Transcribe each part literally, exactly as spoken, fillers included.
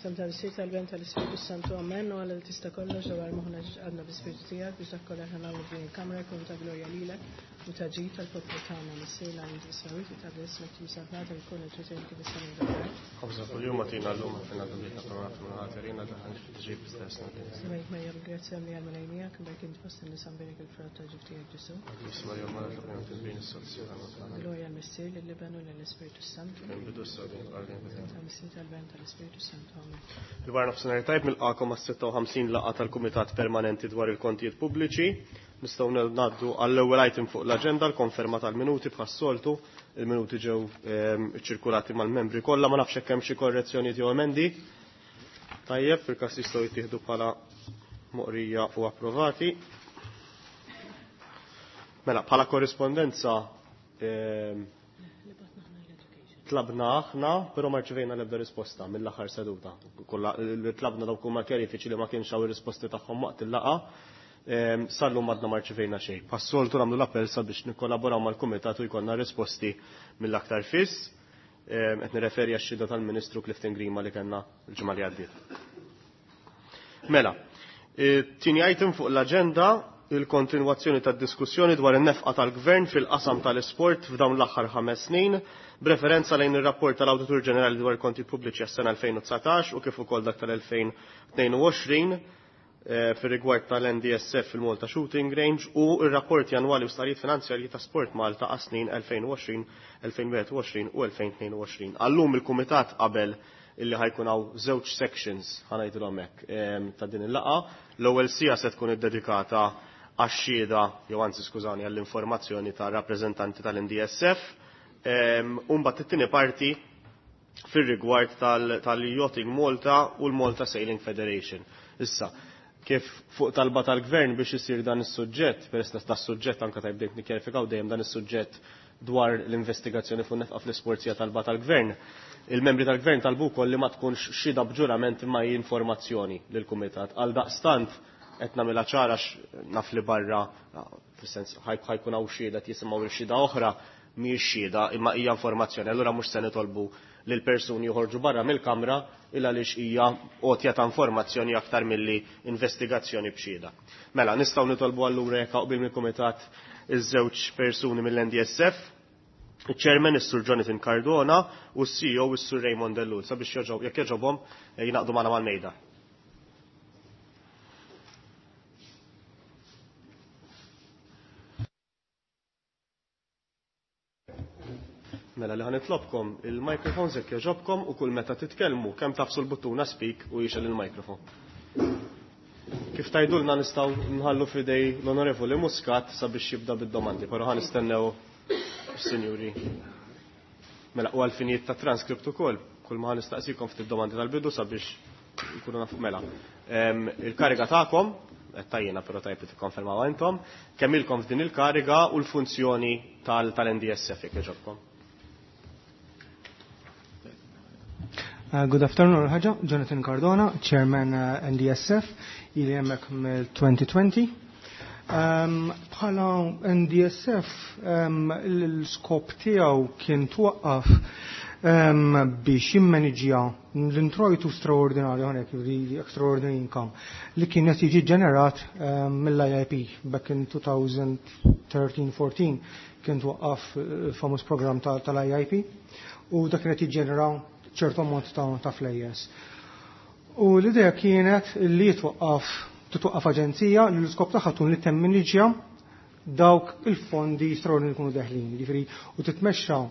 F'isem tal-Missier tal-Iben tal-Ispirtu Santu Amen u Alla li tista' kollox dawwar moħħna għadna bl-Ispirtu tiegħek biex dak kollha aħna nagħmlu f'din il-kamra jkun ta' glorja lilek u ta' ġid tal-poplu tagħna Missier l-għand is-sawit u ta' ismek timsabnata jkun il-ġisem kif is-sema dak. Ħobżna kuljum agħtina llum aħfirna dnubietna bħalma naħfru lil ħatirina daħħalniex fit-tiġrib iżda ħlisna mill-ħażin. Semmejt Marija bil-grazzja mlija l-Mulej miegħek, imbierek int fost in-nisa mbierek il-frott ta' ġuf tiegħek Ġesù. Qaddis Marija Omm Alla itlob għalina midinbin issa u fis-siegħa tal-mewt tagħna. Glorja l-Missier, lill-Iben u lill-Ispirtu Santu. Fil-bidu issa u dejjem u għal dejjem. Tal-Missier tal-Ben tal-Ispirtu Santu. Amen. Il-wara nofsinhar tajb nilqagħkom għas-sitta u ħamsin laqgħa tal-Kumitat Permanenti dwar il-Kontijiet Pubbliċi. Nistgħu ngħaddu għall-ewwel item fuq l-aġenda, l-konferma tal-minuti bħas-soltu. Il-minuti ġew ehm, iċċirkulati mal-membri kollha, ma nafx hekk hemm xi korrezzjonijiet jew emendi. Tajjeb, fil-każ jistgħu jittieħdu bħala moqrija u approvati. Mela, bħala korrispondenza ehm, tlabna aħna, però ma rċevejna l-ebda risposta mill-aħħar seduta. Kollha li tlabna dawk huma kjarifiċi li ma kienx hawn ir-risposti tagħhom waqt il-laqgħa. Ehm, sal-lum għadna ma rċevejna xejn. Bħas-soltu nagħmlu l-appell sabiex nikkollaboraw mal-kumitat u jkollna risposti mill-aktar fis. Ehm, qed nirreferi għax-xhieda tal-Ministru Clifton Grima li kellna l-ġimgħa li għaddiet. Mela, tieni item fuq l-aġenda il-kontinwazzjoni tad-diskussjoni dwar in-nefqa tal-Gvern fil-qasam tal-isport f'dawn l-aħħar ħames snin, b'referenza lejn ir-rapport tal-Awditur Ġenerali dwar il-konti pubbliċi għas-sena elfejn u dsatax u kif ukoll dak tal-elfejn u tnejn u għoxrin, eh, fir-rigward tal-N D S F fil-Malta Shooting Range u r-rapporti annwali u starijiet finanzjarji ta' Sport Malta għas-snin elfejn u għoxrin, elfejn u wieħed u għoxrin u elfejn u tnejn u għoxrin. Għallum il-Kumitat qabel illi ħajkun hawn żewġ sections ħanajdilhom hekk, ehm, ta' din il-laqgħa. L-ewwel sija se tkun iddedikata għax-xhieda, jew anzi skużani, għall-informazzjoni ta' rappreżentanti tal-N D S F. Ehm, u mbagħad it-tieni parti fir-rigward tal-, tal-Yachting Malta u l-Malta Sailing Federation. Issa, kif fuq talba tal-Gvern biex isir dan is-suġġett, peress li tas suġġett anke tajb bdejt nikkjarifikaw dejjem dan is-suġġett dwar l-investigazzjoni fuq nefqa fl-isport hija talba tal-Gvern. Il-membri tal-Gvern talbu wkoll li ma tkunx xhieda b'ġurament imma hi informazzjoni lill-Kumitat. Għal daqstant qed nagħmilha ċara naf li barra, fis-sens ħajkun hawn xhieda qed jisimgħu xhieda oħra, mhijiex xhieda imma hija informazzjoni. Allura mhux se nitolbu lil persuni joħorġu barra mill-kamra illa għaliex hija għotja ta' informazzjoni aktar milli investigazzjoni b'xhieda. Mela, nistgħu nitolbu allura jekk qbil mill-Kumitat iż-żewġ persuni mill-N D S F, il-Chairman is-Sur Jonathan Cardona u s-C E O is-Sur Raymond Ellul sabiex joġob, jekk jogħġobhom, eh, jingħaqdu magħna mal-mejda. Mela li ħanitlobkom il-microphones jekk jogħġobkom u kull meta titkellmu kemm tafsu l-buttuna speak u jixel il-microphone. Kif tajdulna nistgħu nħallu f'idej l-Onorevoli Muscat sabiex jibda bid-domandi, però ħa nistennew is-sinjuri. Mela u għall-finijiet ta' transkript ukoll, kull ma ħanistaqsikom ftit domandi tal-bidu sabiex nkunu nafu mela. Ehm, il-kariga tagħkom, qed tajjena però tajjeb li tikkonfermaw intom, kemm ilkom f'din il-kariga u l-funzjoni tal-, tal-N D S F jekk jogħġobkom. Uh, good afternoon, ħaġa. Jonathan Cardona, Chairman, uh, N D S F, ili hemmhekk mill-twenty twenty. Um, bħala N D S F, um, l-skop tiegħu kien twaqqaf, um, biex jimmaniġja l-introjtu straordinarju hawnhekk, the extraordinary income, li kien qed jiġi ġenerat, um, mill-I I P back in two thousand thirteen fourteen kien twaqqaf il-famuż program ta-, tal-I I P u dak kien qed jiġġenera ċertu ammont ta', ta' flejjes. U l-idea kienet li jitwaqqaf, titwaqqaf aġenzija li l-iskop tagħha tkun li temminiġja dawk il-fondi straordinarji li jkunu deħlin, jiġifieri u titmexxa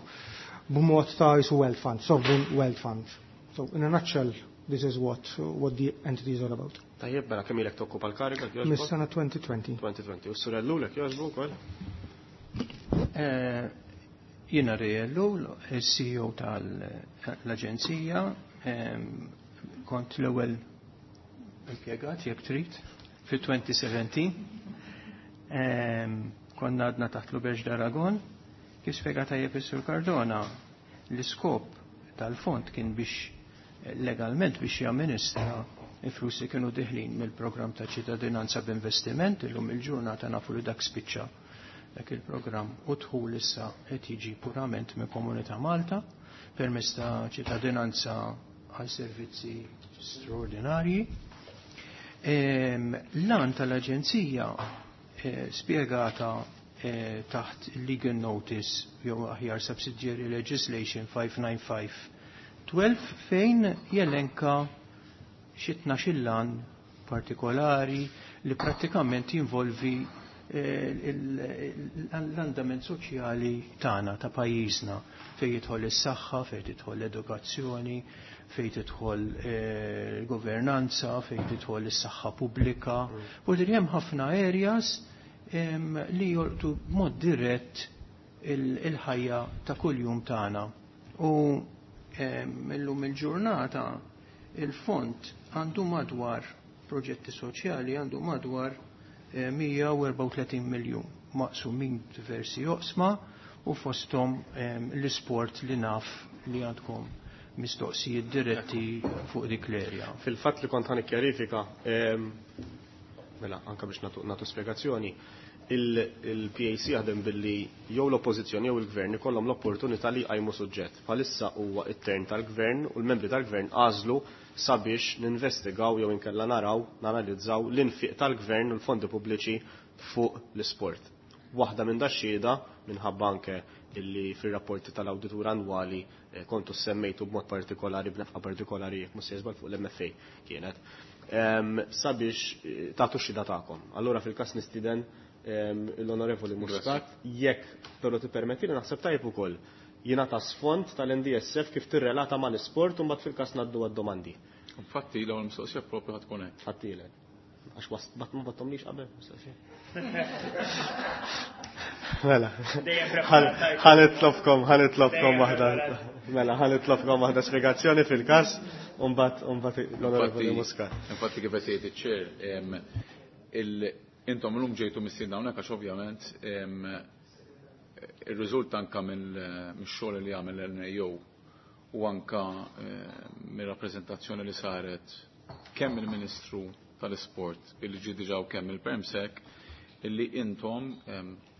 b'mod ta' jisu wealth fund, sovereign wealth fund. So in a nutshell, this is what, what the entity is all about. Tajjeb, mela kemm ilek tokkupa l-kariga, jogħġbok? Mis-sena twenty twenty. twenty twenty. U s-sur Ellul, jekk jogħġbu wkoll? Eh, jiena Ray Ellul, il-C E O tal-Aġenzija, ehm, kont l-ewwel impjegat jekk trid fi twenty seventeen. Ehm, konna għadna taħt l-Uberġ d'Aragon, kif spjega tajjeb is-Sur Cardona, l-iskop tal-fond kien biex legalment biex jamministra il-flus li kienu diħlin mill-programm ta' ċittadinanza b'investiment, illum il-ġurnata nafu li dak spiċċa dak il-programm u dħul issa qed jiġi purament minn Komunità Malta permezz ta' ċittadinanza għal servizzi straordinarji. L-għan tal-Aġenzija eh, spiegata eh, taħt Legal Notice jew aħjar Subsidiary Legislation five nine five twelve, fejn jelenka xi tnax-il għan partikolari li prattikament jinvolvi eh, l-andament soċjali tagħna, ta' pajjiżna, fejn jidħol is-saħħa, fejn tidħol l-edukazzjoni, fejn tidħol eh, l-governanza, fejn tidħol is-saħħa pubblika. U hemm ħafna areas li jolqtu b'mod dirett il-ħajja ta' kuljum tagħna. U illum il-ġurnata il-fond għandu madwar proġetti soċjali, għandu madwar mija u erbgħa u tletin eh, miljun maqsumin diversi oqsma u fostom l-isport, li naf li għandkom mistoqsijiet diretti fuq dik l-erja. Fil-fatt li kont ħa nikkjarifika, mela, anka biex natu, natu spiegazzjoni, il-P A C jaħdem billi jew l-oppożizzjoni jew il-gvern ikollhom l-opportunità li jqajmu suġġett. Bħalissa huwa it-turn tal-gvern u l-membri tal-gvern għażlu sabiex ninvestigaw jew inkella naraw, nanalizzaw l-infiq tal-gvern u l-fondi pubbliċi fuq l-isport. Waħda minn dax-xhieda, minħabba anke illi fir-rapporti tal-awditur annwali eh, kontu semmejtu b'mod partikolari, b'nefqa partikolari, jekk mhux żball fuq l-M F A kienet, sabiex eh, tagħtu xhieda tagħkom. Allura fil-każ nistieden l-Onorevoli Muscat, jekk però tippermetti li naħseb tajb ukoll jingħata sfond tal-N D S F kif tirrelata mal-isport u mbagħad fil-każ ngħaddu għad-domandi. Infatti l-ewwel mistoqsija propju ħa tkun hekk. Ħattilek. Għax was bat ma battomlix qabel mistoqsija. Mela. Ħa nitlobkom, ħa nitlobkom waħda. Mela, ħa nitlobkom waħda spjegazzjoni fil-każ u mbagħad l-Onorevoli Muscat. Infatti, kif qed jgħid iċ-chair, intom llum ġejtu mistiedna hawnhekk għax ovvjament ir-riżult anka mill-xogħol li għamel l-N A O u anka mir-rappreżentazzjoni li saret kemm il-Ministru tal-Isport illi ġi diġà u kemm il-Permsec, illi intom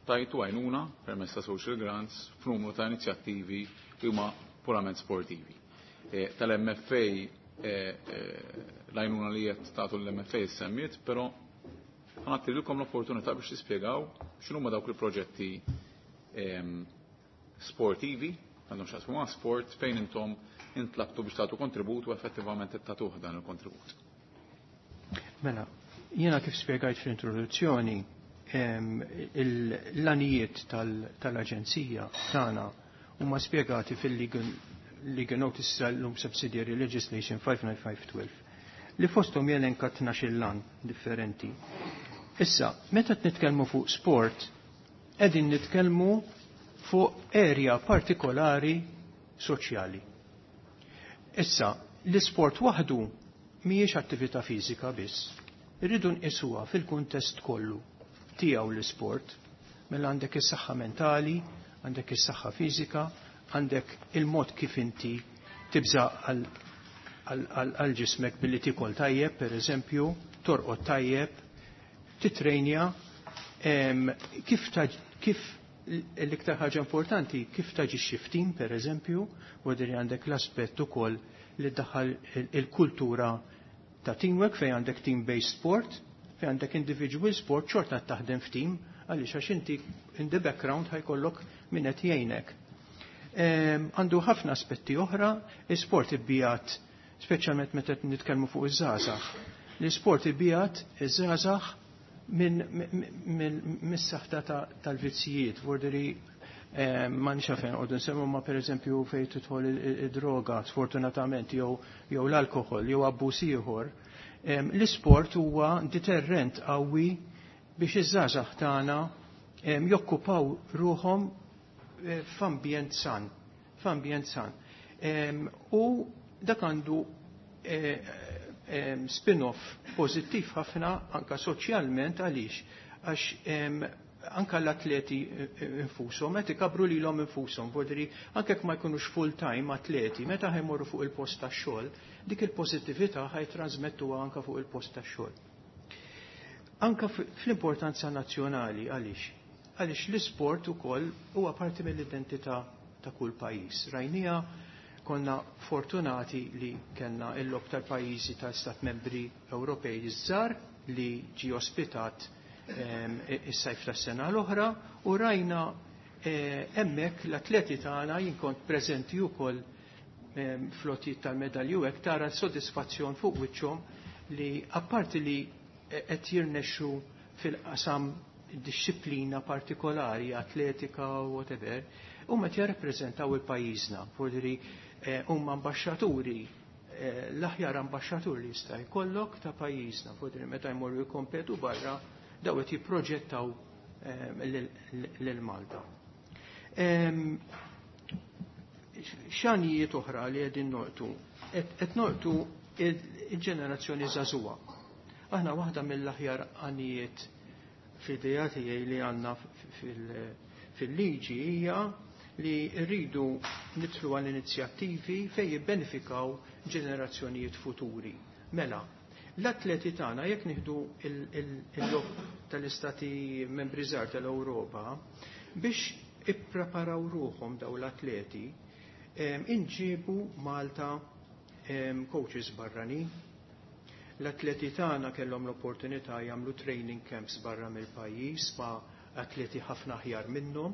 tajtu għajnuna permezz ta' social grants f'numru ta' inizjattivi li huma purament sportivi. E, Tal-M F A, e, e, l-għajnuna li qed tagħtu l-M F A semmiet, però ħa nagħtilkom l-opportunità biex tispjegaw x'inhuma dawk il-proġetti sportivi għandhom x'jaqsmu ma' sport fejn intom intlabtu biex tagħtu kontribut u effettivament tagħtuh dan il-kontribut. Mela, jiena kif spjegajt fl-introduzzjoni, l-għanijiet tal-Aġenzija tagħna huma spjegati fil-Legal Legal Notice tal-lum Subsidiary Legislation five nine five twelve, li fosthom jelenka tnax-il għan differenti. Issa, meta nitkellmu fuq sport, qegħdin nitkellmu fuq area partikolari soċjali. Issa, l-isport waħdu mhijiex attività fiżika biss. Irridu nqisuha fil-kuntest kollu tiegħu l-isport. Mela għandek is-saħħa mentali, għandek is-saħħa fiżika, għandek il-mod kif inti tibża għal ġismek billi tikol tajjeb, per eżempju, torqod tajjeb, titrejnja, kif kif l-iktar ħaġa importanti, kif taġixxi f'tim, per eżempju, u għandek l-aspett ukoll li daħal il-kultura ta' teamwork, fej għandek team-based sport, fej għandek individual sport, xorta taħdem f'team, għaliex għax inti in the background ħa jkollok min qed jgħinek. Għandu ħafna aspetti oħra, il-sport ibbiegħed, speċjalment meta nitkellmu fuq iż-żgħażagħ. L-isport ibbiegħed iż-żgħażagħ minn mis-saħta tal-vizzijiet, vorderi ma nix fejn għoddu nsemmu, ma per eżempju fejn tidħol id-droga, sfortunatament, jew l-alkohol, jew abbuż ieħor. L-isport huwa deterrent qawwi biex iż-żgħażagħ tagħna jokkupaw ruħhom eh, f'ambjent san, f'ambjent san. U dak għandu eh, spin-off pożittiv ħafna anka soċjalment. Għaliex? Għax anka l-atleti eh, eh, infushom, meta ikabru lilhom infushom, vorderi anke ma jkunux full-time atleti, meta ħa jmorru fuq il-post tax-xogħol, dik il-pożittività ħa jtransmettuha anka fuq il-post tax-xogħol. Anka fl-importanza nazzjonali, għaliex? Għaliex l-isport ukoll huwa parti mill-identità ta' kull pajjiż. Rajnija Konna fortunati li kellna il-logħob tal-pajjiżi tal-Stat Membri Ewropej iż-żgħar li ġie ospitat is-sajf tas-sena l-oħra u rajna hemmhekk l-atleti tagħna, jien kont preżenti wkoll flottijiet tal-medalji u hekk, tara s-sodisfazzjon fuq wiċċhom li apparti li qed jirnexxu fil-qasam disċiplina partikolari, atletika u whatever, huma qed jirrappreżentaw il-pajjiżna, vuol huma ambaxxaturi, l-aħjar ambaxxatur li jista' jkollok ta' pajjiżna, vuol meta jmorru jkompetu barra daw qed jipproġettaw lil Malta. X'għanijiet oħra li qegħdin nolqtu? Qed nolqtu il-ġenerazzjoni żagħżugħa. Aħna waħda mill-aħjar għanijiet fl-idea tiegħi li għandna fil-liġi hija li rridu nidħlu għal inizjattivi fejn jibbenefikaw ġenerazzjonijiet futuri. Mela, l-atleti tagħna jekk nieħdu il-logħob tal-istati membri żgħar tal-Ewropa biex ippreparaw ruħhom daw l-atleti, inġibu Malta coaches barranin. L-atleti tagħna kellhom l-opportunità jagħmlu training camps barra mill-pajjiż ma' atleti ħafna aħjar minnhom,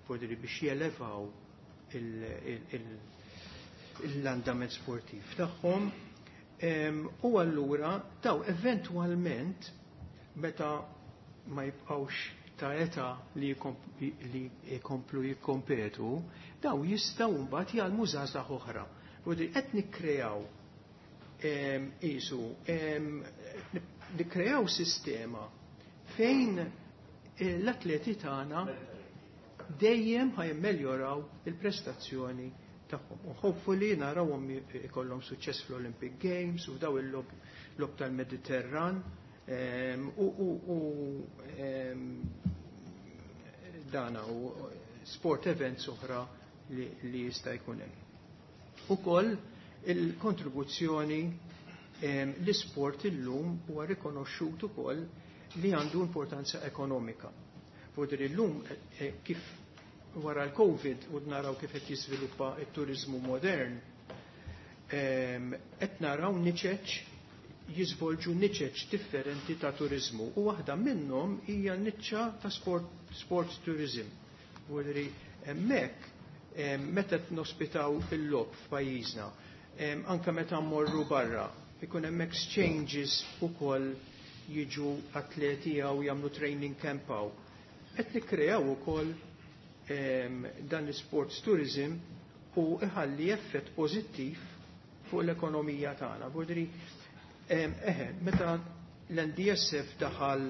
vuol biex jelevaw l-andament sportiv tagħhom. U allura daw eventwalment meta ma jibqgħux ta' età li jkomplu jikkompetu, daw jistgħu mbagħad jgħallmu żgħażagħ oħra. Qed nikkreaw isu nikkreaw sistema fejn l-atleti tagħna dejjem ħa jimmeljoraw il-prestazzjoni tagħhom. U hopefully narawhom ikollhom suċċess fl-Olympic Games u daw il-logħob tal-Mediterran u dana u sport events oħra li jista' jkun hemm. Ukoll il-kontribuzzjoni, l-isport illum huwa rikonoxxut ukoll li għandu importanza ekonomika. Vuol illum kif wara l-Covid u naraw kif qed jiżviluppa t-turizmu modern, qed naraw niċeċ jiżvolġu niċeċ differenti ta' turizmu u waħda minnhom hija niċċa ta' sport, sport tourism. Vuol hemmhekk meta nospitaw il-logħob f'pajjiżna, anke meta mmorru barra, ikun hemm exchanges ukoll, jiġu atleti jew jagħmlu training camp hawn. Qed nikkreaw ukoll dan l-sports tourism u iħalli effett pożittiv fuq l-ekonomija tagħna. Vuol eħe, meta l-N D S F daħal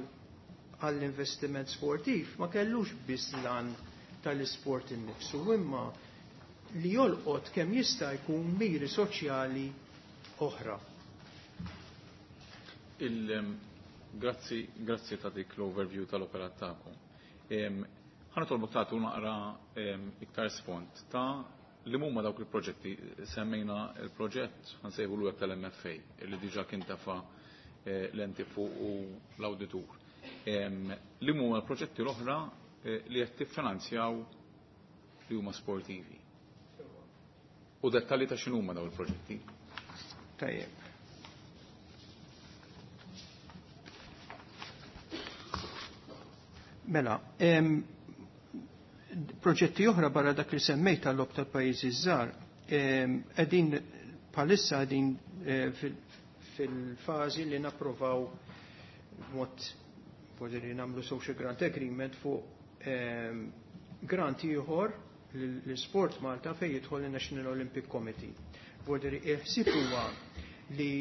għall-investiment sportiv ma kellux biss lan tal-isport innifsu, imma li jolqot kemm jista' jkun miri soċjali oħra. Grazzi, grazzi ta' dik l-overview tal-operat tagħkom. Ħa nitolbok tagħtu naqra iktar sfond ta' li huma dawk il-proġetti. Semmejna il-proġett, ħa nsejħulu tal-M F A, li diġà kien tafa eh, l-enti fuq u l-awditur. Li huma l-proġetti l-oħra eh, li qed tiffinanzjaw li huma sportivi. U dettalji ta' x'inhuma dawn il-proġetti. Tajjeb. Mela, proġetti oħra barra dak li semmejt tal-logħob tal-pajjiżi żgħar, qegħdin bħalissa qegħdin eh, fil-fażi li napprovaw mod li nagħmlu social grant agreement fuq grant ieħor l-Sport Malta fejn jidħol il-National Olympic Committee. Vuol il-ħsieb huwa li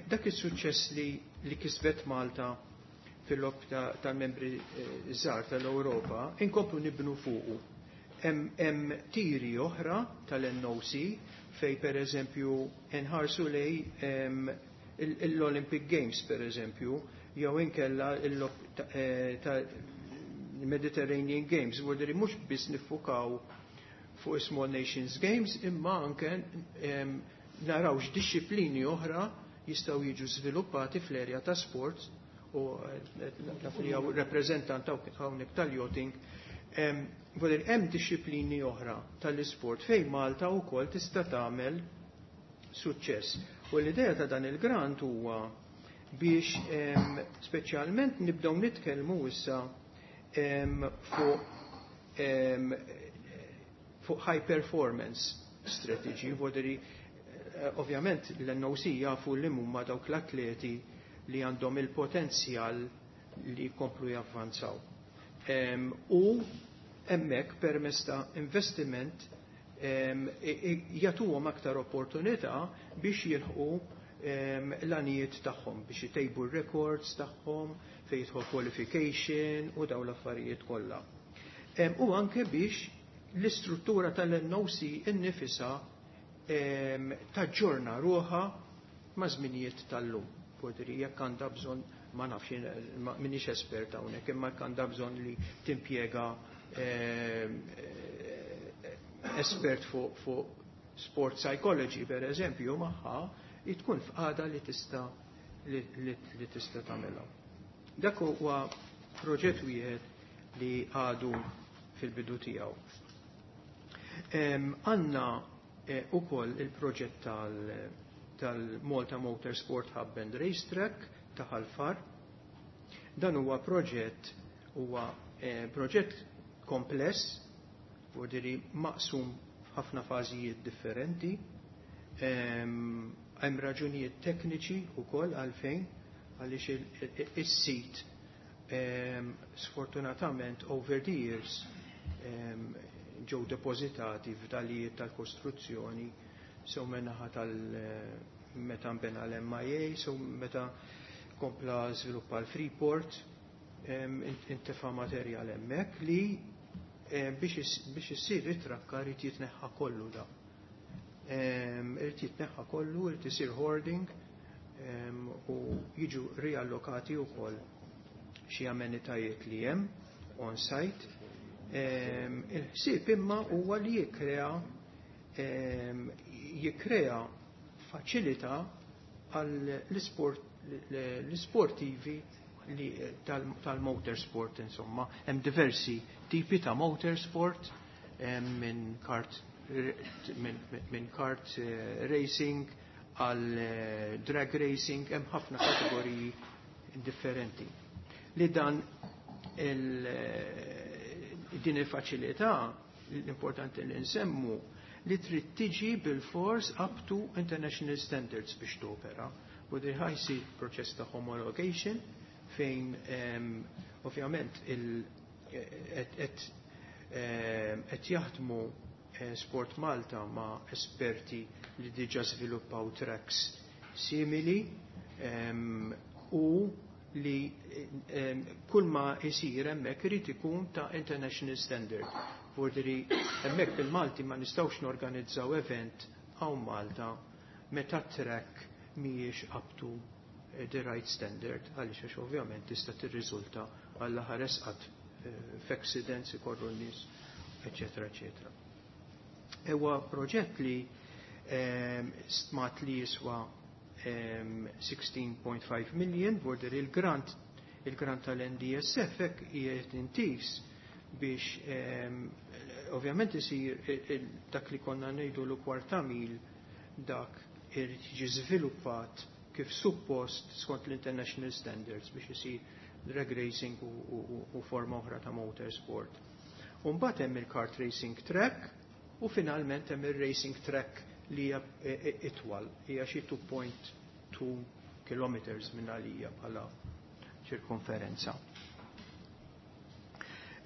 dak is-suċċess li, li kisbet Malta fil-logħob tal-membri eh, żgħar tal-Ewropa, inkomplu nibnu fuqu. Hemm tiri oħra tal-N O C fej per eżempju nħarsu lej l-Olympic Games, per eżempju, jew inkella l-logħob eh, tal-Mediterranean Games, vuol mhux biss niffukaw fuq Small Nations Games, imma anke naraw x'dixxiplini oħra jistgħu jiġu żviluppati fl-erja ta' sport u naf li hawn rappreżentant hawnhekk tal-yachting. Vodir hemm dixxiplini oħra tal-isport fejn Malta wkoll tista' tagħmel suċċess. U l-idea ta' dan il-grant huwa biex speċjalment nibdew nitkellmu issa fuq fuq high performance strategy, voderi eh, ovvjament l-N O C jafu li huma dawk l-atleti li għandhom il-potenzjal li jkomplu javvanzaw. U hemmhekk permezz ta' investiment jagħtuhom aktar opportunità biex jilħqu l-għanijiet tagħhom, biex jtejbu r-records tagħhom fejn jidħol qualification u daw l-affarijiet kollha. U anke biex l-istruttura tal-N O C innifisha taġġorna ruħha ma' żminijiet tal-lum. Podri jekk għandha bżonn, ma nafx, minix espert hawnhekk, imma jekk għandha bżonn li timpjega espert fuq fu sport psychology per eżempju magħha, tkun f'qagħda li tista' li, li, li tista' tagħmilha. Dak huwa proġett wieħed li għadu fil-bidu tiegħu. Għandna eh, ukoll il-proġett tal-Malta Motorsport Hub and Racetrack ta' Ħal Far. Dan huwa proġett huwa eh, proġett kompless, vodiri maqsum f'ħafna fażijiet differenti. Hemm raġunijiet tekniċi wkoll għalfejn, għaliex is-sit sfortunatament over the years ġew depożitati f'dalijiet tal-kostruzzjoni, sew min-naħa tal meta nbena l-M I A, sew meta kompla żviluppa l-Freeport, intefa materjal hemmhekk li biex issir it-trakka rrid jitneħħa kollu da. Irid jitneħħa kollu, irid isir hoarding u jiġu riallokati wkoll xi amenitajiet li hemm on site. Il-ħsieb imma huwa li jikkrea jikkrea faċilità għall-isport l-sportivi tal-motorsport insomma. Hemm diversi tipi ta' motorsport, minn kart minn kart eh, racing għal eh, drag racing, hemm ħafna kategoriji differenti. Li dan il, eh, din il-faċilità, l-importanti li nsemmu li trid tiġi bil-fors up to international standards biex topera. U di ħa jsir proċess ta' homologation fejn um, ovvjament qed jaħdmu eh, Sport Malta ma' esperti li diġa sviluppaw tracks simili um, u li um, kull ma jsir hemmhekk irid ikun ta' international standard. Vordiri hemmhekk bil-Malti ma nistgħux norganizzaw event hawn Malta meta track mhijiex up to the right standard, għaliex għax ovvjament tista' tirriżulta għall ħares qatt f'accidents ikorru n-nies, eċetera, eċetera. Ewa proġett li stmat li jiswa sittax punt ħamsa million, vorder il-grant il-grant tal-N D S F hekk qiegħed intis biex ovvjament isir dak li konna ngħidu l kwarta mil, dak irid jiġi żviluppat kif suppost skont l-international standards biex isir drag racing u, u, u forma oħra ta' motorsport. Mbagħad hemm il-kart racing track u finalment hemm il-racing track li hija itwal, hija xi two point two kilometers minn għalija bħala ċirkonferenza.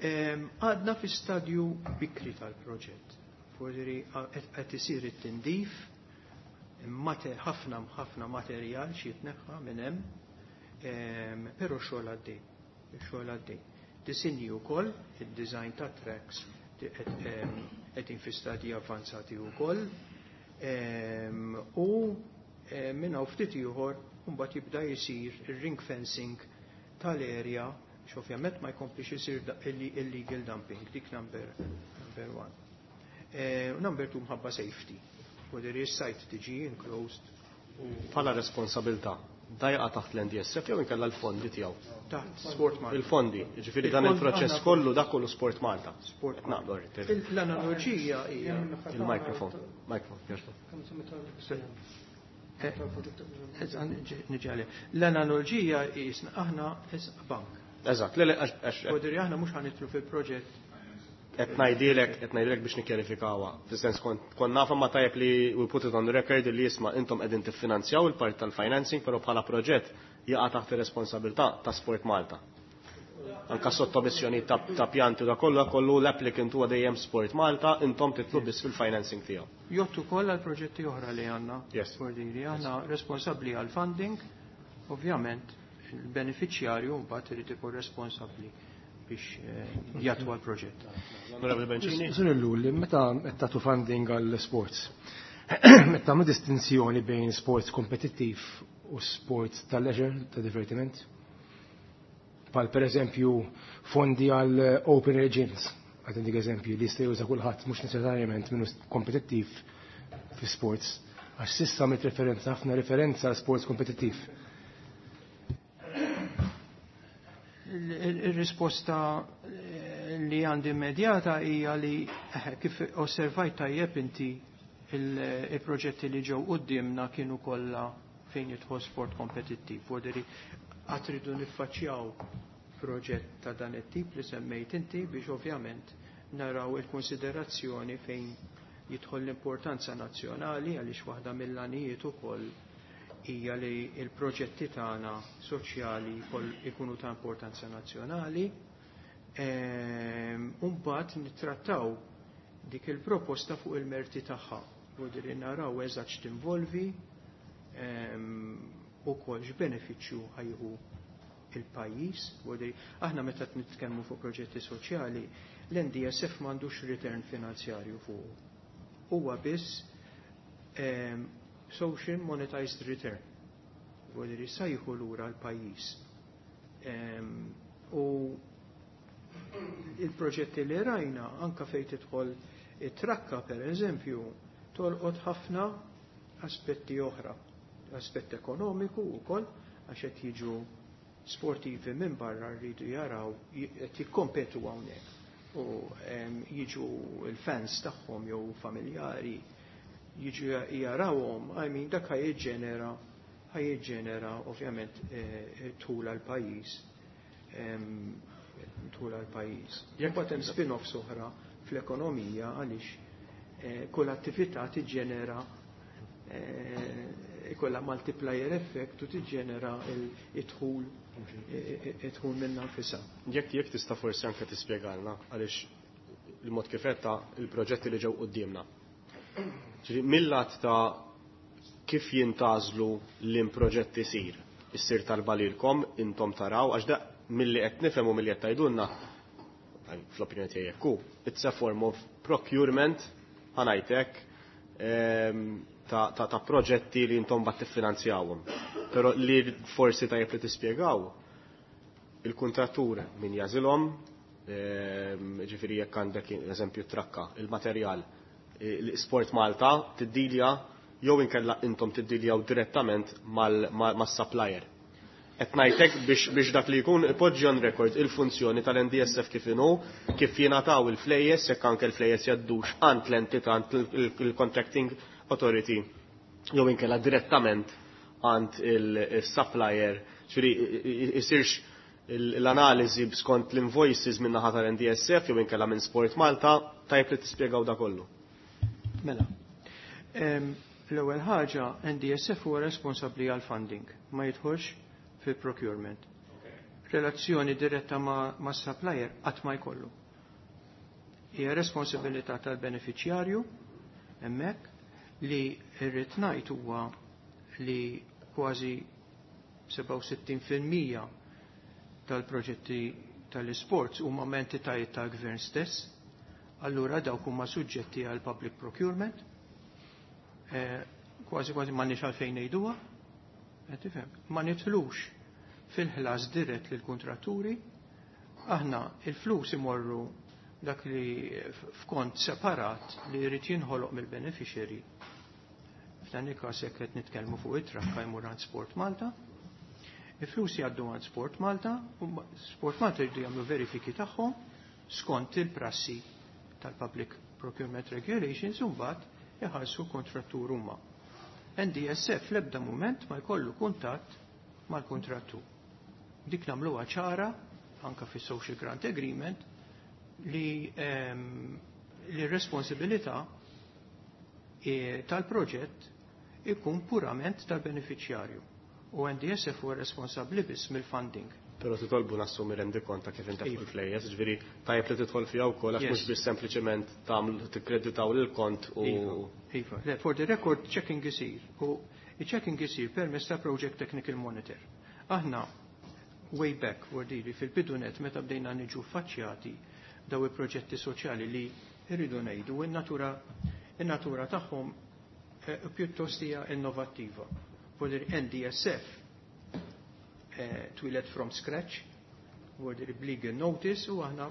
Għadna fi stadju bikri tal-proġett. Fordiri qed isir it-tindif, ħafna ħafna materjal xi jitneħħa minn hemm, però xogħol għaddej, xogħol għaddej. Disinji wkoll, id-design ta' tracks qegħdin fi stadji avvanzati wkoll. U minn hawn ftit ieħor mbagħad jibda jsir ir-ring fencing tal-area biex ovvjament ma jkomplix isir illegal dumping, dik number, number one. Number two, mħabba safety. Whether is-site tiġi enclosed. Bħala responsabilità Da jaqa' taħt l-N D S F jew inkella l-fondi tiegħu? Taħt Sport Malta. Il-fondi, ġifieri dan il-proċess kollu, dak kollu Sport Malta. Sport Malta. Naqbel. L-analoġija hija Il-mikrofon. Mikrofon, jogħġbok. Niġi. L-analoġija jisna aħna bank. Eżatt, le, għax. Kodri aħna mhux ħa nidħlu fil-proġett. Qed ngħidilek, qed ngħidilek biex nikkjarifikawha. Fis-sens kont nafa ma tajjeb li we put it on the record li jisma' intom qegħdin tiffinanzjaw il-part tal-financing, però bħala proġett jaqa' taħt ir-responsabilità ta' Sport Malta. Anka sottomissjoni ta' pjanti da kollu kollu l-applicant huwa dejjem Sport Malta, intom titlu biss fil-financing tiegħu. Jgħoddu koll għal proġetti oħra li għandna. Yes. Bordiri, aħna responsabbli għal funding, ovvjament il-beneficjarju mbagħad irid ikun responsabbli biex eh, jatwa l-proġett. Onorevole Bencini. Sur Ellul, meta qed tagħtu funding għall sports, meta tagħmlu distinzjoni bejn sports kompetittiv u sports ta' leisure, ta' divertiment? Bħal per eżempju fondi għal open air gyms, għad dik eżempju li jista' juża kulħadd, mhux neċessarjament minnu kompetittiv fi sports, għax s'issa għamilt referenza, ħafna referenza għal sports kompetittiv. Il-risposta eh, li għandi immedjata hija li eh, kif osservajt tajjeb inti, il-proġetti li ġew qudiemna kienu kollha fejn jidħol sport kompetittiv. Voderi għad ridu niffaċċjaw proġett ta' dan it-tip li semmejt inti biex ovvjament naraw il-konsiderazzjoni fejn jidħol l-importanza nazzjonali, għaliex waħda mill-għanijiet ukoll hija li il-proġetti tagħna soċjali ikunu ta' importanza nazzjonali. Ehm, Mbagħad nittrattaw dik il-proposta fuq il-merti tagħha. Vuol naraw eżatt x'tinvolvi ehm, ukoll x'benefiċċju ħa jieħu il-pajjiż. Aħna meta nitkellmu fuq proġetti soċjali, l-N D S F m'għandux return finanzjarju fuq. Huwa biss ehm, social monetized return. Vuol sa jieħu lura l-pajjiż. U il-proġetti li rajna, anka fejn tidħol it-trakka per eżempju, tolqot ħafna aspetti oħra. Aspett ekonomiku wkoll, għax qed jiġu sportivi minn barra rridu jaraw qed jikkompetu hawnhekk u jiġu il-fans tagħhom jew familjari jiġu jarawhom, I mean, dak ħa jiġġenera ħa jiġġenera ovvjament eh, dħul għal pajjiż dħul għal pajjiż. Jekk hemm spin-offs oħra fl-ekonomija, għaliex eh, kull attività tiġġenera eh, ikolla multiplier effect u tiġġenera il-dħul id-dħul minna nfisha. Jekk jekk tista' forsi anke tispjegalna għaliex il-mod kif il-proġetti li ġew quddiemna. Mill-lat ta' kif jintgħażlu l-proġetti sir, issir talba lilkom, intom taraw, għax da milli qed nifhem u milli qed tgħidulna, fl-opinjoni tiegħi jekk it's a form of procurement, ħa ngħidlek, ehm, ta', ta, ta proġetti li intom bat tiffinanzjawhom. Però li forsi tajjeb li tispjegaw il-kuntrattur min jagħżilhom, ehm, ġifieri jekk għandek eżempju trakka, il-materjal, l-Sport Malta tiddilja jew inkella intom tiddiljaw direttament mal-supplier. Qed ngħidlek biex, biex dak li jkun ipoġġi on record il-funzjoni tal-N D S F kif inhu, kif jingħataw il-flejjes, jekk anke l-flejjes jgħaddux għand l-entità, għand il-contracting authority jew inkella direttament għand il-supplier, ġifieri isirx l-analiżi skont l-invoices minn naħa tal-N D S F jew inkella minn Sport Malta, tajjeb li tispjegaw da kollu. Mela. L-ewwel ħaġa, N D S F huwa responsabbli għal funding, ma jidħolx fil-procurement. Relazzjoni diretta ma', ma supplier qatt ma jkollu. Hija responsabilità tal-beneficjarju hemmhekk. Li rrid ngħid huwa li kważi sebgħa u sittin fil-mija tal-proġetti tal-sports huma entitajiet tal-gvern stess, allura dawk huma suġġetti għal public procurement. Eh, kważi kważi m'għandniex għalfejn ngħiduha, tifhem, ma nidħlux fil-ħlas dirett lil kontratturi, aħna il-flus imorru dak li f'kont separat li jrid jinħoloq mill-beneficiary. F'dan il-każ jekk qed nitkellmu fuq it-trakka jmur għand Sport Malta. Il-flus jgħaddu għand Sport Malta, u Sport Malta jridu jagħmlu verifiki tagħhom skont il-prassi tal-Public Procurement Regulations u mbagħad iħallsu kontrattur huma. N D S F l-ebda mument ma jkollu kuntatt mal-kontrattur. Dik nagħmluha ċara anka fis Social Grant Agreement li ehm, li responsabilità e, tal-proġett ikun purament tal-beneficjarju. U N D S F huwa responsabbli biss mill-funding. Pero titolbu nassumi rendikont ta' kif intefqu l-flejjes, ġifieri tajjeb li tidħol fiha wkoll għax mhux biss sempliċement tagħmlu tikkreditaw lil kont u Iva, iva. Le, for the record, checking isir. U checking isir permezz ta' Project Technical Monitor. Aħna, way back, wordili, fil-bidunet meta bdejna niġu faċċjati daw il-proġetti soċjali li irridu ngħidu in-natura in-natura tagħhom eh, pjuttost hija innovattiva. Vuol N D S F eh, twieled from scratch, vuol b'legal notice u aħna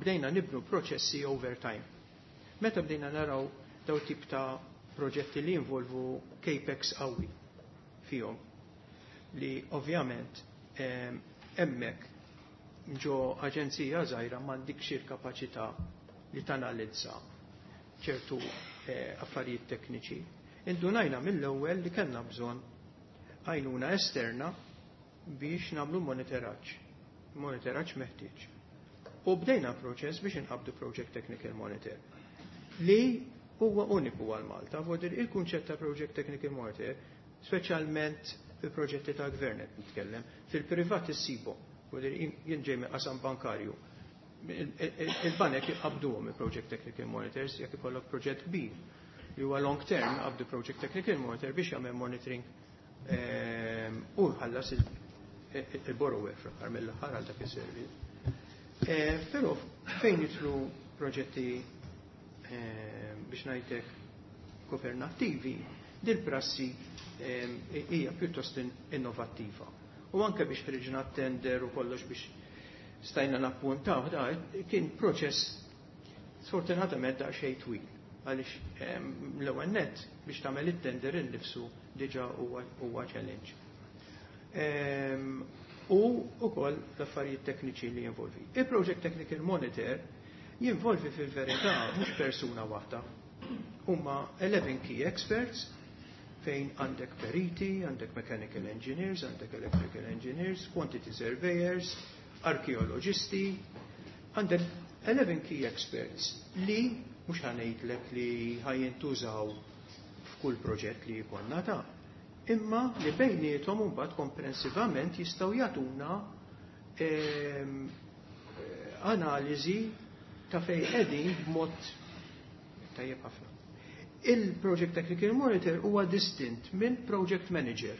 bdejna nibnu proċessi over time. Meta bdejna naraw daw tip ta' proġetti li involvu capex qawwi fihom li ovvjament hemmhekk ġo aġenzija żgħira m'għandikx il-kapaċità li tanalizza ċertu eh, affarijiet tekniċi. Indunajna mill-ewwel li kellna bżonn għajnuna esterna biex nagħmlu monitoraġġ. Monitoraġġ meħtieġ. U bdejna proċess biex inqabdu Project Technical Monitor li huwa uniku għal Malta. Vuol il-kunċett ta' Project Technical Monitor, speċjalment fil-proġetti ta' gvern qed nitkellem, fil-privat issibu. Jien ġej minn qasam bankarju. Il-banek jqabduhom il-Project Technical Monitors jekk ikollok proġett kbir li huwa long term, qabdu Project Technical Monitor biex jagħmel monitoring ehm, u ħallas il-borrower fl-aħħar mill-aħħar għal dak is-servizz. Eh, però fejn jidħlu proġetti ehm, biex ngħidlek governattivi, dil-prassi ehm, hija pjuttost innovattiva. U anke biex ħriġna tender u kollox biex stajna nappuntaw, da kien proċess sfortunatament daqsxejn twil. Għaliex l-ewwel net biex tagħmel it-tender innifsu diġà huwa challenge. U ukoll l-affarijiet tekniċi li jinvolvi. Il-Project Technical Monitor jinvolvi fil-verità mhux persuna waħda. Huma eleven key experts fejn għandek periti, għandek mechanical engineers, għandek electrical engineers, quantity surveyors, arkeoloġisti, għandek eleven key experts li mhux ħa ngħidlek li ħa jintużaw f'kull proġett li jkollna ta' imma li bejniethom mbagħad komprensivament jistgħu jagħtuna ehm, analiżi ta' fejn qegħdin b'mod tajjeb ħafna. Il-Project Technical Monitor huwa distint minn Project Manager.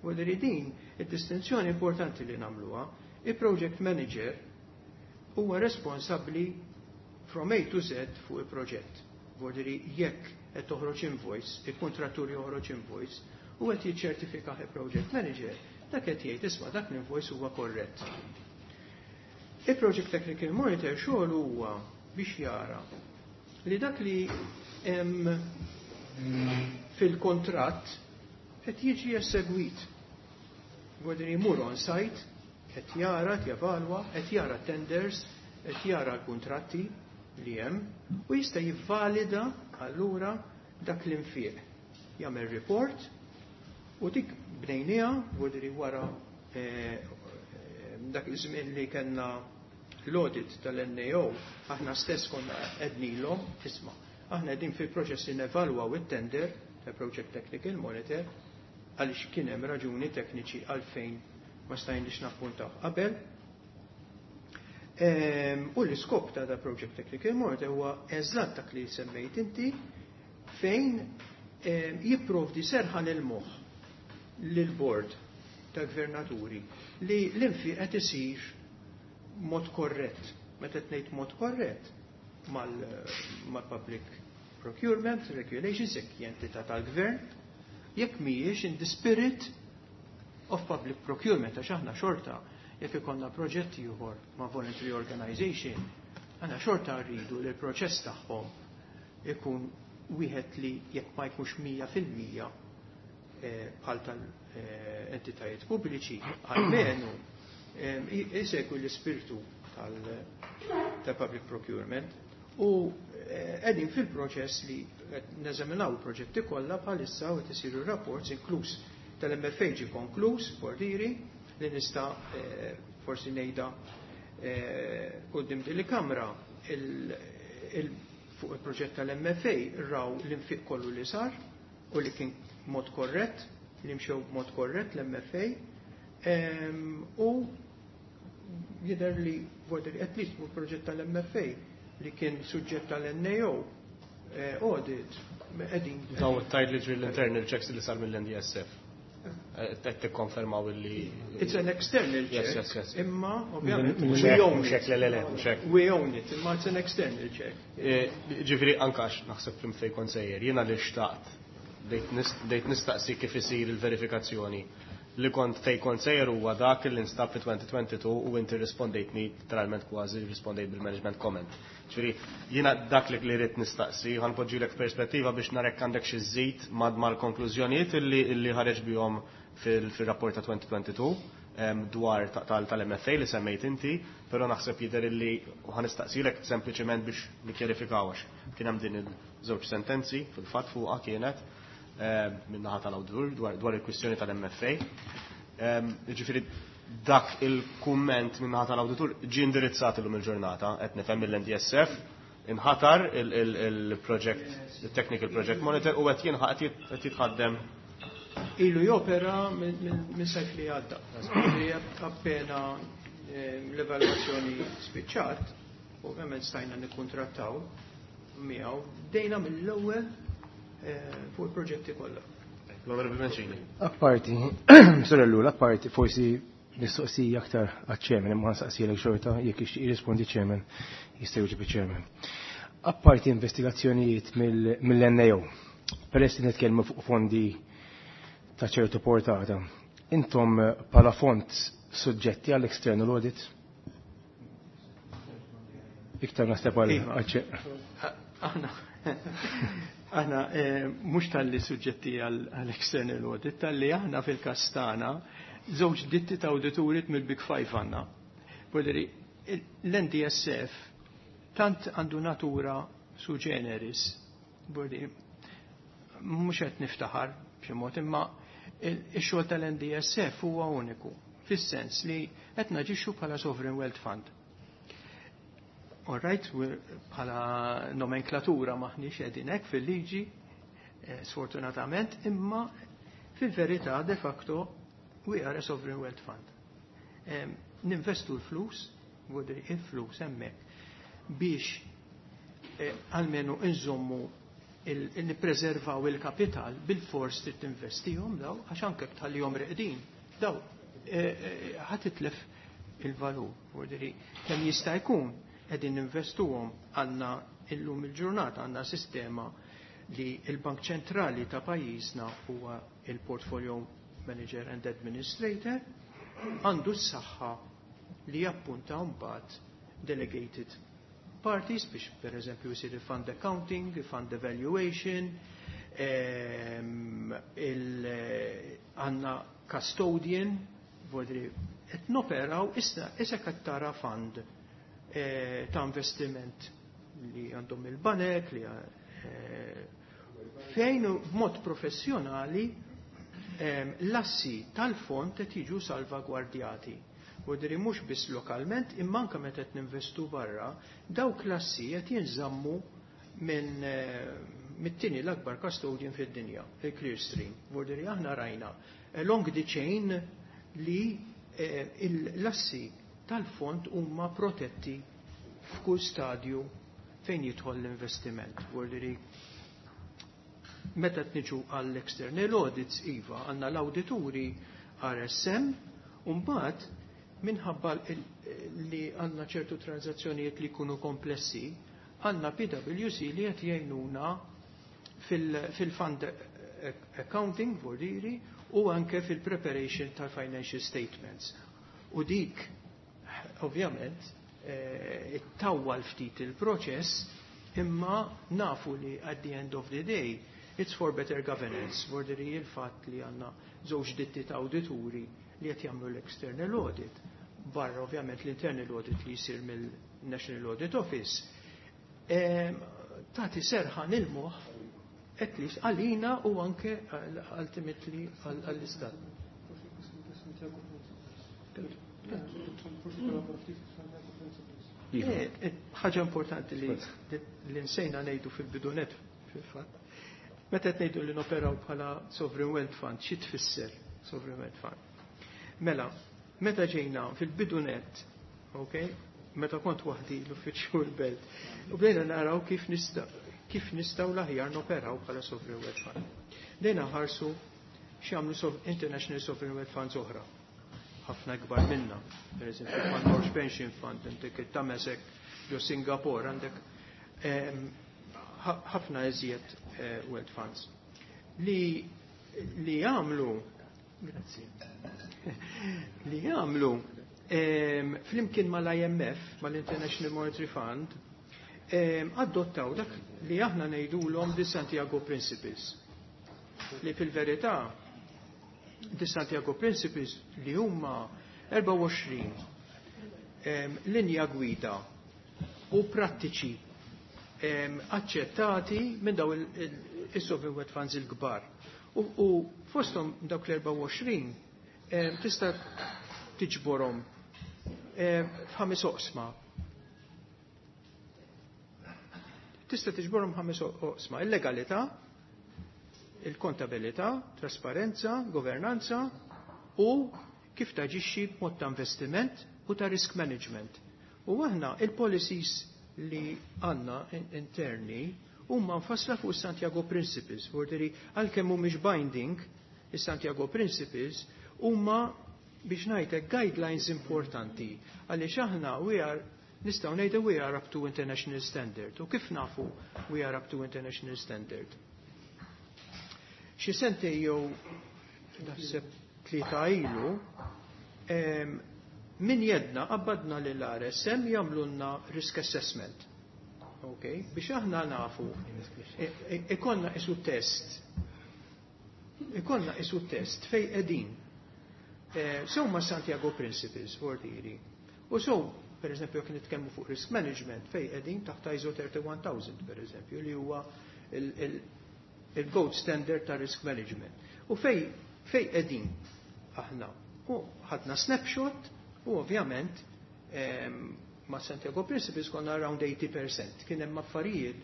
U li din id-distinzjoni importanti li nagħmluha, il-Project Manager huwa responsabbli from A to Z fuq il-proġett. Vuol jekk qed toħroġ invoice, il-kontrattur joħroġ invoice, u qed jiċċertifika il-Project Manager, dak qed jgħid, "Isma', dak l-invoice huwa korrett." Il-Project Technical Monitor xogħol huwa biex jara li dak li hemm fil-kontratt qed jiġi esegwit. Vuol jmur on site, qed jara, qed jevalwa, qed jara tenders, qed jara l-kuntratti li hemm u jista' jivvalida allura dak l-infiq. Jagħmel report u dik bnejniha vuol wara eh, dak iż-żmien li kellna l-audit tal-N A O, aħna stess konna għednielhom, "Isma', aħna qegħdin fil-proċess li nevalwaw it-tender ta' Project Technical Monitor għaliex kien hemm raġuni tekniċi għalfejn ma stajniex nappuntaw qabel." Ehm, u l-iskop ta' da Project Technical Monitor huwa eżatt dak li semmejt inti fejn ehm, jipprovdi serħan il-moħħ lil-board ta' gvernaturi li l-infiq qed isir mod korrett. Meta ngħid mod korrett mal-public procurement regulations jekk entità tal-gvern, jekk mhijiex in the spirit of public procurement, għax aħna xorta jekk ikollna proġetti ieħor ma' voluntary organization, aħna xorta rridu li l-proċess tagħhom ikun wieħed li jekk ma jkunx mija fil-mija bħal tal-entitajiet pubbliċi, almenu isegwi l-ispirtu tal-public procurement u qegħdin fil-proċess li neżaminaw il-proġetti kollha bħalissa u qed isiru rapports, inkluż tal-M F A ġie konkluż, bordiri li nista' forsi ngħidha quddiem din il-Kamra, fuq il-proġett tal-M F A raw l-infiq kollu li sar u li kien mod korrett, li mxew mod korrett l-M F A, u jidher li vorder at least fuq il-proġett tal-M F A li kien suġġett tal-N A O audit qegħdin. Daw tajt li ġri l-internal checks li sar mill-N D S F. Qed tikkonfermaw li It's an external check. Yes, yes, yes. Imma ovvjament we own it. Le, le, le, mhux hekk. We own it, imma it's an external check. Ġifieri ankax naħseb fim fejn kont sejjer, jiena li xtaqt dejt nistaqsi kif isir il-verifikazzjoni. Li kont fejn kont sejjer huwa dak li nstab fi elfejn u tnejn u għoxrin u inti rispondejtni literalment, kważi rispondejt bil-management comment. Ġifieri jiena dak li li rrid nistaqsi, ħa npoġġilek perspettiva biex narek għandek xi żid mal-konklużjonijiet illi ħareġ bihom fil-rapport ta' elfejn u tnejn u għoxrin dwar tal-M F A li semmejt inti, però naħseb jidher illi ħa nistaqsilek sempliċement biex nikkjarifikaw għax kien hemm din il-żewġ sentenzi fil-fatt fuqha kienet min-naħa tal-awditur dwar il-kwistjoni tal-M F A. Ġifieri dak il-kumment min-naħa tal-awditur ġie indirizzat illum il-ġurnata, qed nifhem, mill-N D S F, inħatar il-project, il-technical project monitor, u qed jinħaq qed jitħaddem. Ilu jopera minn sajf li għadda. Appena l-evalwazzjoni spiċċat, ovvjament stajna nikkontrattaw miegħu, bdejna mill-ewwel fuq il-proġetti kollha. L-Onorevoli Mancini. Apparti, sorellu, apparti, forsi mistoqsija aktar għaċ-chairman, imma nsaqsilek xorta, jekk jirrispondi chairman, jista' jwieġeb chairman. Apparti investigazzjonijiet mill-N A O, peress li nitkellmu fuq fondi ta' ċertu portata, intom bħala fond suġġetti għall-external audit? Iktar naħseb għal Aħna Aħna mhux talli suġġetti għall-external audit, talli aħna fil-każ tagħna żewġ ditti ta' awdituri mill-Big Five għandna. Voldiri, l-N D S F tant għandu natura su generis, voldiri, mhux qed niftaħar b'xi mod, imma ix-xogħol tal-N D S F huwa uniku, fis-sens li qed naġixxu bħala sovereign wealth fund. All right, bħala nomenklatura maħniex qegħdin hekk fil-liġi, sfortunatament, imma fil-verità de facto we are a sovereign wealth fund. Ninvestu l-flus, il-flus hemmhekk biex almenu nżommu, nippreservaw il-kapital, bil-fors trid tinvestihom daw, għax anke tħallihom reqdin daw ħa titlef il-valur. Voldiri, kemm jista' jkun qegħdin ninvestuhom. Għandna illum il-ġurnata għandna sistema li il-Bank Ċentrali ta' pajjiżna huwa il-Portfolio Manager and Administrator, għandu s-saħħa li jappunta mbagħad delegated parties biex per eżempju jisir il-fund accounting, il-fund evaluation, għandna custodian, voldiri, qed noperaw issa issa qed tara fund ta' investiment li għandhom il-banek, li fejn b'mod professjonali l-assi tal-fond qed jiġu salvagwardjati. Voldiri mhux biss lokalment, imma anke meta qed ninvestu barra, dawk l-assi qed jinżammu minn mit-tieni l-akbar custodian fid-dinja, il-Clearstream. Voldiri aħna rajna along the chain li l-assi tal-fond huma protetti f'kull stadju fejn jidħol l-investiment. Voldiri meta tniġu għall-external audits, iva, għandna l-awdituri R S M, u mbagħad minħabba li għandna ċertu transazzjonijiet li jkunu komplessi, għandna P W C li qed jgħinuna fil-fund accounting, voldiri, u anke fil-preparation tal-financial statements. U dik, ovvjament, ittawwal ftit il-proċess, imma nafu li at the end of the day It's for better governance, vorderi il-fatt li għandna żewġ ditti ta' awdituri li qed jagħmlu l-external audit, barra ovvjament l-internal audit li jsir mill-National Audit Office. Tagħti serħan il-moħħ at least għalina u anke ultimately għall-istat. Ħaġa importanti li li nsejna ngħidu fil-bidunet fil-fatt. Meta qed ngħidu li noperaw bħala Sovereign Wealth Fund, xi tfisser Sovereign Wealth Fund? Mela, meta ġejna fil-bidunet, ok, meta kont waħdi l-uffiċċju l-belt, u bdejna naraw kif nista' kif nistgħu l-aħjar noperaw bħala Sovereign Wealth Fund. Bdejna ħarsu x'jagħmlu International Sovereign Wealth Funds oħra, ħafna kbar minna. Per eżempju, Fund Norge Pension Fund, għandek il-Temasek ġo Singapore, għandek ħafna eżjed wealth funds. Li li jagħmlu, grazzi, li jagħmlu flimkien mal-I M F, mal-International Monetary Fund, adottaw dak li aħna ngħidulhom the Santiago Principles. Li fil-verità the Santiago Principles li huma erbgħa u għoxrin linja gwida u prattiċi aċċettati minn daw il-sovereign wealth funds il-kbar. U fosthom dawk l-erbgħa u għoxrin tista' tiġborhom f'ħames oqsma. Tista' tiġborhom ħames oqsma: il-legalità, il-kontabilità, trasparenza, governanza u kif taġixxi b'mod ta' investiment u ta' risk management. U aħna il-policies li għandna interni huma mfassla fuq Santiago Principles, vorderi għalkemm mhumiex binding, is-Santiago Principles huma, biex ngħidlek, guidelines importanti għaliex aħna we are, nistgħu ngħidu, we are up to international standard. U kif nafu we are up to international standard? Xi sentej jew naħseb tlieta ilu, min jedna qabbadna lill-R S M jagħmlulna risk assessment. Okay? Biex aħna nafu ikollna isu test. Ikollna isu test fej qegħdin. Sew ma' Santiago Principles, vordiri. U so, per eżempju, jekk nitkellmu fuq risk management, fej qegħdin taħt I S O thirty-one thousand, per eżempju, li huwa il-gold standard ta' risk management. U fej fej qegħdin aħna. U ħadna snapshot u ovvjament ma' Santiago Principles konna around eighty percent. Kien hemm affarijiet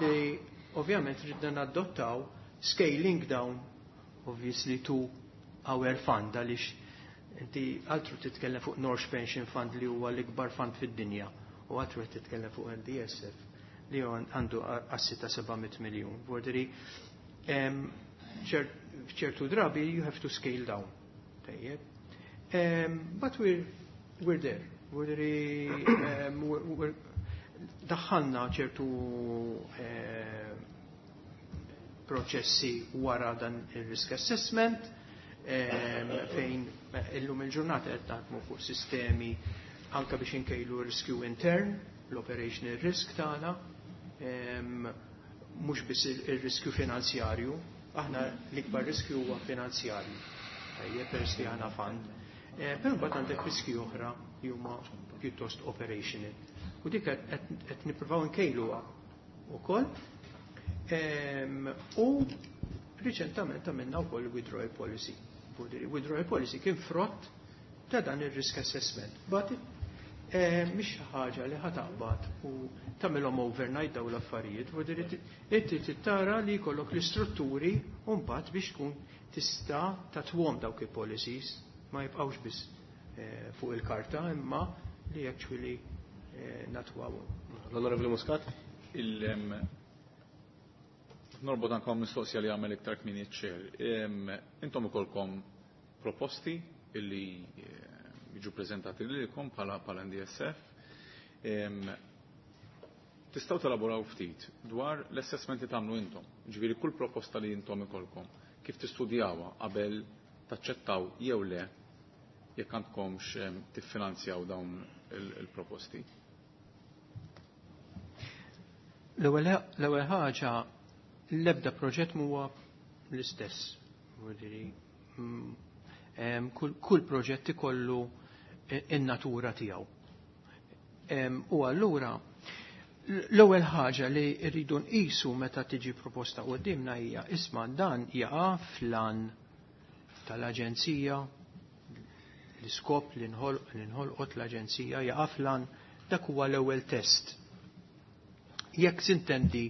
li ovvjament ridna nadottaw scaling down obviously to our fund, għaliex inti altru titkellem fuq Norge Pension Fund li huwa l-ikbar fund fid-dinja u altru titkellem fuq N D S F li għandu assi ta' seba' mitt miljun. Vorderi, ċertu drabi you have to scale down. Tajjeb. But we're, we're there. Vorderi, daħħalna ċertu proċessi wara dan il-risk assessment, fejn illum il-ġurnata qed naħdmu fuq sistemi anka biex inkejlu riskju intern, l-operational risk tagħna, mhux biss il-riskju finanzjarju, aħna l-ikbar riskju huwa finanzjarju. Tajjeb, peress li aħna fund. Però mbagħad għandek riskju oħra li huma pjuttost operational. U dik qed nippruvaw nkejluha wkoll. U riċentament għamilna wkoll withdrawal policy. Withdrawal policy kien frott ta' dan il-risk assessment. But mhix ħaġa li ħa taqbad u tagħmilhom overnight daw l-affarijiet, inti tittara li jkollok l-istrutturi u mbagħad biex tkun tista' tatwhom dawk il-policies, ma jibqgħux biss fuq il-karta imma li actually natwawhom. L-Onorevoli Muscat? Il Norbot anka mistoqsija li għamel iktar kmieni ċer. Intom ikolkom proposti illi jiġu prezentati lilkom bħala bħala N D S F. Tistgħu telaboraw ftit dwar l-assessment li tagħmlu intom. Ġifieri kull proposta li intom ikolkom, kif tistudjawha qabel taċċettaw jew le jekk għandkomx tiffinanzjaw dawn il-proposti. L-ewwel ħaġa L-ebda proġett huwa l-istess. Mm, kull proġett ikollu in-natura tiegħu. U allura l-ewwel ħaġa li rridu nqisu meta tiġi proposta qudiemna hija isma' dan jaqa' flan tal-aġenzija, l-iskop li nħolqot l-aġenzija jaqa' flan, dak huwa l-ewwel test. Jekk sintendi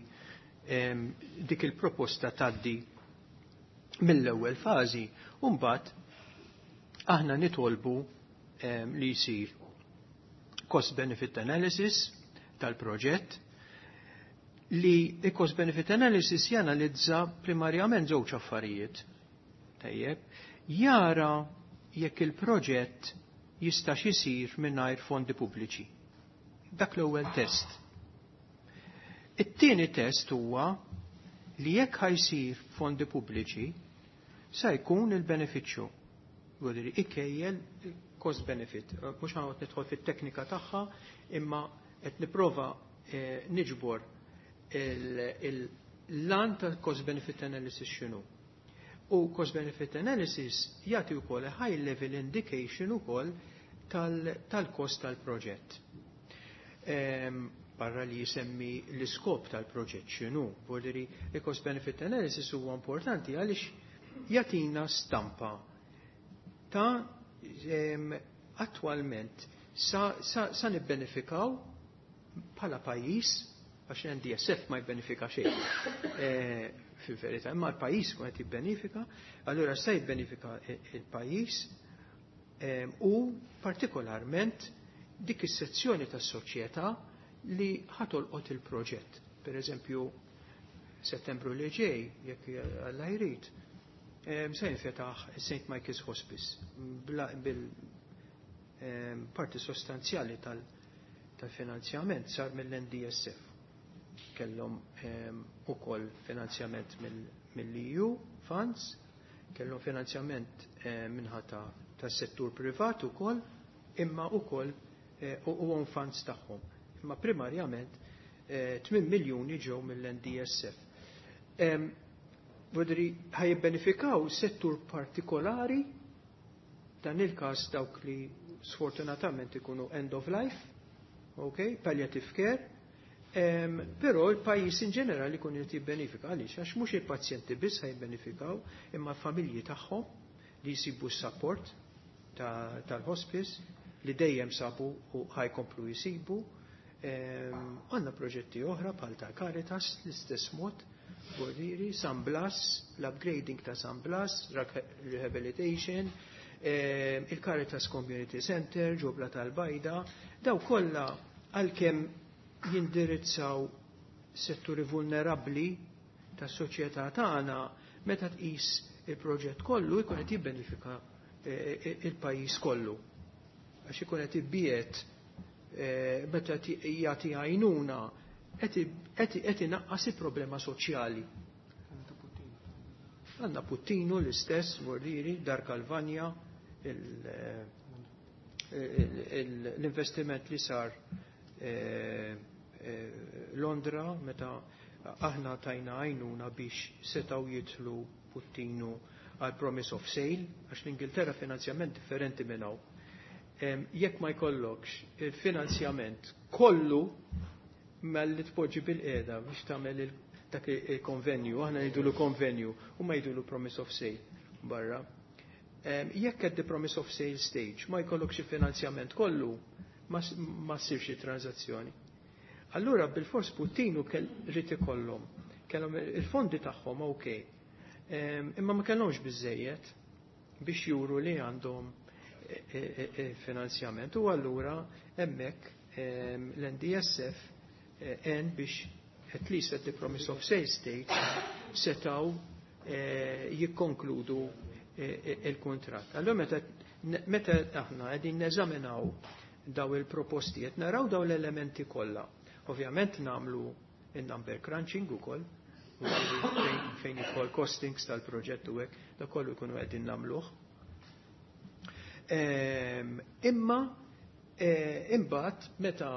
dik il-proposta tgħaddi mill-ewwel fażi, u mbagħad aħna nitolbu li jsir cost benefit analysis tal-proġett, li il-cost benefit analysis janalizza primarjament żewġ affarijiet. Tajjeb, jara jekk il-proġett jistax isir mingħajr fondi pubbliċi. Dak l-ewwel test. It-tieni test huwa li jekk ħajsir fondi pubbliċi sa jkun il-benefiċċju. Vuol ikejjel cost benefit. Mhux ħanqod nidħol fit-teknika tagħha, imma qed nipprova eh, niġbor l-għan tal-cost benefit analysis x'inhu. U cost benefit analysis jagħti wkoll a high level indication ukoll tal-cost tal-proġett. Barra li jisemmi l-iskop tal-proġett x'inhu, vuol il-cost benefit analysis huwa importanti għaliex jagħtina stampa ta' attwalment sa, sa, sa nibbenefikaw bħala pajjiż, għax N D S F ma jibbenefika xejn e, fil-verità, imma l-pajjiż kun qed jibbenefika, allura sa jibbenefika il-pajjiż u partikolarment dik is-sezzjoni tas-soċjetà li ħatolqot il-proġett. Per eżempju, Settembru li ġej, jekk Alla jrid, se jinfetaħ Saint Michael's Hospice bil parti sostanzjali tal-finanzjament sar mill-N D S F. Kellhom ukoll finanzjament mill-E U funds, kellhom finanzjament minħata tas-settur privat ukoll, imma ukoll eh, u own funds tagħhom. Imma primarjament tmien eh, miljuni ġew mill-N D S F. Vodri ħa jibbenefikaw settur partikolari, dan il-każ dawk li sfortunatament ikunu end of life, ok, palliative care, um, però il-pajjiż in ġenerali ikun qed jibbenefika. Għaliex? Għax mhux il-pazjenti biss ħa jibbenefikaw, imma l-familji tagħhom li jsibu s-support tal-hospice li dejjem sabu u ħa jkomplu jisibu. Għandna proġetti oħra bħal ta' Caritas l-istess mod, Bordiri, San Blas, l-upgrading ta' San Blas, rehabilitation, il-Caritas Community Center, ġobla tal-Bajda, daw kollha għalkemm jindirizzaw setturi vulnerabbli tas soċjetà tagħna, meta tqis il-proġett kollu jkun qed jibbenefika eh, il-pajjiż kollu. Għax ikun qed ibbiet eh, meta jagħti għajnuna qed inaqqas il-problema soċjali. Għandna Puttinu l-istess, Bordiri, Dar Kalvanja, l-investiment li sar eh, Londra meta aħna tajna għajnuna biex setaw jidħlu Puttinu għal promise of sale, għax l-Ingilterra finanzjament differenti minn hawn. Jekk ma jkollokx il-finanzjament kollu malli tpoġġi bil-qiegħda biex tagħmel dak il-konvenju, aħna ngħidulu konvenju u ma jgħidulu promise of sale barra. Jekk at the promise of sale stage ma jkollokx il-finanzjament kollu, ma ssirx it-transazzjoni. Allura bil-fors Puttinu kell rid ikollhom. Kellhom il-fondi tagħhom, ok. Imma ma kellhomx biżejjed biex juru li għandhom e, e, e, finanzjament u allura hemmhekk l-N D S F en biex at least at the promise of sale stage setaw jikkonkludu il-kontrat. Allora meta meta aħna qegħdin neżaminaw daw il-proposti qed naraw daw l-elementi kollha. Ovvjament nagħmlu il-number crunching ukoll, fejn jidħol costings tal-proġett u hekk, da kollu jkunu qegħdin nagħmluh. Ehm, imma eh, imbagħad meta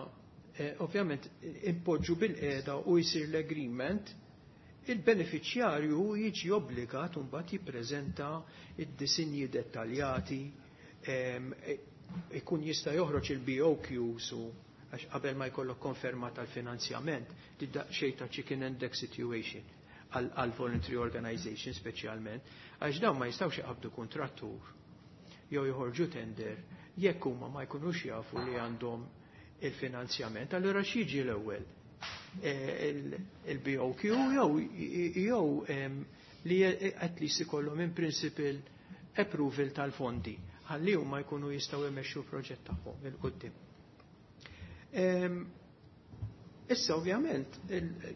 eh, ovvjament impoġġu bil-qiegħda u jsir l-agreement, Il-beneficjarju jiġi obbligat mbagħad jippreżenta id-disinji dettaljati, ikun jista' joħroġ il-B O Qs u għax qabel ma jkollok konferma tal-finanzjament, xejn ta' chicken and egg situation għal voluntary organization speċjalment, għax dawn ma jistgħux iqabdu kontrattur jew joħorġu tender jekk huma ma jkunux jafu li għandhom il-finanzjament. Allura x'jiġi l-ewwel? Il-B O Q jew jew li at least ikollhom in principle approval tal-fondi ħalli huma jkunu jistgħu jmexxu proġett tagħhom 'il quddiem. Issa ovvjament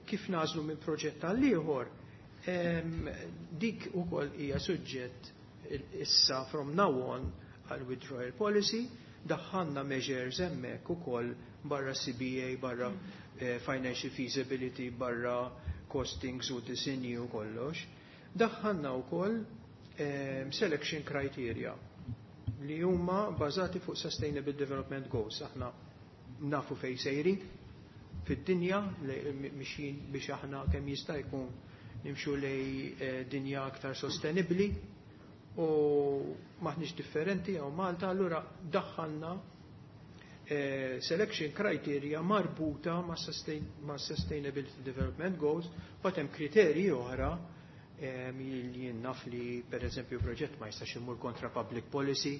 kif nagħżlu minn proġett għal ieħor, dik ukoll hija suġġett issa from now on għal withdrawal policy. Daħħalna measures hemmhekk ukoll barra C B A, barra eh, financial feasibility, barra costings u disinji u kollox. Daħħalna wkoll eh, selection criteria li huma bażati fuq Sustainable Development Goals. Aħna nafu fej sejrin fid-dinja, mixjin biex aħna kemm jista' jkun nimxu lej eh, dinja aktar sostenibli u maħniex differenti għaw Malta, allura daħħalna eh, selection criteria marbuta ma' sustain, ma Sustainability Development Goals, but hemm kriterji oħra eh, li naf li per eżempju proġett ma jistax imur kontra public policy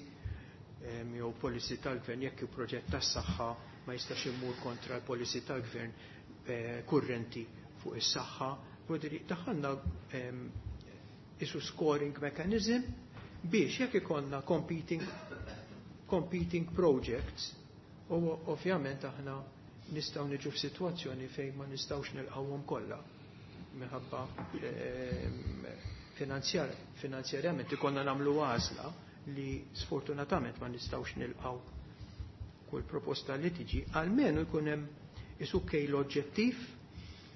jew policy tal-gvern, jekk proġett tas-saħħa ma jistax imur kontra l-policy tal-gvern eh, kurrenti fuq is-saħħa. Daħħalna isu scoring mechanism biex jekk ikollna competing, competing projects u ovvjament aħna nistgħu niġu f'sitwazzjoni fejn ma nistgħux nilqawhom kollha minħabba finanzjar, finanzjarjament ikollna nagħmlu għażla li sfortunatament ma nistgħux nilqaw kull proposta li tiġi, almenu jkun hemm isu kejl oġġettiv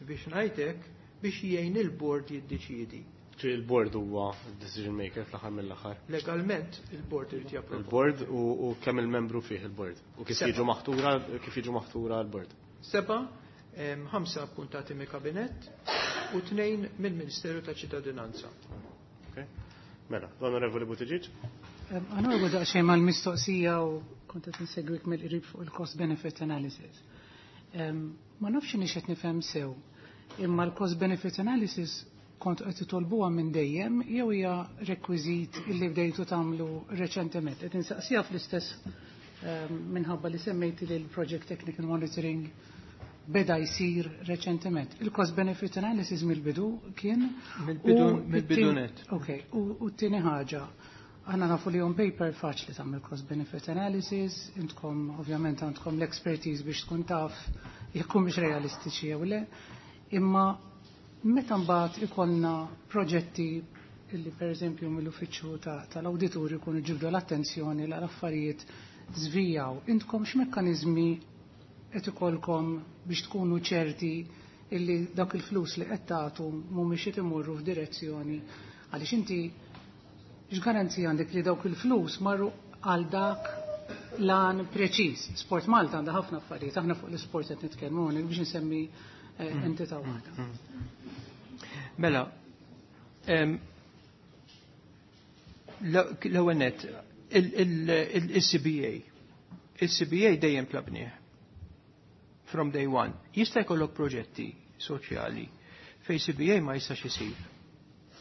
biex ngħidlek biex jgħin il-board jiddeċiedi. Ġi il-board huwa decision maker fl-aħħar mill-aħħar. Legalment il-board irid japprova. Il-board u, u kemm il-membru fih il-board. U kif jiġu maħtura kif jiġu maħtura l-board. Seba, ħamsa appuntati mill-kabinett u tnejn mill-Ministeru ta' Ċittadinanza. Okay. Mela, l-Onorevoli Buttigieg. Għanorgu daqsxejn mal-mistoqsija u kont qed insegwik mill-qrib fuq il-cost benefit analysis. Ma nafx inix qed nifhem sew, imma l-cost benefit analysis kont qed titolbuha minn dejjem jew hija rekwiżit illi bdejtu tagħmlu reċentement? Qed insaqsija fl-istess minħabba li semmejti li l-Project Technical Monitoring beda jsir reċentement. Il-cost benefit analysis mill-bidu kien? Mill-bidu net. Ok, u t-tieni ħaġa. Aħna nafu li on paper faċli tagħmel cost benefit analysis, intkom ovvjament għandkom l-expertise biex tkun taf jekk mhux realistiċi jew le, imma meta mbagħad ikollna proġetti illi per eżempju mill-uffiċċju tal-awditur ikunu ġibdu l-attenzjoni l affarijiet żvijaw, intkom x'mekkaniżmi qed ikollkom biex tkunu ċerti illi dak il-flus li qed tagħtu mhumiex qed imorru f'direzzjoni, għaliex inti x'garanzija għandek li dawk il-flus marru għal dak l-għan preċiż? Sport Malta għandha ħafna affarijiet, aħna fuq l-sport qed nitkellmu biex nsemmi eh, mm. entità waħda. Mm. Mela, l-ewwel net, il-C B A. Il-C B A dejjem tlabnieh. From day one. Jista' jkollok proġetti soċjali fej C B A ma jistax isir.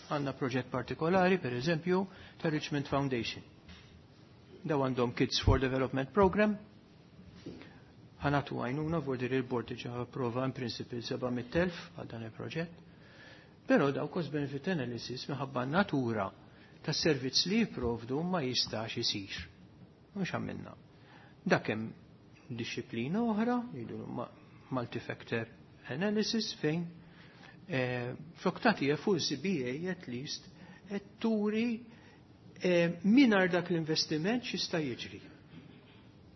Għandna proġett partikolari, per eżempju, ta' Richmond Foundation. Daw għandhom Kids for Development Program. Ħa nagħtu għajnuna, vordir il-board diġa approva in principle seba' mitt elf għal dan il-proġett. Però daw cost benefit analysis minħabba natura tas servizz li jiprovdu ma jistax isir. Mhux għamilna. Dak hemm disċiplina oħra, jgħidu multi-factor analysis, fejn eh, flok tagħti full C B A at least qed turi eh, mingħajr dak l-investiment x'jista' jiġri.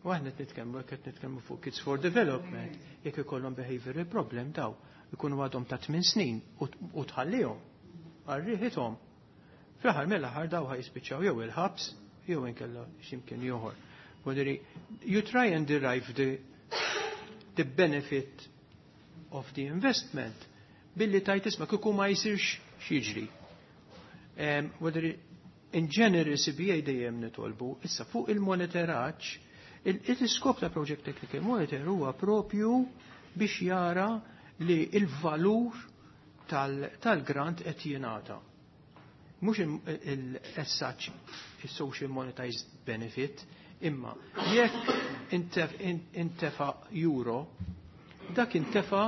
U aħna qed nitkellmu qed nitkellmu fuq Kids for Development, jekk ikollhom behavioral problem daw ikunu għadhom ta' tmien snin u tħallihom għal riħithom. Fl-aħħar mill-aħħar daw ħa jispiċċaw jew il-ħabs jew inkella x'imkien ieħor. You try and derive the, the benefit of the investment. Billi tajt isma' kieku ma jsirx x'jiġri. Whether in general C B A dejjem nitolbu, issa fuq il-monitoraġġ, il-iskop ta' Project Technical Monitor huwa propju biex jara li il-valur tal-grant qed jingħata. Mhux il-as il-social monetized benefit, imma jekk intefa euro, dak intefa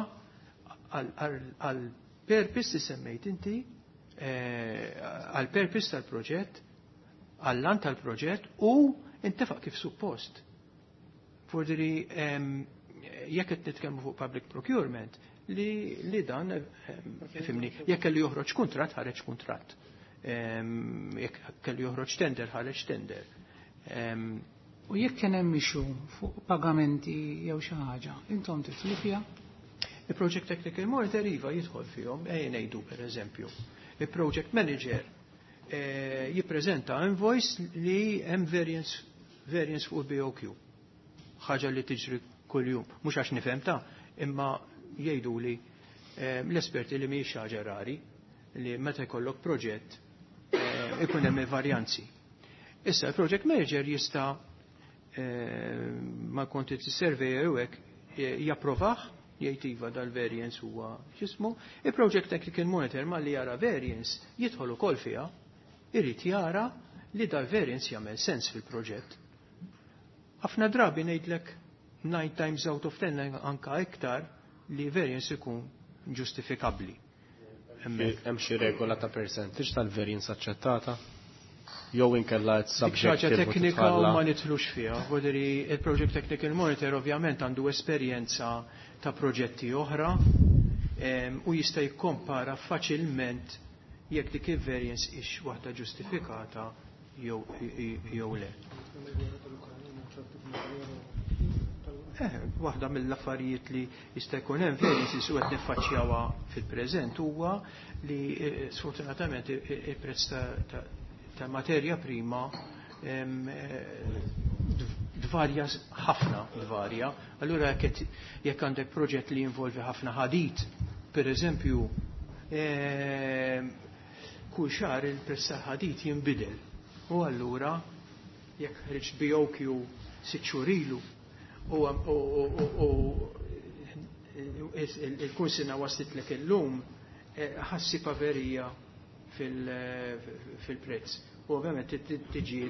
għal purpose li semmejt inti, eh, għal purpose tal-proġett, għall-għan tal-proġett u intefa kif suppost. Fordiri, jekk qed nitkellmu fuq public procurement, li, li dan, fhimni, jekk kellu joħroġ kuntratt, ħareġ kuntratt. Jekk kellu joħroġ tender, ħareġ tender. U jekk kien hemm issue fuq pagamenti jew xi ħaġa, intom tidħlu fiha? Il-Project Technical Monitor iva jidħol fihom, ejja ngħidu per eżempju. Il-Project Manager eh, jippreżenta invoice li hemm variance, variance fuq il-B O Q. Ħaġa li tiġri kuljum, mhux għax nifhem ta' imma jgħidu li eh, l-esperti li mhijiex ħaġa rari li meta jkollok proġett eh, ikun hemm varjanzi. Issa il-project manager jista' ma' quantity surveyor u hekk japprovah, jgħid iva, dal-variance huwa x'ismu. Il-Project Technical Monitor ma li jara variance jidħol ukoll fiha, irid jara li dal-variance jagħmel sens fil-proġett. Ħafna drabi, ngħidlek nine times out of ten, anka iktar, li variance ikun ġustifikabbli. Hemm xi regola ta' percentage tal-variance aċċettata? Jew inkella Dik ħaġa subjective u teknika u titħalla? Ma nidħlux fiha. Voderi il-Project Technical Monitor ovvjament għandu esperjenza ta' proġetti oħra em, u jista' jikkompara faċilment jekk dik il-variance ix waħda ġustifikata jew jew le. Eh, waħda mill-affarijiet li jista' jkun hemm variances u qed niffaċċjawha fil-preżent huwa li eh, sfortunatament il-prezz ta', ta, ta' materja prima em, eh, dvarja ħafna dvarja. Allura jekk jekk għandek proġett li jinvolvi ħafna ħadid, per eżempju, em, kull xahar il-prezz tal-ħadid jinbidel. U allura jekk ħriġt B O Q sitt xhur ilu u u il-kunsina waslitlek illum, eh, ħa ssib varja fil-prezz. U ovvjament tiġi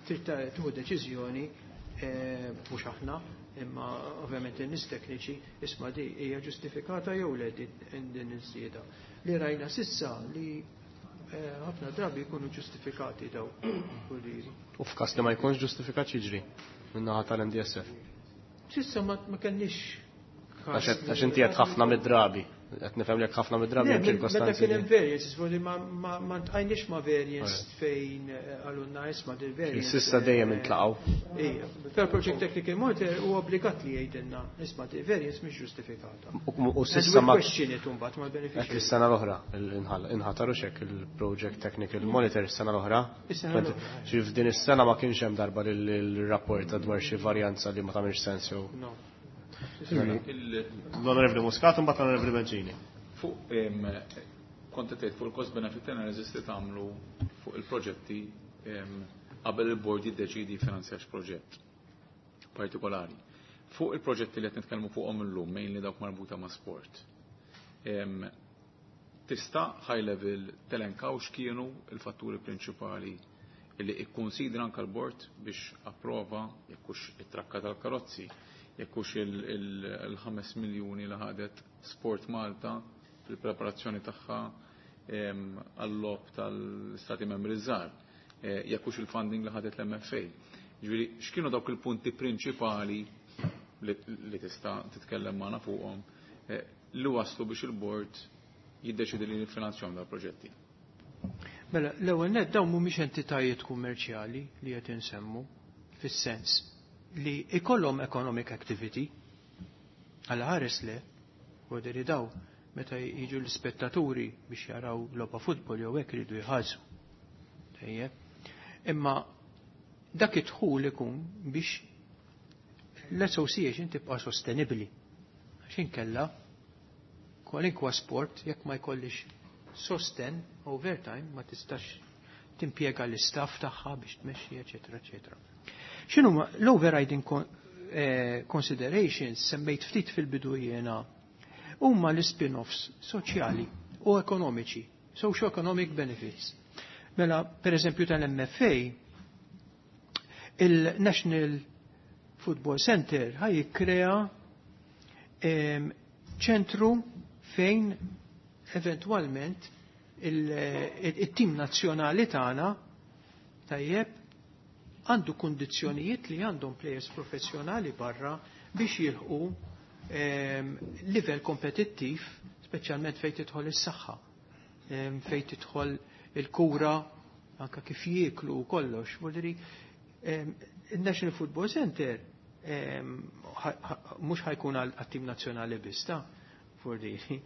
trid tieħu deċiżjoni, eh, mhux aħna, imma ovvjament in-nies tekniċi, isma' di hija ġustifikata jew le din iż-żieda. Li rajna s'issa li eh, ħafna drabi jkunu ġustifikati daw. U f'każ li ma jkunx ġustifikat, jiġri min-naħa tal-N D S F? S'issa ma kellniex. Għax inti qed ħafna mid-drabi. Qed nifhem li ħafna mid-drabi hemm Meta ċirkostanzi. kien hemm variance, forsi ma ma ltqajniex ma' variance fejn eh, għalunna isma' dil variance. S'issa dejjem intlaqgħu. Ija, per Project Technical Monitor huwa obbligat li jgħidilna isma' dil variance mhix ġustifikata. U s'issa ma question it imbagħad mal-beneficiary. Is-sena l-oħra inħataru xek il-Project Technical Monitor is-sena l-oħra. Is-sena l-oħra. Xi f'din is-sena ma kienx hemm darba l-rapport dwar xi varjanza li ma tagħmilx sens jew. No. L-Onorevoli Muscat, mbagħad l-Onorevoli Bencini. Fuq kont tgħid fuq il-cost benefit analysis li tagħmlu fuq il-proġetti qabel il-board jiddeċidi finanzjax proġett partikolari. Fuq il-proġetti li qed nitkellmu fuqhom illum, mainly dawk marbuta ma' sport. Tista' high level telenkaw x'kienu il-fatturi prinċipali li ikkonsidra anka l-board biex approva, jekk hux it-trakka tal-karozzi, jekk hux il-ħames miljuni li ħadet Sport Malta fil-preparazzjoni tagħha għall-logħob tal-Stati Membri żgħar, eh, jekk hux il-funding li ħadet l-M F A. Ġifieri, x'kienu dawk il-punti prinċipali li tista' titkellem magħna fuqhom eh, li waslu biex il-board jiddeċidi li jiffinanzjahom dal-proġetti? Mela, l-ewwel net dawn mhumiex entitajiet kummerċjali li qed insemmu fis-sens li ikollhom economic activity għal ħares le u li daw meta jiġu l-spettaturi biex jaraw logħba futbol jew hekk iridu jħallsu. Tajjeb. Imma dak id-dħul ikun biex l-association tibqa' sostenibbli. Għax inkella Kwalinkwa sport, jekk ma jkollix sosten overtime, ma tistax timpjega l-istaff tagħha biex tmexxi, eċetera, eċetera. X'inhu l-overriding eh, considerations semmejt ftit fil-bidu jiena huma l-spin-offs soċjali u ekonomiċi, socio-economic benefits. Mela, per eżempju tal-M F A, il-National Football Center ħa jikkrea ċentru fejn eventualment il-tim nazzjonali tagħna, tajjeb, għandu kundizzjonijiet li għandhom players professjonali barra biex jilħqu livell kompetittiv, speċjalment fejn tidħol is-saħħa, fejn tidħol il-kura, anka kif jieklu u kollox. Vuol il-National Football Center mhux ħa jkun għat-tim nazzjonali biss ta' fordiri.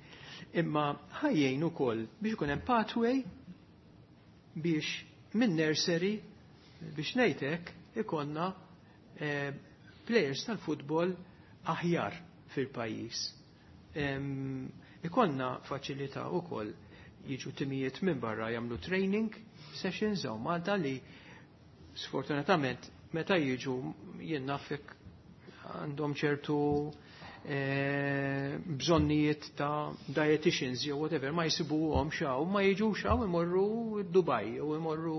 Imma ħa jgħin ukoll biex ikun hemm pathway biex minn nursery, biex ngħidlek, ikollna eh, players tal-futbol aħjar fil-pajjiż. Ikollna faċilità ukoll jiġu timijiet minn barra jagħmlu training sessions hawn Malta li sfortunatament meta jiġu, jien nafek, għandhom ċertu eh, bżonnijiet ta' dietitians jew whatever, ma jsibuhom hawn, ma jiġu hawn, imorru Dubai jew imorru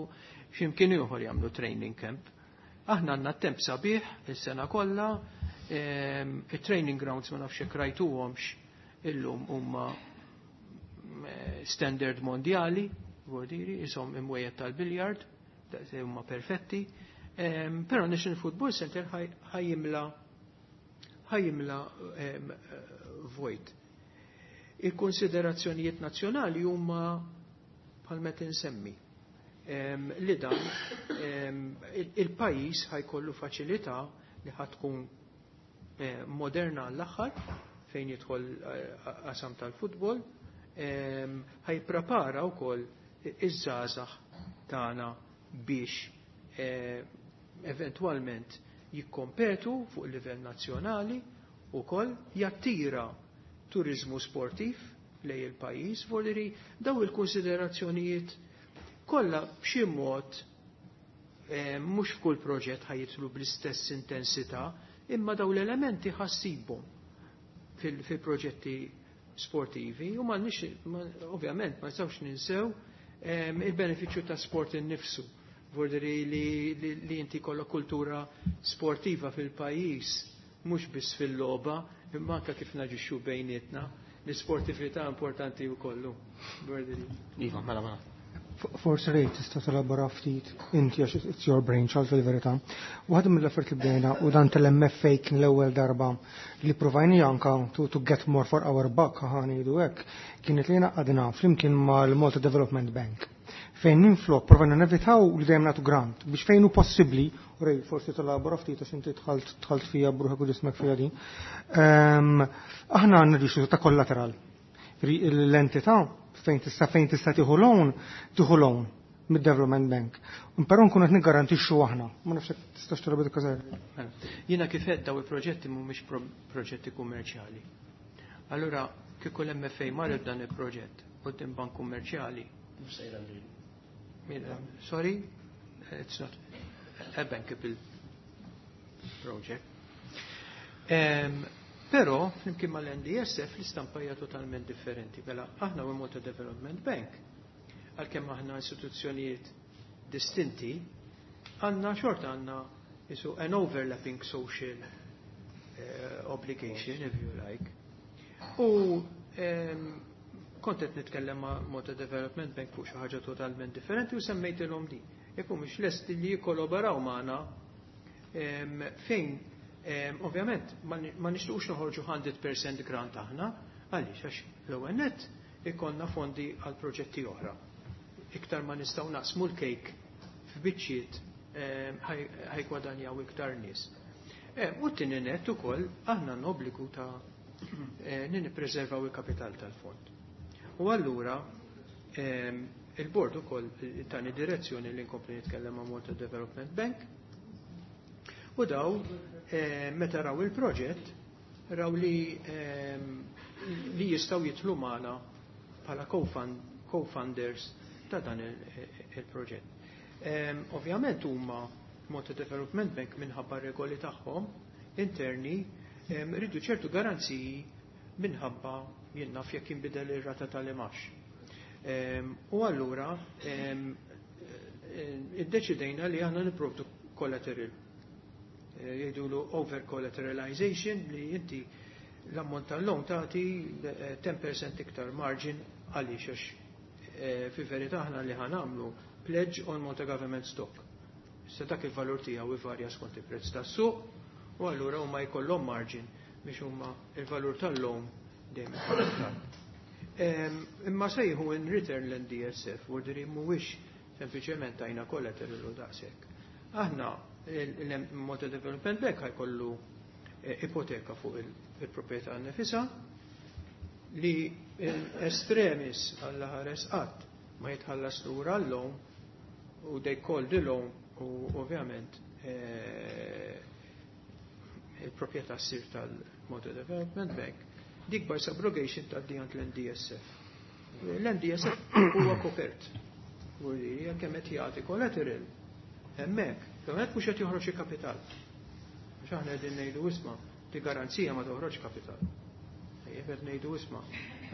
x'imkien ieħor jagħmlu training camp. Aħna għandna temp sabiħ is-sena kollha, il-training grounds, ma nafx jekk rajtuhomx illum, huma eh, standard mondjali, vuol isom imwejjed tal-biljard, huma perfetti. Però National Football Center ħa jimla ħa jimla vojt. Il-konsiderazzjonijiet nazzjonali huma bħal meta insemmi li dan il-pajjiż ħa jkollu faċilità li ħa tkun eh, moderna għall-aħħar fejn jidħol eh, qasam tal-futbol, ħa jipprepara wkoll iż-żgħażagħ tagħna biex eh, eventwalment jikkompetu fuq il-livell nazzjonali u koll jattira turizmu sportiv lejn il-pajjiż, vuol daw il-konsiderazzjonijiet kollha b'xi mod eh, mhux f'kull proġett ħa jidħlu bl-istess intensità, imma daw l-elementi ħa ssibhom fil-proġetti sportivi u ma nix, ovvjament ma nistgħux ninsew eh, il-benefiċċju ta' sport innifsu. Vuol dire li, li, li inti kollok kultura sportiva fil-pajjiż, mhux biss fil-logħba, imma anke kif naġixxu bejnietna, l-sportività importanti wkoll. Iva, mela, mela. Forsi, Ray, tista' telabora ftit inti għax it's your brainchild fil-verità. Waħda mill-affarijiet li bdejna u dan tal-M F A kien l-ewwel darba li provajni anka to, to get more for our buck, ħa ngħidu hekk, kienet li għadna flimkien mal-Malta Development Bank fejn minflok provajna nevitaw li dejjem nagħtu grant biex fejn hu possibbli, u Ray, forsi telabora ftit għax inti dħalt dħalt fija b'ruħek u ġismek fija din. Ehm, aħna għandna rixu ta' kollateral. L-entità fejn tista' fejn tista' tieħu loan, tieħu loan mid-Development Bank. Però nkunu qed niggarantixxu aħna. Ma nafx jekk tistax tara dik. Mela, jiena kif qed, daw il-proġetti mhumiex proġetti kummerċjali. Allura kieku l-M F A marret dan il-proġett quddiem bank kummerċjali. Sorry, it's not a bankable project. Um, Però, flimkien mal-N D S F, l-istampa hija totalment differenti. Mela, aħna u Malta Development Bank, għalkemm aħna istituzzjonijiet distinti, għandna xorta għandna isu an overlapping social uh, obligation, if you like. U um, kont qed nitkellem ma' Malta Development Bank fuq xi ħaġa totalment differenti u semmejtilhom di. Jekk mhux lesti li jikkollaboraw magħna fejn ovvjament ma nixtuqx noħorġu mija fil-mija grant aħna, għaliex? Għax l-ewwel nett ikollna fondi għal proġetti oħra. Iktar ma nistgħu naqsmu l-kejk f'biċċiet, ħa jiggwadanjaw iktar nies. U t-tieni nett ukoll aħna n-obbligu ta' li nippreservaw il-kapital tal-fond. U allura il-board ukoll tani direzzjoni li nkompli nitkellem ma' Malta Development Bank u daw meta raw il-proġett raw li li jistgħu jidħlu magħna bħala co-funders ta' dan il-proġett. Ovvjament huma Malta Development Bank minħabba regoli tagħhom interni rridu ċertu garanziji minħabba jien naf jekk jinbidel ir-rata tal-imgħax. U allura iddeċidejna li aħna nipprovdu collateral. Jgħidulu over collateralization, li inti l-ammont tal-loan tagħti ten percent iktar margin. Għaliex? Għax fi verità aħna li ħa nagħmlu pledge on Malta Government Stock. Issa dak il-valur tiegħu ivarja skont il-prezz tas-suq u allura huma jkollhom margin biex huma il-valur tal-loan dejjem ikun. Imma sejħu in return l-N D S F, vuoldiri mhuwiex sempliċement tajna collateral u daqshekk. Aħna il-Malta Development Bank ħa jkollu ipoteka fuq il-proprjetà nifisha li extremis għall-ħares qatt ma jitħallas lura l-loan u they call the loan u ovvjament il-proprjetà ssir tal-Malta Development Bank, dik by subrogation tgħaddi għand l-N D S F. L-N D S F huwa kopert. Vuol kemm qed jagħti collateral hemmhekk, kemm qed mhux qed joħroġ kapital. Għax aħna qegħdin ngħidu, isma', di garanzija ma toħroġ kapital. Qed ngħidu, isma',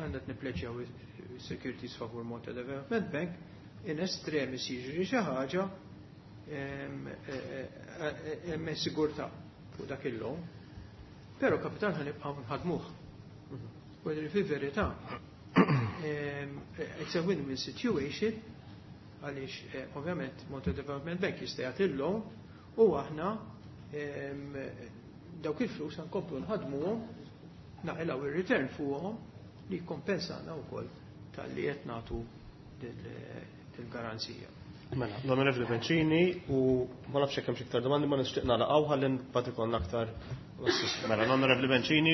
għandna nippleġġjaw securities favur Malta Development Bank, in extremis jiġri xi ħaġa, hemm sigurtà fuq dak il-loan, però kapital ħa nibqgħu nħadmuh. U fi verità, it's a win-win situation għaliex ovvjament Malta Development Bank jista' jagħti l-loan u aħna dawk il-flus nkomplu nħadmuhom, naqilgħu ir-return fuqhom li kompensana wkoll tal-li qed nagħtu dil-garanzija. Mela, l-Onorevoli Bencini, u ma nafx hekk hemm iktar domandi, ma nixtieq nagħlaqgħu ħalli mbagħad ikollna aktar. Mela, l-Onorevoli Bencini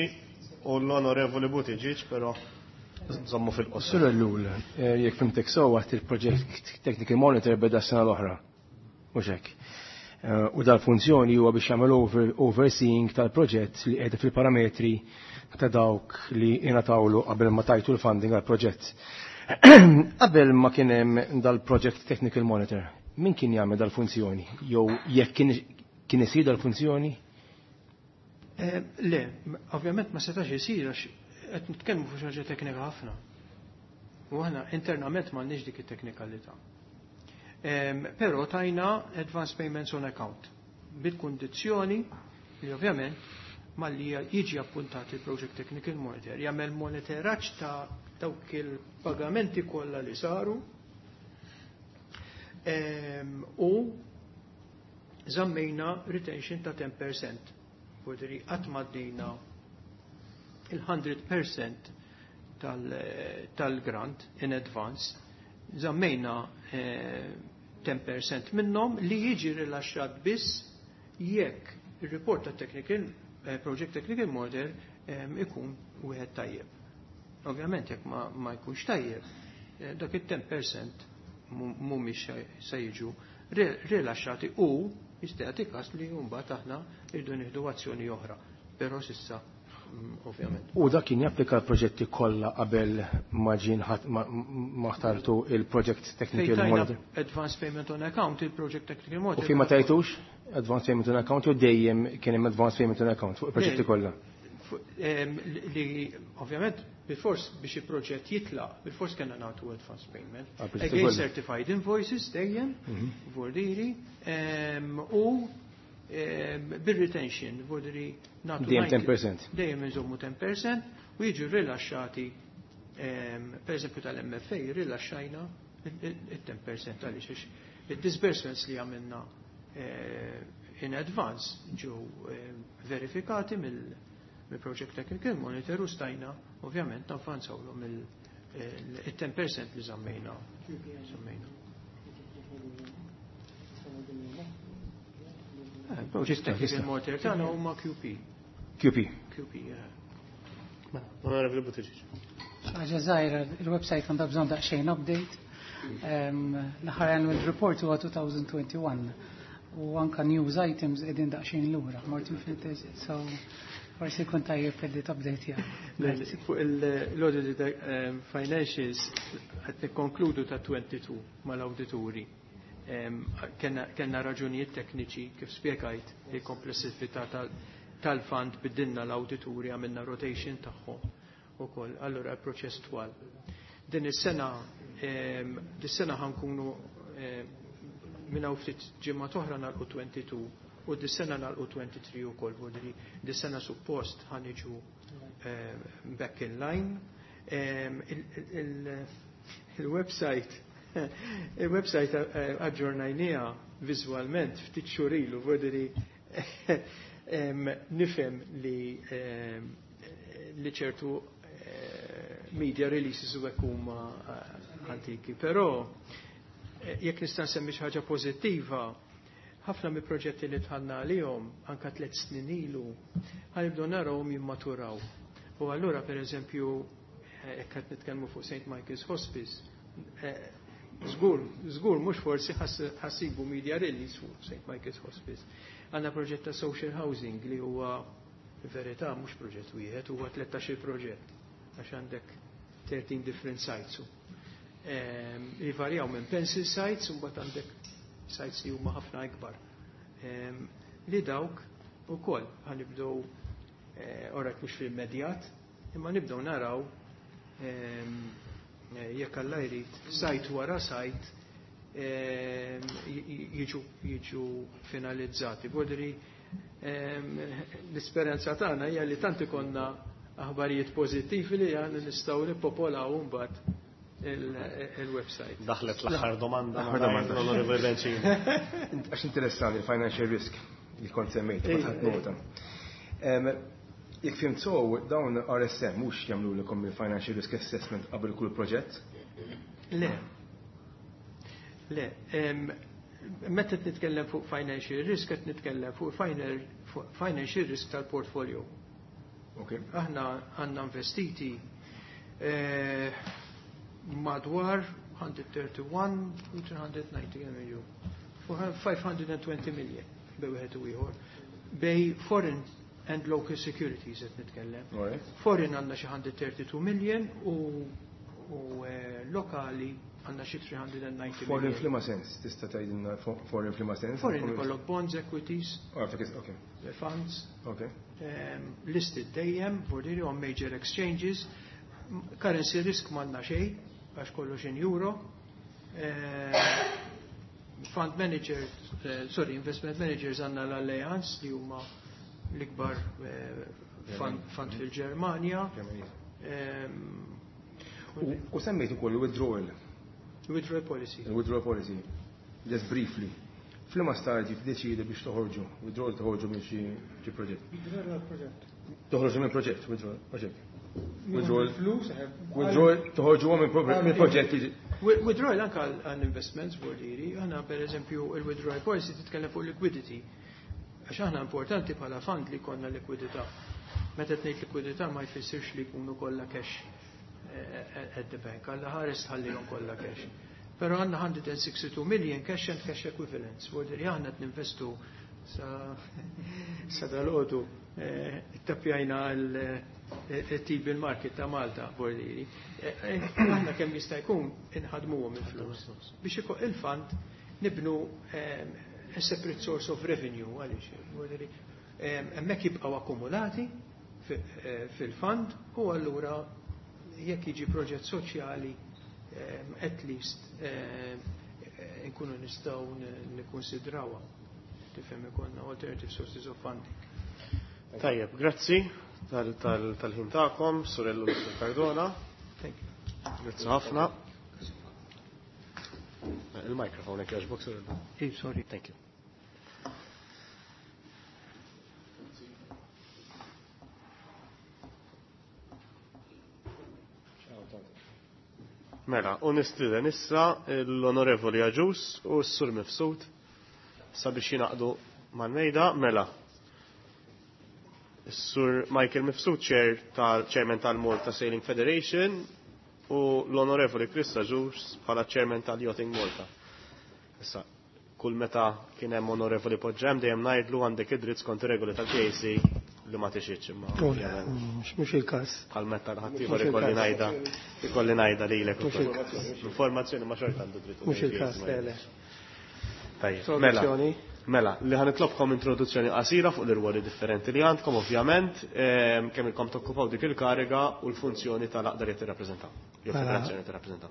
u l-Onorevoli Buttigieg, però żommu fil-qosor. Sur Ellul, jekk fhimtek sew għedt il-Project Technical Monitor beda s-sena l-oħra. Mhux hekk? U dal-funzjoni huwa biex jagħmel overseeing tal-proġett li qiegħda fil-parametri ta' dawk li ingħatawlu qabel ma tajtu l-funding għal-proġett. Qabel ma kien hemm dal-Project Technical Monitor, min kien jagħmel dal-funzjoni? Jew jekk kien kien isir dal-funzjoni? Le, ovvjament ma setax isir għax qed nitkellmu fuq xi ħaġa teknika ħafna. U aħna internament m'għandniex dik it-teknikalità. Però tajna advance payments on account bil-kundizzjoni li ovvjament malli jiġi appuntat il-Project Technical Monitor, jagħmel monitoraġġ ta' dawk il-pagamenti kollha li saru u żammejna retention ta' ten percent. Vuoldiri qatt m'għaddejna il-mija fil-mija tal-grant in advance, żammejna ten percent minnhom li jiġi rilaxxat biss jekk il-report ta' technical Project Technical Monitor ikun wieħed tajjeb. Ovvjament jekk ma, ma jkunx tajjeb, dak il-ten percent mhumiex se jiġu rilaxxati u jista' jagħti każ li mbagħad aħna rridu nieħdu azzjoni oħra. Però s'issa ovvjament. U dak kien japplika l-proġetti kollha qabel ma ġien ma ħtartu il-Project Technical Monitor? Advance Payment on Account, il-Project Technical Monitor. U fejn ma tajtux Advance Payment on Account jew dejjem kien hemm Advance Payment on Account fuq il-proġetti kollha? Li ovvjament bil-fors biex il-proġett jitlaq, bil-fors kellna nagħtu advance payment. Again certified invoices dejjem, vuoldiri, u bil-retention, vuoldiri nagħtu. Dejjem ten percent. Dejjem nżommu ten percent u jiġu rilaxxati, per eżempju tal-M F A, rilaxxajna il-ten percent għaliex il-disbursements li għamilna in advance ġew verifikati mill-Project Technical Monitor u stajna ovvjament navvanzawlhom il-ten percent li żammejna. Żammejna. Project Technical Monitor tagħna huma Q P. Q P. Q P, yeah. Onorevoli Buttigieg. Ħaġa żgħira, il-website għandha bżonn daqsxejn update. L-aħħar annual report huwa twenty twenty-one u anka news items qegħdin daqsxejn lura. Martin fil, so Forsi jkun tajjeb li tupdate. Fuq l-audited financials qed nikkonkludu ta' tnejn u għoxrin mal-awdituri. Kellna raġunijiet tekniċi, kif spjegajt, il-komplessività tal-fund, biddilna l-awdituri, għamilna rotation tagħhom ukoll, allura l-proċess twal. Din is-sena dis-sena ħa nkunu minn hawn ftit ġimgħa oħra nagħlqu tnejn u għoxrin u dis-sena nagħlqu tlieta u għoxrin ukoll, vuol dis-sena suppost ħa niġu back in line. Il-website il-website aġġornajnieha viżwalment ftit xhur ilu, vuol nifhem li li ċertu media releases u hekk huma antiki, però jekk nista' nsemmi xi ħaġa pożittiva, ħafna mi proġetti li dħalna għalihom anka tliet snin ilu ħa nibdew narawhom jimmaturaw. U allura, per eżempju, jekk qed nitkellmu fuq Saint Michael's Hospice, żgur, żgur mhux forsi ħa ssibu media release fuq Saint Michael's Hospice. Għandna proġett ta' social housing li huwa, verità, mhux proġett wieħed, huwa tlettax-il proġett għax għandek thirteen different sites. Jivarjaw minn pencil sites u mbagħad għandek sites li huma ħafna ikbar. Li dawk ukoll ħa nibdew, orak mhux fil-immedjat, imma nibdew naraw, jekk Alla jrid, site wara site jiġu jiġu finalizzati. Bodri l-esperjenza tagħna hija li tant ikollna aħbarijiet pożittivi li għandna nistgħu nippopolaw mbagħad il-website. Daħlet l-aħħar domanda. L-aħħar domanda. L-Onorevoli Bencini. Għax interessanti il-financial risk li kont semmejt, ħadt nota. Jekk fhimt sew, dawn R S M mhux jagħmlu lilkom il-financial risk assessment qabel kull proġett? Le. Le. Meta nitkellem fuq financial risk, qed nitkellem fuq financial risk tal-portfolio. Okay. Aħna għandna investiti eh, madwar mija u wieħed u tletin u tliet mija u disgħin million. five hundred twenty million bejn wieħed u ieħor. Bejn foreign and local securities qed nitkellem. Foreign għandna xi mija u tnejn u tletin million u, u eh, lokali għandna xi tliet mija u disgħin Foreign million. F'liema sens, tista' tgħidilna foreign f'liema sens? Foreign ikollok bonds, equities, Oh, okay. funds, Okay. um, listed dejjem, vuol on major exchanges, currency risk m'għandna xejn, għax kollox in euro. Uh, fund manager, uh, sorry, investment managers għandna l-Allianz li huma l-ikbar uh, fund, fund fil-Ġermanja. Um, U semmejt ukoll withdrawal. Withdrawal policy. Il-withdrawal policy. Just briefly. F'liema stadju tiddeċidi biex toħorġu, withdrawal, toħorġu minn xi xi proġett? Withdrawal proġett. Toħorġu minn proġett, withdrawal, proġett. Withdrawal. Flus, Withdrawal, toħorġu minn proġett. Withdrawal anka għal investments, vuol dire, għandna per eżempju il-withdrawal policy titkellem fuq liquidity. Għax aħna importanti bħala fund li jkollna likwidità. Meta tgħid likwidità ma jfissirx li jkunu kollha cash eh, at the bank, Alla ħares tħallihom kollha cash. Però għandna mija u tnejn u sittin million cash and cash equivalents. Vuol dire aħna qed ninvestu sa sa dalgħodu eh, ittappjajna l-T-bill market ta' Malta, vuol dire. Eh, aħna kemm jista' jkun inħadmuhom il-flus. Biex iko il-fund nibnu a separate source of revenue, għaliex vuol dire, hemmhekk jibqgħu akkumulati fil-fund u allura jekk jiġi proġett soċjali, at least nkunu nistgħu nikkonsidrawha. Tifhem, ikollna alternative sources of funding. Tajjeb, grazzi tal-ħin tagħkom, Sur Ellul, Sur Cardona. Thank you. Grazzi ħafna. Il-mikrofon jekk jogħġbok, Sur Ellul. Eh, sorry. Thank you. Mela, u nistieden issa l-Onorevoli Agius u s-Sur Mifsud sabiex jingħaqdu mal-mejda. Mela, s-Sur Michael Mifsud, Chair tal-Chairman tal-Malta Sailing Federation, u l-Onorevoli Chris Agius bħala Chairman tal-Yachting Malta. Issa, kull meta kien hemm onorevoli poġġem dejjem ngħidlu għandek id-dritt skont ir-regoli tal-K A C. Li ma tixitx imma. Mhux il-każ. Bħal meta ħaddieħor ikolli ngħidha ikolli ngħidha lilek. Informazzjoni ma xorta għandu dritt. Mhux il-każ, le le. Tajjeb. Mela, mela, li ħa nitlobkom introduzzjoni qasira fuq l-irwoli differenti li għandkom ovvjament, kemm ilkom tokkupaw dik il-kariga u l-funzjoni tal-għaqda li tirrappreżentaw. Jew federazzjoni tirrappreżentaw.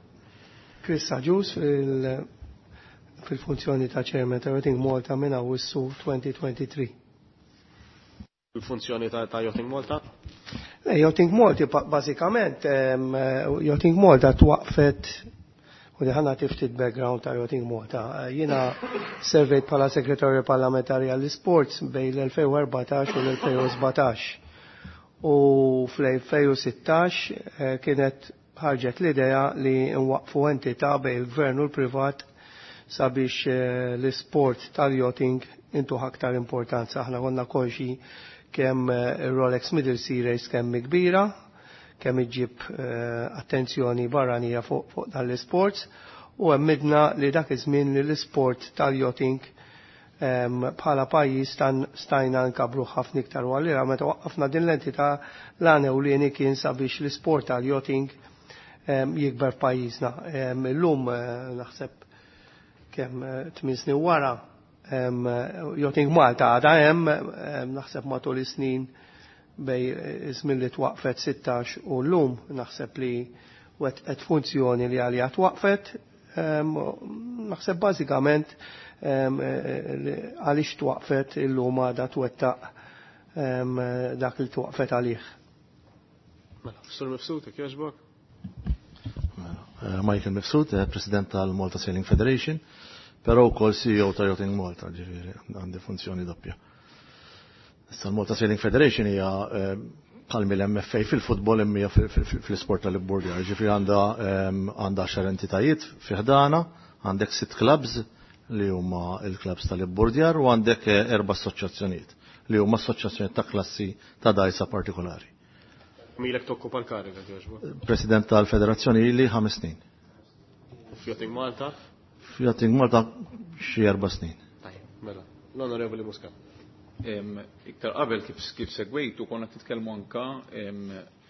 Chris Agius fil-funzjoni ta' Chairman ta' Yachting Malta minn Awwissu elfejn u tlieta u għoxrin. Il-funzjoni ta' Yachting Malta? Le, Yachting Malta, bażikament, Yachting Malta twaqfet u li ħa nagħti ftit background ta' Yachting Malta. Jiena servejt bħala segretarju parlamentari għall-sports bejn l-elfejn u erbatax u l-elfejn u sbatax. U fl-elfejn u sittax eh, kienet ħarġet l-idea li nwaqfu entità bejn il-gvern u l-privat sabiex eh, l-sport tal-yachting intuh aktar importanza. Aħna konna konxi kemm eh, il-Rolex Middle Sea Race kemm kbira, kemm iġib eh, attenzjoni barranija fuq fuq dan l-sports u emmidna li dak iż-żmien li l-sport tal-yachting bħala pajjiż stajna nkabru ħafna iktar u għallira meta waqqafna din l-entità l-għan ewlieni kien sabiex l-sport tal-yachting jikber f'pajjiżna. Illum eh, naħseb kemm eh, tmien snin wara Yachting Malta għadha hemm, naħseb matul is-snin bejn iż-żmien li twaqfet sittax u llum naħseb li wettqet funzjoni li għalija twaqfet. Naħseb bażikament għaliex twaqfet illum għadha twettaq dak li twaqfet għalih. Mela, Sur Mifsud, jogħġbok? Mela, Michael Mifsud, eh, President tal-Malta Sailing Federation, però wkoll C E O ta' Yachting Malta, ġifieri għandi funzjoni doppja. Issa l-Malta Sailing Federation hija eh, bħal mill-M F A fil-futbol imma fil-sport tal-ibburdjar, ġifieri għandha għandha għaxar entitajiet fi ħdana, għandek sitt clubs li huma il-clubs tal-ibburdjar u għandek eh, erba' assoċjazzjonijiet li huma assoċjazzjonijiet ta' klassi ta' dajsa partikolari. Milek tokkupa l-kariga, jogħġbok? President tal-Federazzjoni ili ħames snin. F'Yachting Malta? F'Yachting Malta xi erba' snin. Tajjeb, mela. L-Onorevoli Muscat. Iktar qabel kif kif segwejtu konna titkellmu anka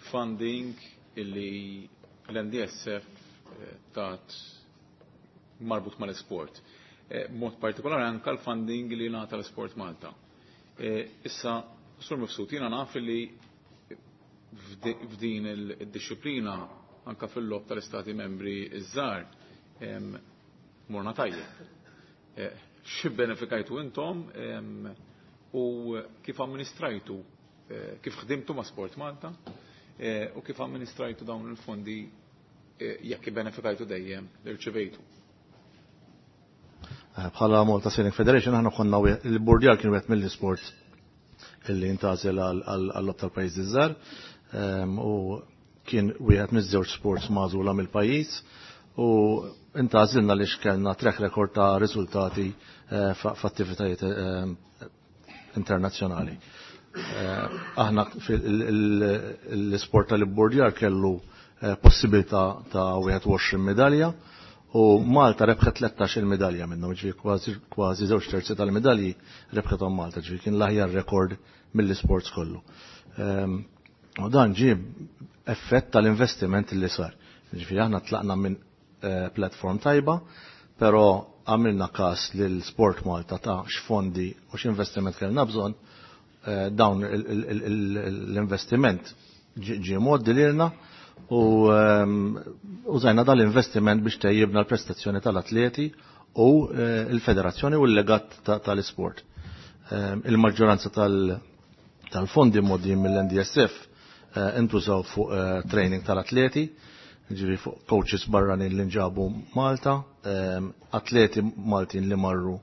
funding illi l-N D S F eh, tat marbut mal-sport. Eh, mod partikolari anka l-funding li ngħata l-Sport Malta. Eh, issa, Sur Mifsud, jiena naf li f'din il-disciplina anka fil-logħob tal-istati membri iż-żgħar morna tajjeb. X'ibbenefikajtu intom u kif amministrajtu, eh, kif ħdimtu ma' Sport Malta eh, u kif amministrajtu dawn il-fondi eh, jekk benefikajtu dejjem irċivejtu? Bħala Malta Sailing Federation aħna konna il-burdjar kien wieħed mill-sport illi intgħażel għal-logħob tal-pajjiżi żgħar u kien wieħed miż-żewġ sports magħżula mill-pajjiż u intgħażilna li kellna track record ta' riżultati f'attivitajiet internazzjonali. Eh, aħna l-sport tal-ibbordjar kellu eh, possibilità ta' wieħed u għoxrin medalja u Malta rebħet tlettax il medalja minnhom, ġifieri kważi żewġ terzi tal-medalji rebħethom Malta, ġifieri kien l-aħjar rekord mill-sports kollu. Ehm, u dan ġie effett tal-investiment li sar. Ġifieri aħna tlaqna minn eh, platform tajba, però għamilna kas lil Sport Malta ta' x'fondi u x'investiment kellna bżonn, eh, dawn l-investiment ġie mgħoddi lilna u ehm, użajna dal-investiment biex tejjibna l-prestazzjoni tal-atleti u eh, l-federazzjoni u l-legat tal-isport. Ehm, il-maġġoranza tal-fondi mgħoddijin mill-N D S F eh, intużaw fuq training tal-atleti, ġifieri fuq coaches barranin li nġabu Malta, ehm, atleti Maltin li marru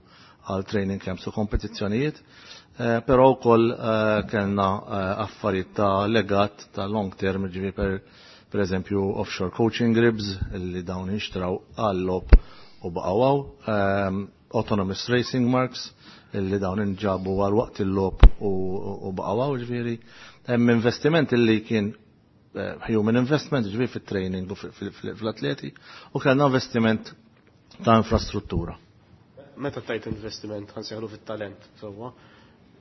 għal training camps u kompetizzjonijiet, eh, però wkoll eh, kellna eh, affarijiet ta' legat ta' long term, ġifieri per, per eżempju offshore coaching ribs li dawn inxtraw għall-logħob u baqgħu, ehm, autonomous racing marks illi dawn inġabu għal waqt il-logħob u baqgħu, ġifieri hemm investiment illi kien Eh, human investment, ġifieri fit-training u fl-atleti, u kellna investiment ta' infrastruttura. Meta tajt investiment, ħa nsejħulu fit-talent, sewwa,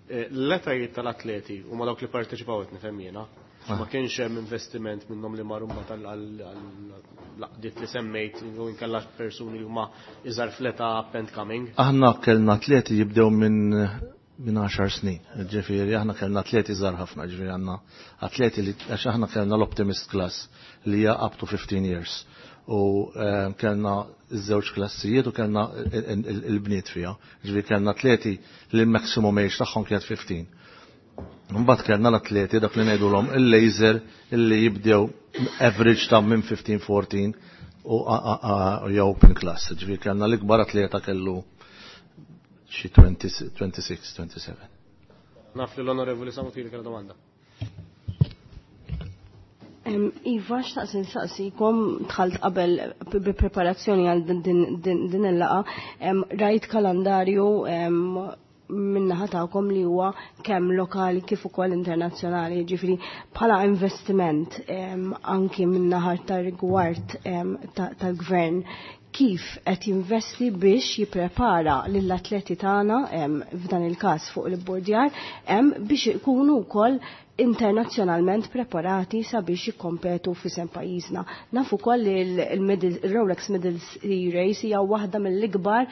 Eh, l-etajiet tal-atleti huma dawk li parteċipaw qed nifhem jiena. Ma kienx hemm investiment minnhom li marru mbagħad għall-għaqdiet li semmejt u inkella persuni li huma iżgħar fl-età up and coming. Aħna kellna atleti jibdew minn minn għaxar snin, ġifieri aħna kellna atleti żgħar ħafna, ġifieri għandna atleti li għax aħna kellna l-Optimist Class li hija up to fifteen years. U kellna iż-żewġ klassijiet u kellna il-bniet fiha. Ġifieri kellna atleti li l-maximum age tagħhom kienet fifteen. Mbagħad kellna l-atleti dak li ngħidulhom il-laser illi jibdew average ta' minn fifteen fourteen u jew open class. Ġifieri kellna l-ikbar atleta kellu xi twenty-six, twenty-seven. Naf li l-Onorevoli Samutili kellha domanda. Iva, xtaqt insaqsikom, dħalt qabel bi preparazzjoni għal din il-laqa, rajt kalendarju minnaħa tagħkom li huwa kemm lokali kif ukoll internazzjonali, ġifieri bħala investiment anki minnaħa tar-rigward tal-gvern, kif qed jinvesti biex jipprepara lill-atleti tagħna f'dan il-każ fuq il-bordjar biex ikunu wkoll internazzjonalment preparati sabiex jikkompetu f'isem pajjiżna. Nafu wkoll li l-Rolex Middle Sea Race hija waħda mill-ikbar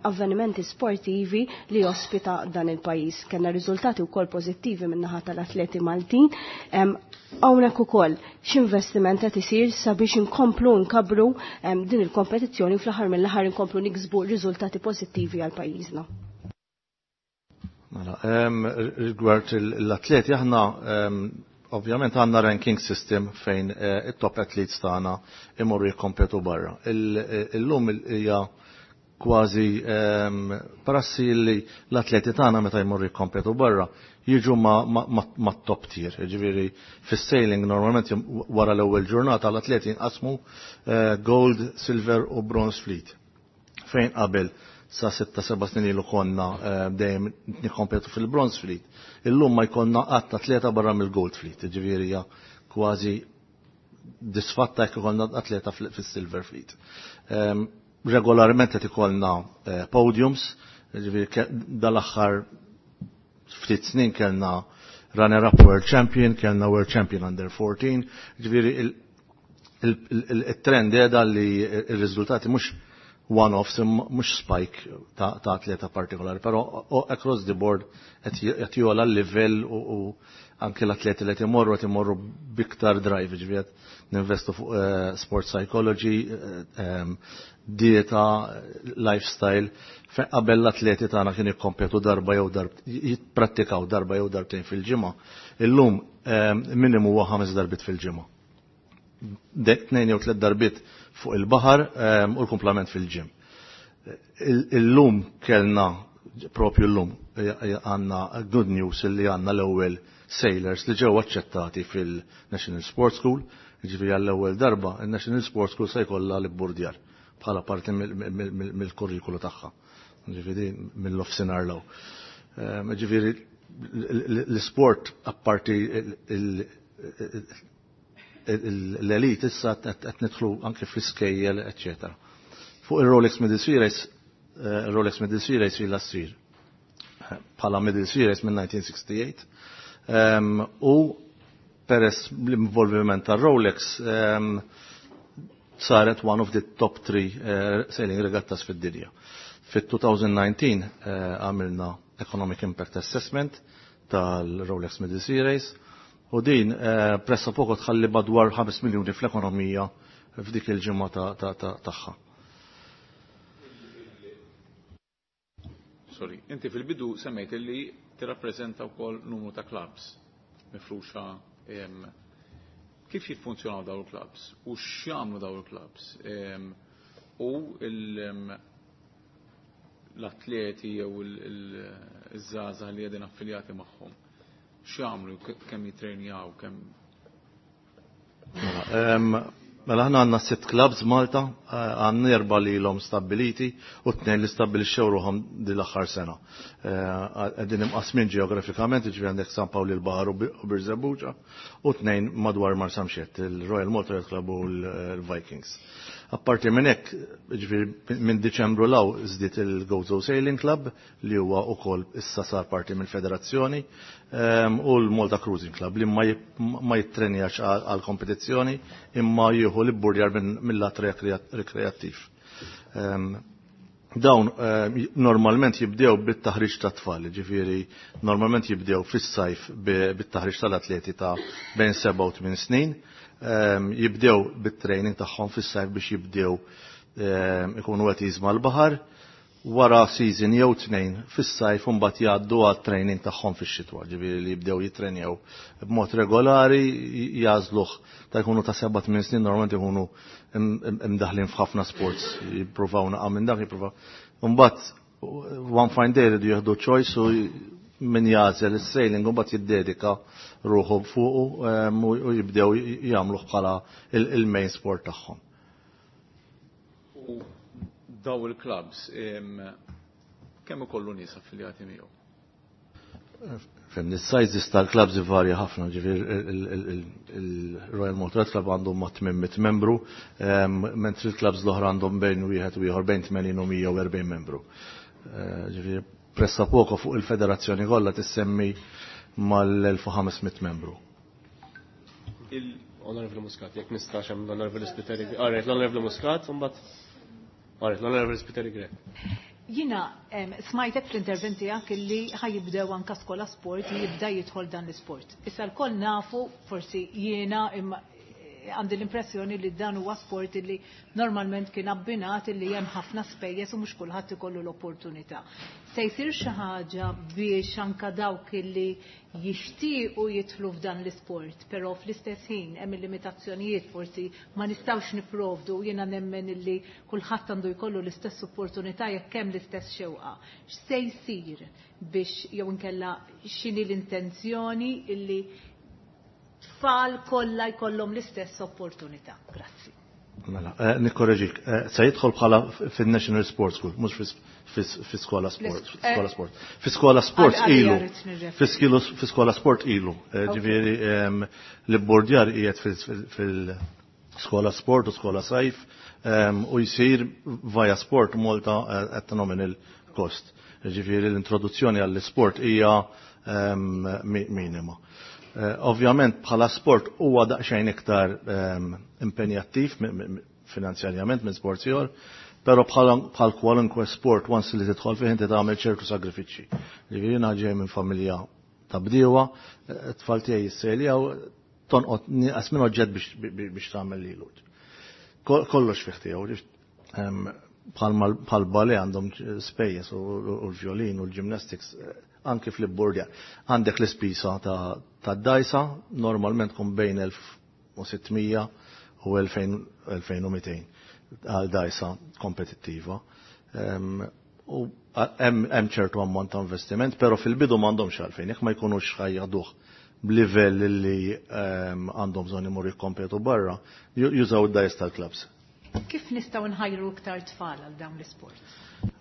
avvenimenti sportivi li jospita dan il-pajjiż. Kellna riżultati wkoll pożittivi min-naħa tal-atleti Maltin. Hawnhekk ukoll x'investiment qed isir sabiex inkomplu nkabru din il-kompetizzjoni u fl-aħħar mill-aħħar inkomplu niksbu riżultati pożittivi għal pajjiżna. Mela, rigward l-atleti, aħna ovvjament għandna ranking system fejn it-top athletes tagħna imorru jikkompetu barra. Illum hija kważi prassi li l-atleti tagħna meta jmorru jikkompetu barra jiġu ma' top tier. Ġifieri fis-sailing normalment wara l-ewwel ġurnata l-atleti jinqasmu gold, silver u bronze fleet. Fejn qabel sa sitta seba' snin ilu konna dejjem nikkompetu fil-bronze fleet. Illum ma jkollna qatt atleta barra mill-gold fleet, ġifieri hija kważi disfatta jekk ikollna atleta fis-silver fleet. Regolarment qed ikollna podiums, ġifieri dal-aħħar ftit snin kellna runner-up World Champion, kellna World Champion under fourteen, ġifieri il-trend qiegħda li r-riżultati mhux one-offs, mhux spike ta' atleta partikolari, però across the board qed jogħla l-livell u anke l-atleti li qed imorru qed imorru biktar drive, ġifieri qed ninvestu fuq sport psychology, dieta, lifestyle. Qabel l-atleti tagħna kienu jikkompetu darba jew darb, jipprattikaw darba jew darbtejn fil-ġimgħa. Illum minimu huwa ħames darbiet fil-ġimgħa. Tnejn jew tliet darbiet fuq il-baħar u l-kumplament fil-ġim. Illum kellna, propju llum, għandna good news li għandna l-ewwel sailors li ġew aċċettati fil-National Sports School, ġifieri għall-ewwel darba il-National Sports School se jkollha l-burdjar bħala parti mill-kurrikulu tagħha. Ġifieri mill-offsinar law. Ġifieri l-sport apparti l-elit issa qed nidħlu anke fl-iskejjel, eċċetera. Fuq il-Rolex Middle Sea Race, Rolex Middle Sea Race ilha ssir bħala Middle Sea Race minn nineteen sixty-eight. U peress l-involviment tar-Rolex saret one of the top three sailing regattas fid-dinja. Fit-two nineteen għamilna Economic Impact Assessment tal-Rolex Middle Sea Race u din pressa poco tħalli madwar ħames miljuni fl-ekonomija f'dik il-ġimgħa tagħha. Sorry, inti fil-bidu semmejt li tirrappreżenta wkoll numru ta' clubs mifruxa. Kif jiffunzjonaw dawn il-clubs u x'jagħmlu dawn il-clubs u l-atleti jew iż-żgħażagħ li qegħdin affiljati magħhom x'jagħmlu, kemm jitrejnjaw, kemm Mela aħna għandna sitt clubs Malta, għandna erba' li ilhom stabbiliti u tnejn li stabbilixxew ruħhom din l-aħħar sena. Qegħdin imqasmin ġeografikament, jiġifieri għandek San Pawl il-Baħar u Birżebbuġa u tnejn madwar Marsamxett, il-Royal Malta Yacht Club u l-Vikings. Apparti minn hekk, ġifieri minn Diċembru 'l hawn żdied il-Gozo Sailing Club li huwa wkoll issa sar parti mill-federazzjoni u l-Malta Cruising Club li ma jittrenjax għal kompetizzjoni imma jieħu l-ibburdjar mill-lat rekreattiv. Dawn normalment jibdew bit-taħriġ ta' tfal, ġifieri normalment jibdew fis-sajf bit-taħriġ tal-atleti ta' bejn seba' u tmien snin, jibdew bit-training tagħhom fis-sajf biex jibdew ikunu qed jiżma l-baħar, wara season jew tnejn fis-sajf u mbagħad jgħaddu għat-training tagħhom fix-xitwa, ġifieri li jibdew jittrenjaw b'mod regolari, jagħżluh ta' jkunu ta' seba' tmien snin normalment ikunu imdaħlin f'ħafna sports, jippruvaw naqa' minn dak, jippruvaw. Mbagħad one fine day jridu jieħdu choice u min jagħżel is-sailing u mbagħad jiddedika ruħu fuqu u jibdew jagħmluh bħala il-main sport tagħhom. U daw il-clubs kemm ikollu nies affiljati miegħu? Fem, il-sizes tal-clubs ivarja ħafna, ġifieri il-Royal Malta Club għandhom ma' tmien mitt membru, mentri il-clubs l-oħra għandhom bejn wieħed u ieħor bejn tmenin u mija u erbgħin membru. Ġifieri pressa poco fuq il-federazzjoni kollha tissemmi mal-elf u ħames mitt membru. Il-Onorevoli Muscat, jekk nistax hemm l-Onorevoli Spiteri. Alright, l-Onorevoli Muscat, mbagħad Alright, l-Onorevoli Spiteri Grech. Jina smajtek fl-intervent tiegħek illi ħajibdew anka skola sport li jibda jidħol dan l-isport. Issa lkoll nafu, forsi jiena imma għandi l-impressjoni li dan huwa sport illi normalment kien abbinat illi hemm ħafna spejjeż u mhux kulħadd ikollu l-opportunità. Se jsir xi ħaġa biex anka dawk illi jixtiequ jidħlu f'dan l-isport, però fl-istess ħin hemm il-limitazzjonijiet forsi ma nistgħux nipprovdu, jiena nemmen illi kulħadd għandu jkollu l-istess opportunità jekk hemm l-istess xewqa. X'se jsir biex jew inkella x'inhi l-intenzjoni illi tfal kollha jkollhom l-istess opportunità? Grazzi. Mela, eh, nikkoreġik, eh, se jidħol bħala fin-National Sports School, mhux fi skola sport, eh, skola sport. Fi skola sport Għal- ilu. għalija rrid nirreferi. Fi skilu- fi skola sport ilu. Eh, ġifieri, ehm, l-bordjar qiegħed fil-, fil-skola sport u skola sajf, ehm, u jsir via Sport Malta, eh, at nominal cost. Ġifieri l-introduzzjoni għall-sport hija, ehm, mi-, minima. Eh, ovvjament bħala sport huwa daqsxejn iktar, ehm, impenjattiv mi-, mi-, mi-, finanzjarjament minn sport ieħor, però bħala, bħal kwalunkwe sport once li tidħol fih inti tagħmel ċertu sagrifiċċji. Ġifieri jiena ġej minn familja ta' bdiewa, eh, tfal tiegħi jissejljaw, tonqod nieqas minn oġġett biex, biex, biex tagħmel lilu. Ko-, kollox fih tiegħu, ġift, ehm, bħal bħal ballet għandhom spejjeż u, u l-violin u l-gymnastics, eh, anki fl-bordja. Għandek l-ispisa ta', ta' dajsa, normalment tkun bejn elf u sittmija u elfejn, elfejn u mitejn għal dajsa kompetittiva. Ehm, u hemm, hemm ċertu ammont ta' investiment, però fil-bidu m'għandhomx għalfejn, jekk ma jkunux ħajjaduh b'livell li, ehm, għandhom bżonn imorru jikkompetu barra, ju-, jużaw id-dajs tal-clubs. Kif nistgħu nħajru iktar tfal għal dawn l-isport?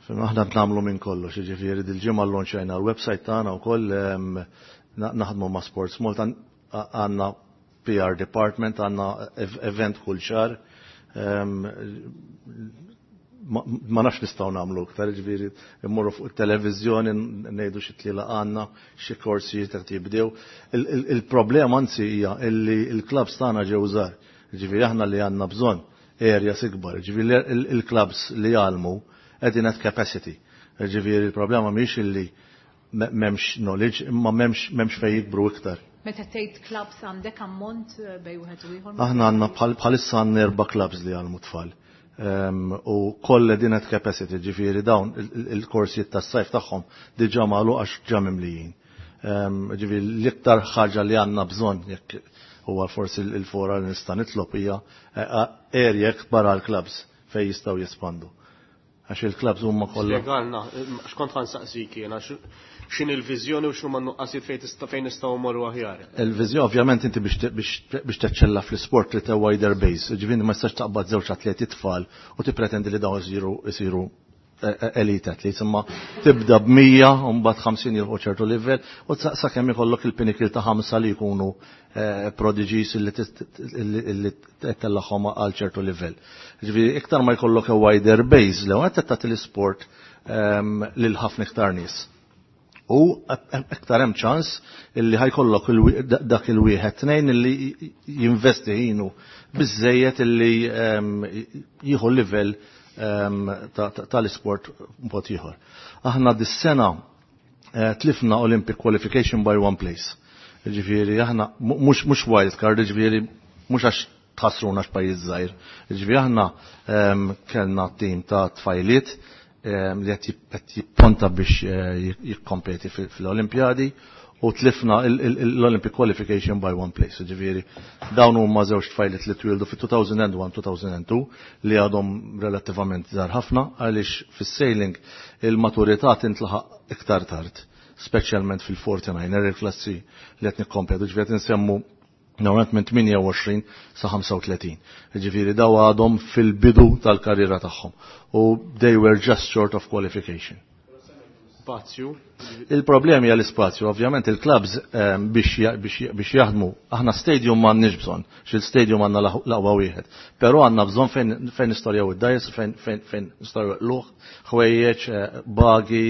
Fim, aħna nagħmlu minn kollox, jiġifieri dil-ġimgħa llonċajna l-website tagħna wkoll, ehm, na-, naħdmu ma' Sports Malta, għa-, għandna P R department, għandna ev-, event kull xahar. Ehm, ma, ma nafx nistgħu nagħmlu iktar, jiġifieri immorru fuq it-televiżjoni ngħidu xi tliela għandna, xi korsijiet qed jibdew. Il-, il-, il-problema anzi hija illi l-clubs tagħna ġew żgħar. Jiġifieri aħna li għandna bżonn areas ikbar, jiġifieri il-, il-clubs li jgħallmu qegħdin at capacity. Jiġifieri il-problema mhix illi me-, m'hemmx knowledge, imma m'hemmx, m'hemmx fejn jikbru iktar. Meta tgħid clubs għandek ammont, eh, bej wieħed u ieħor? Aħna għandna bħal-, bħalissa għandna erba' clubs li jgħallmu tfal. Ehm, u kollha din at capacity, ġifieri dawn il-, il-, il-korsijiet tas-sajf tagħhom diġà magħluq għax ġa mimlijin. Ehm, ġifieri l-iktar ħaġa li għandna bżonn jekk huwa forsi il-, il-fora li nista' nitlob hija, eh, eh, area ikbar għall-clubs fejn jistgħu jespandu. Għax il-clubs huma kollha. Spjegalna, x'kont ħa nsaqsik jien, għax x'inhi l-viżjoni u x'huma n-nuqqasijiet fejn tista' fejn nistgħu mmorru aħjar. Il-viżjoni ovvjament inti biex te-, biex te-, biex teċċella fl-isport li te wider base, ġifieri ma tistax taqbad żewġ atleti tfal u tippretendi li dawn isiru, isiru elite athletes, imma tibda b'mija u mbagħad ħamsin jilħqu ċertu livell u sakemm ikollok il-pinnacle ta' ħamsa li jkunu prodigies illi tellagħhom għal ċertu livell. Ġifieri iktar ma jkollok a wider base l qed tagħti l-isport lil ħafna iktar nies. U iktar hemm ċans illi ħajkollok dak il-wieħed tnejn illi jinvesti ħinu biżejjed illi jieħu livell tal-isport mod ieħor. Aħna dis-sena tlifna Olympic qualification by one place. Ġifieri aħna mhux mhux wild card, ġifieri mhux għax tħassruna x'pajjiż żgħir. Ġifieri aħna kellna tim ta' tfajliet li qed jipponta biex jikkompeti fil-Olimpjadi u tlifna l-Olympic qualification by one place. Ġifieri dawn huma żewġ tfajliet li twildu fit-two thousand and one-two thousand and two li għadhom relattivament żgħar ħafna, għaliex fis-sailing il-maturità tintlaħaq iktar tard, speċjalment fil-forty-niner, il-klassi li qed nikkompetu, ġifieri qed insemmu normalment minn tmienja u għoxrin sa ħamsa u tletin. Ġifieri daw għadhom fil-bidu tal-karriera tagħhom u they were just short of qualification. Spazju. Il-problemi hija l-ispazju, ovvjament il-clubs biex, biex, biex jaħdmu, aħna stadium m'għandniex bżonn, xil stadium għandna l-aqwa wieħed, però għandna bżonn fejn, fejn nistorjaw id-dgħajjes, fejn, fejn, fejn nistorjaw l-luħ, ħwejjeġ, bagi,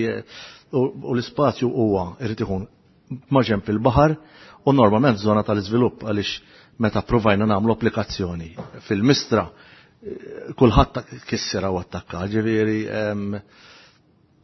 u, u l-ispazju huwa irid ikun maġenb il-baħar u normalment żona tal-iżvilupp, għaliex meta provajna nagħmlu applikazzjoni fil-Mistra, kulħadd kissira u attakka, ġifieri.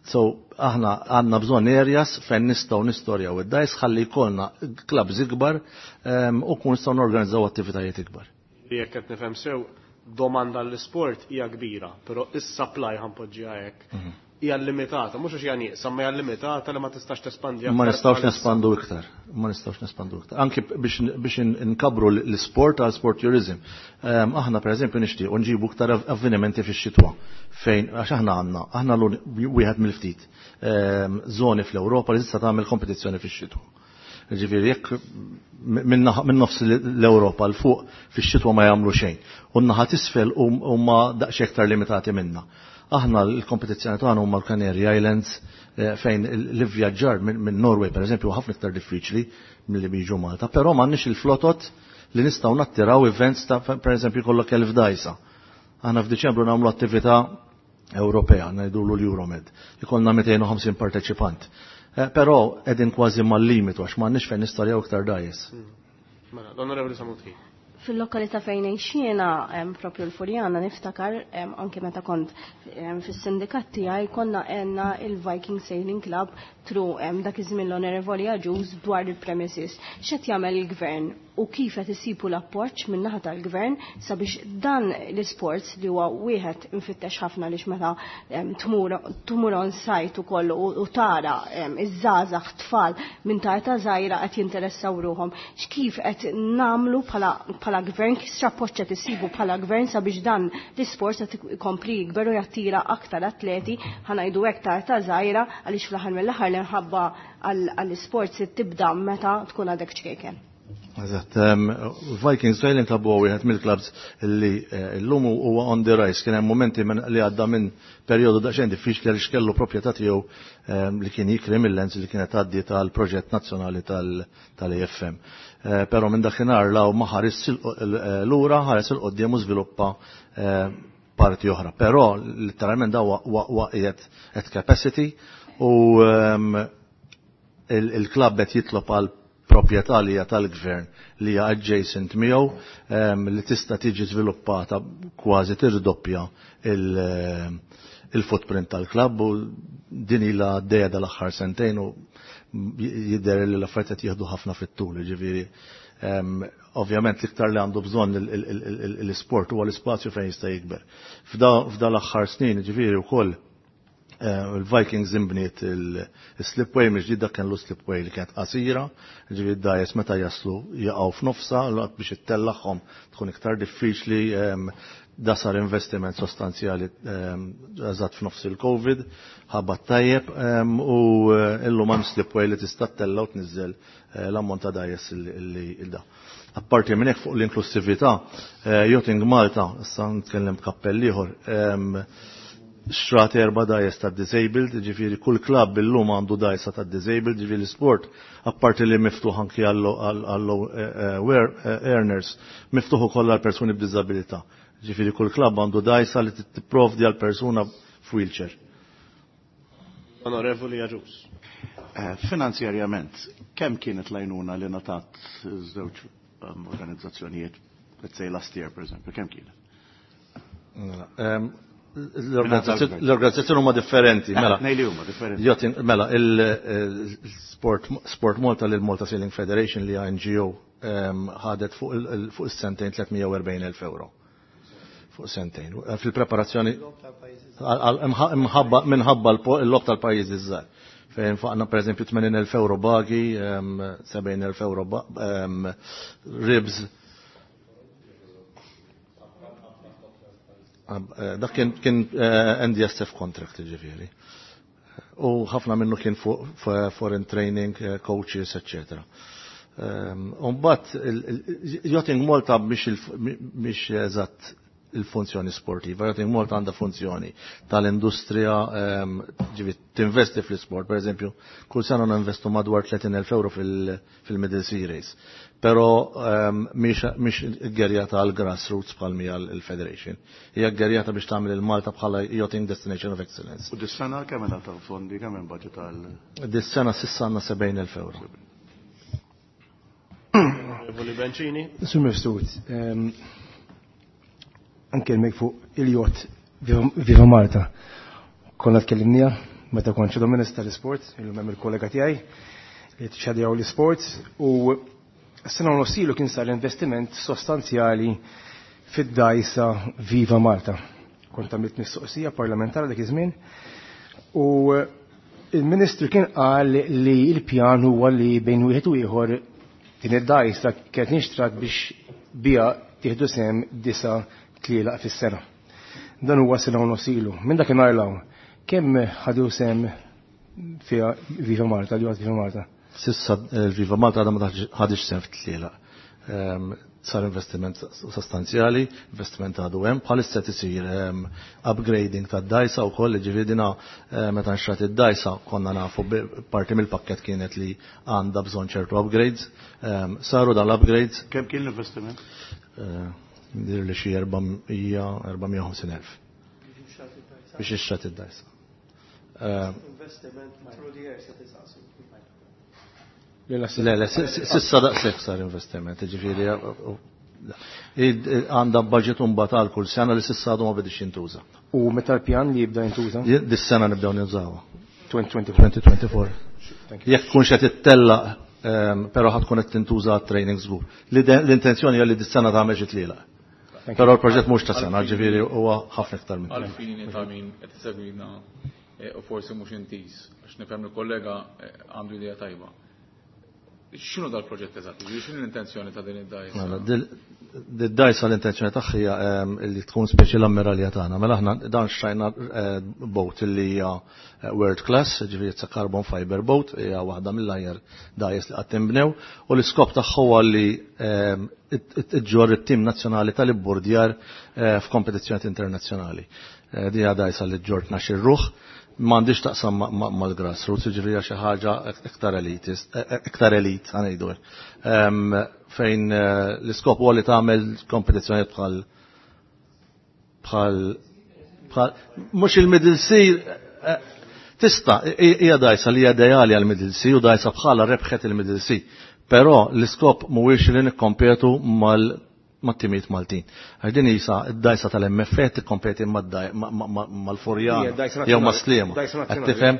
So, aħna għandna bżonn areas fejn nistgħu nistorjaw id-dgħajjes ħalli jkollna clubs ikbar u kun nistgħu norganizzaw attivitajiet ikbar. Jekk qed nifhem sew, domanda l-isport hija kbira, però is-supply, ħa npoġġiha hekk, hija limitata, mhux għax hija nieqsa, ma hija limitata li ma tistax tespandi. Ma nistgħux nespandu iktar, ma nistgħux nespandu iktar. Anki biex biex nkabru l-sport għal sport tourism. Aħna per eżempju nixtiequ nġibu iktar avvenimenti fix-xitwa fejn, għax aħna għandna aħna wieħed mill-ftit żoni fl-Ewropa li tista' tagħmel kompetizzjoni fix-xitwa. Ġifieri jekk minn nofs l-Ewropa 'l fuq fix-xitwa ma jagħmlu xejn. U n-naħa t'isfel huma daqsxejn iktar limitati minna. Aħna l-kompetizzjoni tagħna huma l-Canary Islands, fejn l-ivvjaġġar minn Norway, per eżempju, ħafna iktar diffiċli milli biġu Malta, però m'għandniex il-flotot li nistgħu nattiraw events ta' per eżempju kollok elf dgħajsa. Aħna f'Diċembru nagħmlu attività Ewropea, ngħidulu l-Euromed, ikollna mitejn u ħamsin parteċipant. Però qegħdin kważi mal-limitu għax m'għandniex fejn nistorjaw iktar dgħajjes. Mela, l-Onorevoli Samut. Fil-lokalità fejn jiena, propju l-Furjana, niftakar anke meta kont fis-sindikat tiegħi, konna għenna il-Viking Sailing Club through dak iż-żmien l-Onorevoli Agius dwar il-premises. X'qed jagħmel il-gvern u kif qed isibu l-appoġġ min-naħa tal-gvern sabiex dan l-isports li huwa wieħed infittex ħafna, għaliex meta tmur tmur on site ukoll u tara iż-żgħażagħ, tfal minn ta' età żgħira qed jinteressaw ruhom. X'kif qed nagħmlu bħala gvern, kif x'appoġġ qed isibu bħala gvern sabiex dan l-isport qed ikompli jikber u jattira aktar atleti, ħa ngħidu hekk, ta' età żgħira, għaliex fl-aħħar mill-aħħar l-imħabba għall-isport se tibda meta tkun għadek ċkejken? Eżatt, Vikings Sailing Club huwa wieħed mill-clubs li llum huwa on the rise. Kien hemm momenti li għadda minn perjodu daqsxejn diffiċli għaliex kellu proprjetà tiegħu li kien jikri mill-lands li kienet għaddi tal-proġett nazzjonali tal-A F M. Però minn dakinhar law ma ħares lura, ħares 'il quddiem u żviluppa parti oħra. Però literalment da waqgħet at capacity u il-klabb qed jitlob għal proprjetà li hija tal-gvern li hija adjacent miegħu, li tista' tiġi żviluppata, kważi tirdoppja il-footprint tal-klabb, u din ilha għaddejja dal-aħħar sentejn u jidher li l-affarijiet qed jieħdu ħafna fit-tul, ġifieri ovvjament l-iktar li għandu bżonn l-isport huwa l-ispazju fejn jista' jikber. F'da l-aħħar snin, ġifieri wkoll il-Vikings imbniet il-slipway mhux dak kien l slipway li kienet qasira, ġifieri d-dgħajjes meta jaslu jaqgħu f'nofsa, l biex ittellagħhom tkun iktar diffiċli. Da sar investiment sostanzjali eżatt f'nofs il-Covid, ħabat tajjeb u illum hemm slipway li tista' ttella' u tniżżel l-ammont ta' dgħajjes li da. Apparti minn hekk, fuq l-inklusività, Yachting Malta, issa nitkellem b'kappell ieħor, Xtrat erba' dgħajjes tad-disabled, ġifieri kull klabb illum għandu dgħajsa tad-disabled, ġifieri l-sport apparti li miftuħ anki għall-low earners, miftuħ ukoll għal persuni b'diżabilità. Ġifieri kull klabb għandu dgħajsa li tipprovdi għal persuna f'wheelchair. Onorevoli Agius. Finanzjarjament, kemm kienet l-għajnuna li ngħatat żewġ organizzazzjonijiet, let's say last year per eżempju, kemm kienet? L-organizzazzjoni huma differenti, mela. Ngħid li huma differenti. Mela, il-Sport Sport Malta lil Malta Sailing Federation li hija N G O ħadet fuq is-sentejn tliet mija u erbgħin elf euro. Fuq sentejn. Fil-preparazzjoni minħabba l-logħob tal-pajjiżi żgħar. Fejn faqna per eżempju tmenin elf euro bagi, sebgħin elf euro ribs. Dak kien kien N D S F contract, ġifieri. U ħafna minnu kien fuq foreign training, coaches, eccetera. Umbat, Yachting Malta biex eżatt il-funzjoni sportiva. Yachting Malta għandha funzjoni tal-industrija, ġifieri tinvesti fl-sport, per eżempju, kull sena ninvestu madwar tletin elf euro fil-Middle Sea Race. Pero mhix ggerjata għal grassroots bħal mija l-Federation. Hija ggerjata biex tagħmel il-Malta bħala Yachting Destination of Excellence. U dis-sena kemm ta' fondi, kemm hemm budget għal? Dis-sena s'issa għandna sebgħin elf euro. Onorevoli Bencini. Sur Mifsud, anke l fuq il-jott Viva Malta. Konna tkellimnija meta kont shadow minister l-sport, illum hemm il-kollega tiegħi li tixxadjaw l-sport, u s-sena u nofs ilu kien sar investiment sostanzjali fid-dgħajsa Viva Malta. Kont għamilt mistoqsija parlamentari dak iż-żmien u il-Ministru kien qal li l-pjan huwa li bejn wieħed u ieħor din id-dgħajsa kienet nixtrat biex bija tieħdu sehem disa' tlielaq fis-sena. Dan huwa sena u nofs ilu. Minn dakinhar 'l hawn, kemm ħadu sehem fiha Viva Malta, li Viva Malta? S'issa Viva Malta għadha ma ħadix sehem fit-tlielaq. Sar investiment sostanzjali, investiment għadu hemm, bħalissa tisir upgrading tad-dgħajsa wkoll, ġifieri dina meta nxtrat id-dgħajsa konna nafu parti mill-pakket kienet li għandha bżonn ċertu upgrades. Saru dan l-upgrades. Kemm kien l-investiment? Dir li xi erba' mija, erba' mija u ħamsin elf. Biex ixtrat id-dgħajsa. Investiment through the years it is. Le, le, s'issa daqshekk sar investiment, ġifieri għandha budget imbagħad għal kull sena li s'issa għadu ma bidix jintuża. U meta l-pjan li jibda jintuża? Dis-sena nibdew nużawha. elfejn u erbgħa وعشرين. elfejn u erbgħa وعشرين. Jekk tkunx qed ittellaq, però ħa tkun qed tintuża training żgur. L-intenzjoni hija li dis-sena tagħmel xi tlielaq. Però l-proġett mhux ta' sena, ġifieri huwa ħafna iktar minn. Għalfini ta' min qed isegwina u forsi mhux intiż, għax nifhem il-kollega għandu idea tajba. X'inhu dal-proġett eżatt? X'inhu l-intenzjoni ta' din id-dgħajsa? Mela, id-dgħajsa l-intenzjoni tagħha hija li tkun speċi l-ammiralja tagħna. Mela aħna dan xtrajna boat li hija world class, ġifieri it's a carbon fiber boat, hija waħda mill-aħjar dgħajjes li qatt inbnew, u l-iskop tagħha huwa li iġġorr it-tim nazzjonali tal-ibburdjar f'kompetizzjoni internazzjonali. Din hija dgħajsa li ġġorr tnax-il ruħ, m'għandix taqsam mal-grassroots, ġifieri xi ħaġa iktar elitist, iktar elit, ħa ngħidu. Fejn l-iskop huwa li tagħmel kompetizzjoni bħal bħal bħal mhux il-Middle Sea, tista' hija dgħajsa li hija ideali għal Middle Sea u dgħajsa bħala rebħet il-Middle Sea. Però l-iskop mhuwiex li nikkompetu mal mat-timijiet Maltin. Għax din isa id-dgħajsa tal-M F A tikkompeti mal-Furjana jew mas-Sliema. Qed tifhem?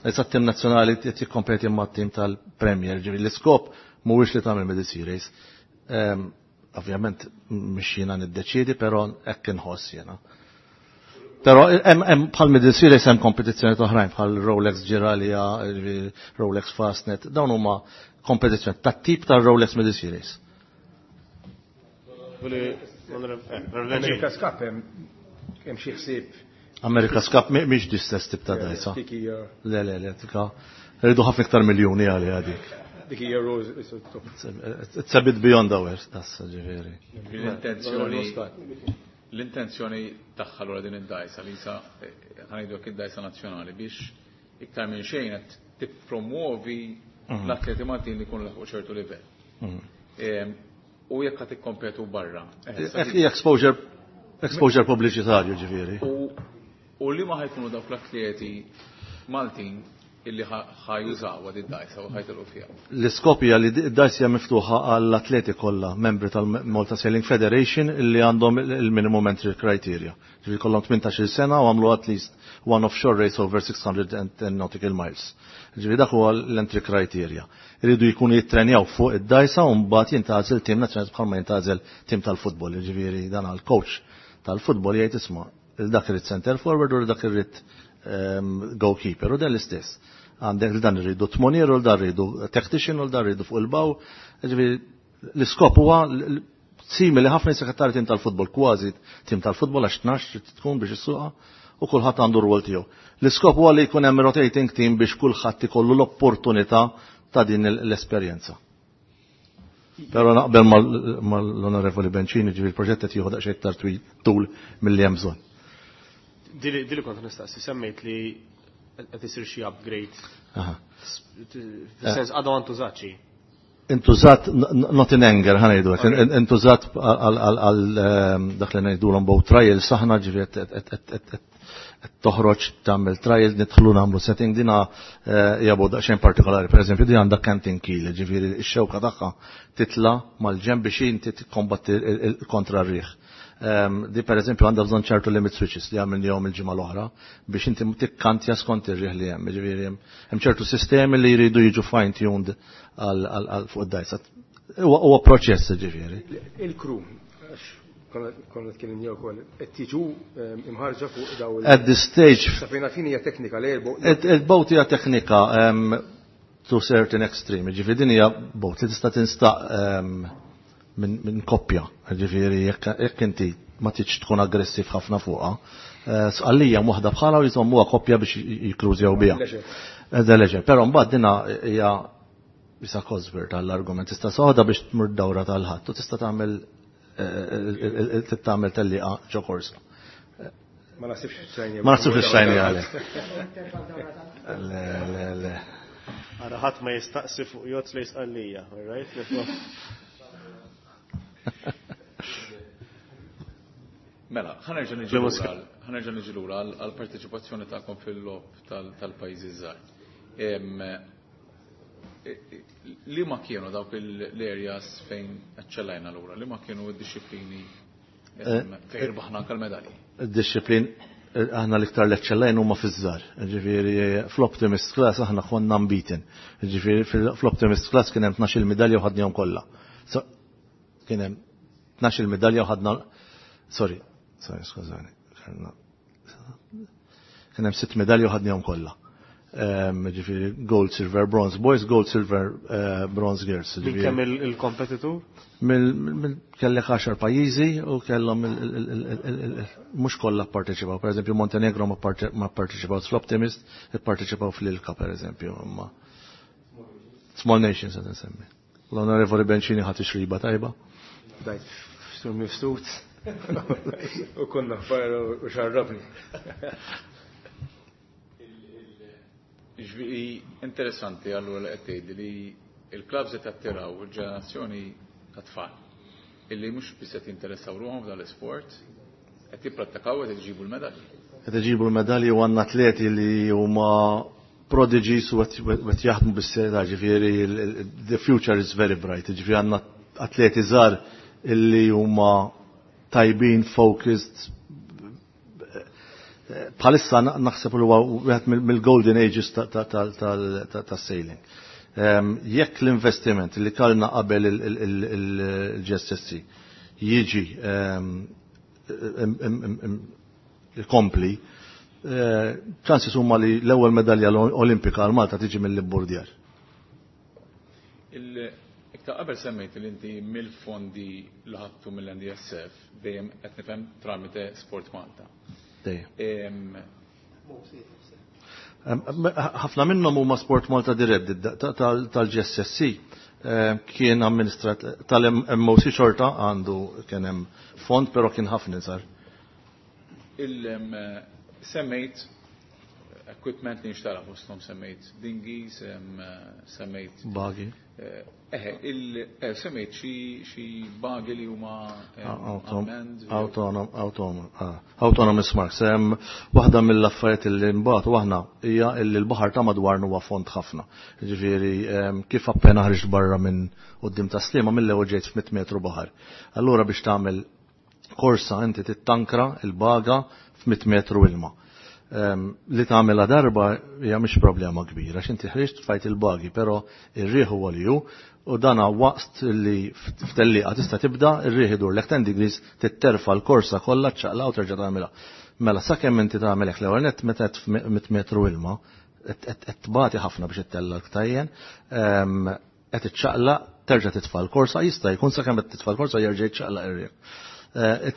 Issa t-tim nazzjonali tikkompeti mat-tim tal-Premier. Ġifieri l-iskop mhuwiex li tagħmel Middle Sea Race. Ovvjament mhix jiena niddeċiedi, però hekk inħoss jiena. Però hemm bħal Middle Sea Race hemm kompetizzjoni oħrajn bħal Rolex Giraglia, Rolex Fastnet, dawn huma kompetizzjoni tat-tip tal-Rolex Middle Sea Race. America's Cup hemm xi ħsieb? America's Cup mhix l-istess tip ta' dgħajsa. Le, le, le, tika. Rridu ħafna iktar miljuni għali għadik. Dik hija rose. It's a bit beyond ours, tas ġifieri. L-intenzjoni L-intenzjoni tagħha lura din id-dajsa li sa ħa ngħidu hekk id-dajsa nazzjonali biex iktar minn xejn qed tippromuovi Mhm. l-atleti Maltin li jkunu laħqu ċertu livell. Mhm. U jekk qed ikkompetu barra. Exposure exposure pubbliċitarju ġifieri. U li ma ħa jkunu dawk l-atleti Maltin illi ħa jużaw għad id-dajsa u ħa jitilgħu fiha. L-iskop hija li d-dajsa hija miftuħa għall-atleti kollha, membri tal-Malta Sailing Federation illi għandhom il-minimum entry criteria. Ġifieri kollhom tmintax-il sena u għamlu at least one offshore race over six hundred ten nautical miles. Ġifieri dak huwa l-entry criteria. Iridu jkunu jittrenjaw fuq id-dajsa u mbagħad jintgħażel tim nazzjonali bħalma jintgħażel tim tal-futbol. Ġifieri dan għall-coach tal-futbol jgħid, "Isma', dak irid center forward u dak irid ehm, goalkeeper", u dan l-istess. Għandek dan irridu tmonier u dan rridu tactician u dan rridu fuq il-bow. Ġifieri l-iskop huwa simili ħafna sekretari tim tal-futbol, kważi tim tal-futbol, għax tnax trid tkun biex issuqha u kulħadd għandu rwol tiegħu. L-iskop huwa li jkun hemm rotating team biex kulħadd ikollu l-opportunità ta' din l-esperjenza. Però naqbel mal-Onorevoli Bencini, ġifieri il-proġett qed jieħu daqsxejn iktar tul milli hemm bżonn. Dili kont nistaqsi, semmejt li qed isir xi upgrade. Fis-sens għadha ma ntużatx. Intużat not in anger, ħa ngħidu, intużat għal ehm, dak li ngħidulhom boat trial, saħna ġifieri toħroġ tagħmel trial, nidħlu nagħmlu setting. Dina eh, hija boat daqsxejn partikolari. Pereżempju, din għandha canting keel, ġifieri x-xewka tagħha titla mal-ġenb biex inti tikkombatti kontra r-riħ. Ehm, di per eżempju għandha bżonn ċertu limit switches li għamilnihom il-ġimgħa l-oħra biex inti tikkantja skont ir-riħ li hemm. Ġifieri hemm ċertu sistemi li jridu jiġu fine tuned għal fuq id-dajsa. Huwa proċess ġifieri. Il-crew, konna tkellimni wkoll, qed tiġu ehm, imħarġa fuq daw At this stage. Sa fejn fin hija teknika li Il-boat hija teknika ehm, to certain extreme. Ġifieri din hija boat li tista' tinstaq minn koppja. Ġifieri jekk inti ma tridx tkun aggressiv ħafna fuqha. Eh, Sqallija waħda bħala u jżommuha koppja biex jikrużjaw biha. The leisure. Però mbagħad dina hija bisa Cosworth tal-argument. Tista' soħda biex tmur dawra tal-ħadd u tista' tagħmel eh, eh, tagħmel tellieqa ġo korsa. Ma nasibx xajni. Ma nasibx xajni għalek. Le, le, le. Ara ħadd ma jistaqsi fuq yacht li Sqallija, all right? Mela, ħa nerġa' niġi lura għal-parteċipazzjoni tagħkom fil-logħob tal-pajjiżi żgħar. Li ma kienu dawk l-areas fejn eċċellajna lura? Li ma kienu d-disciplini fejn irbaħna anke l-medalji? Id-disciplin aħna l-iktar l-eċċellajn huma fiż-żgħar. Ġifieri fl-Optimist Class aħna konna unbeaten. Ġifieri fl-Optimist Class kien hemm tnax-il medalja u ħadnihom kollha. Kien hemm tnax-il medalja u ħadna, sorry, sorry, skużani. Kien hemm sitt medalji u ħadnihom kollha. Ġifieri gold, silver, bronze boys, gold, silver, eh, bronze girls. Minn kemm il-kompetitur? Kellek għaxar pajjiżi u kellhom mhux kollha pparteċipaw. Per eżempju, Montenegro ma pparteċipaw fl-Optimist, ipparteċipaw fl-Ilka per eżempju. Small Nations qed nsemmi. L-Onorevoli Bencini ħadd ixriba tajba. Dajt sur mifsud u konna fajra u xarrabni. Ġifieri interessanti allura li qed tgħidli li il-clubs qed attiraw il-ġenerazzjoni ta' tfal illi mhux biss qed jinteressaw ruħhom f'dan l-isport, qed jipprattikaw, qed iġibu l-medalji. Qed iġibu l-medalji u għandna atleti li huma prodigies u qed jaħdmu bis-serjetà, ġifieri the future is very bright, ġifieri għandna atleti żgħar illi huma tajbin, focused. Bħalissa naħseb li huwa wieħed mill-golden ages tas-sailing. Jekk l-investiment li kellna qabel il-G S S C jiġi kompli, ċansi huma li l-ewwel medalja olimpika għal Malta tiġi mill-ibburdjar. Iktar qabel semmejt li inti mill-fondi li ħadtu mill-N D S F dejjem qed nifhem tramite Sport Malta. Dejjem. Ħafna minnhom huma Sport Malta dirett, tal-G S S C kien amministrat tal-M O C, xorta għandu kien hemm fond, però kien ħafna iżgħar. Il-semmejt equipment li nxtara fosthom semmejt dinghies, semmejt buggy. Eħe, semmejt xi buggy li huma autonomous marks. Waħda mill-affarijiet li mbagħad waħna hija li l-baħar ta' madwarna huwa fond ħafna. Ġifieri kif appena ħriġt barra minn quddiem ta' Sliema mill-ewwel ġejt f'mitt metru baħar. Allura biex tagħmel korsa inti tittankra il-baga f'mitt metru ilma. Li tagħmilha darba hija mhix problema kbira, għax inti ħriġt tfajt il-bagi, però ir-riħ huwa li hu, u dana waqt li f'tellieqa tista' tibda ir-riħ idur lek ten degrees titterfa l-korsa kollha ċċaqla u terġa' tagħmilha. Mela sakemm inti tagħmel hekk l-ewwel nett meta qed f'mitt metru ilma, qed tbati ħafna biex ittella l-ktajjen, qed iċċaqlaq, terġa' titfa' l-korsa, jista' jkun sakemm qed titfa' l-korsa jerġa' jiċċaqlaq ir-riħ.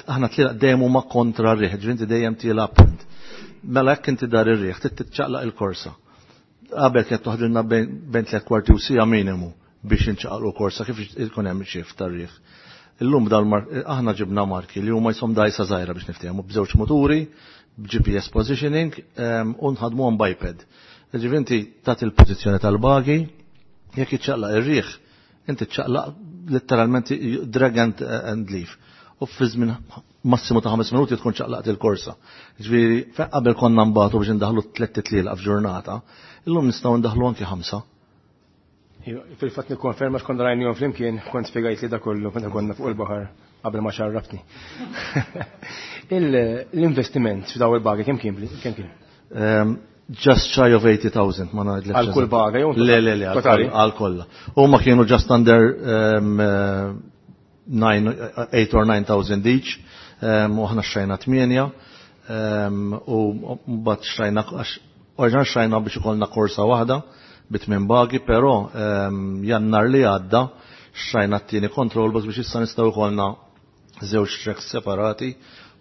Aħna tlielaq dejjem huma kontra r-riħ, ġifieri inti dejjem tilgħab punt. Mela jekk inti dar ir-riħ, trid titċaqlaq il-korsa. Qabel kienet toħdilna bejn tliet kwarti u siegħa minimu biex inċaqalqu korsa kif ikun hemm xift tar-riħ. Illum dal aħna ġibna marki li huma jisom dajsa żgħira biex niftehmu b'żewġ muturi, b'G P S positioning u nħadmuhom biped. Ġifieri inti tagħti il-pożizzjoni tal-bagi, jekk iċċaqlaq ir-riħ, inti ċċaqlaq letteralment drag and, and leave. U fi żmien massimu ta' ħames minuti tkun ċaqlaqt il-korsa. Ġifieri qabel konna nbagħtu biex indaħlu tliet titlielaq f'ġurnata, illum nistgħu ndaħlu anki ħamsa. Fil-fatt nikkonferma x'konna rajnihom flimkien, kont spjegajt li da kollu meta konna fuq il-baħar qabel ma xarrabtni. L-investiment f'daw il-bagi kemm kien? Kemm kien? Just shy of eighty thousand, ma ngħidlekx. Għal kull baga jew Le, le, le, totali? għal kollha. Huma kienu just under nine, eight or nine thousand each, u aħna xtrajna tmienja, u mbagħad xtrajna, għax oriġinali xtrajna biex ikollna korsa waħda bi tmien bagi, però jannar li għadda xtrajna t-tieni control box biex issa nistgħu jkollna żewġ tracks separati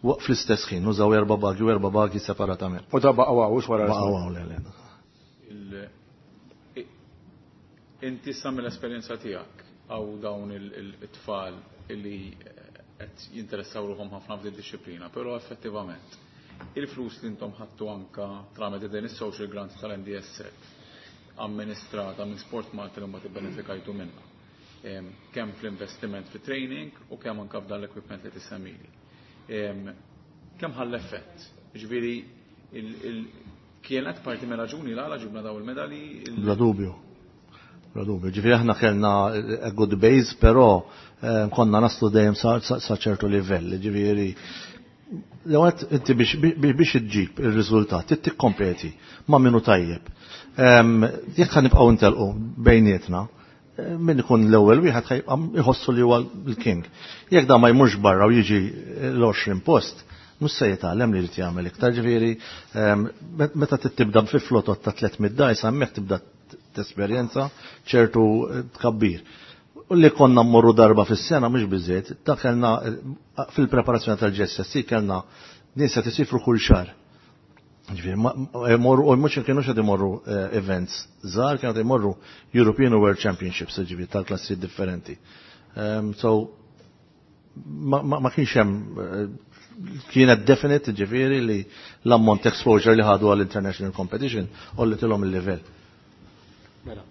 waqt fl-istess ħin, nużaw erba' bagi u erba' bagi separatament. U da baqgħu hawn, wara Baqgħu hawn, le, le. Inti sa mill-esperjenza tiegħek għaw dawn it-tfal illi qed jinteressaw ruħhom ħafna f'din id-disciplina, però effettivament il-flus li intom ħadtu anka tramite din is-social grant tal-N D S F amministrata minn Sport Malta li mbagħad ibbenefikajtu minnha. Kemm fl-investiment fi training u kemm anka f'dan l-equipment li tissemmili. Kemm ħall effett? Ġifieri kienet parti minn raġuni l-għala ġibna daw il-medali? Bla dubju. Bla dubju. Ġifieri aħna kellna a good base, però konna naslu dejjem sa, sa, sa ċertu livell. Ġifieri l-ewwel inti biex, biex, biex iġġib ir-riżultat, trid tikkompeti ma' minnu tajjeb. Jekk ħa nibqgħu ntelqu bejnietna, min ikun l-ewwel wieħed ħajbqa' jħossu li huwa l-king. Jekk da ma jmurx barra u jiġi l-għoxrin post, mhux se jitgħallem li jrid jagħmel iktar. Ġifieri, meta tibda fi flotot ta' tliet mitt dajsa, hemmhekk tibda tesperjenza ċertu tkabbir. U li konna mmorru darba fis-sena mhux biżejjed, ta' kellna fil-preparazzjoni tal-G S S C kellna nies qed isifru kull xahar. Ġifieri, ma, imorru, u mhux kienu qed imorru, eh, events żgħar, kienu qed imorru European World Championships, ġifieri tal-klassi differenti. Ehm, so, ma, ma, ma kienx hemm, eh, kienet definite, ġifieri li l-ammont exposure li ħadu għall-international competition u li tilhom il-livell. Mela.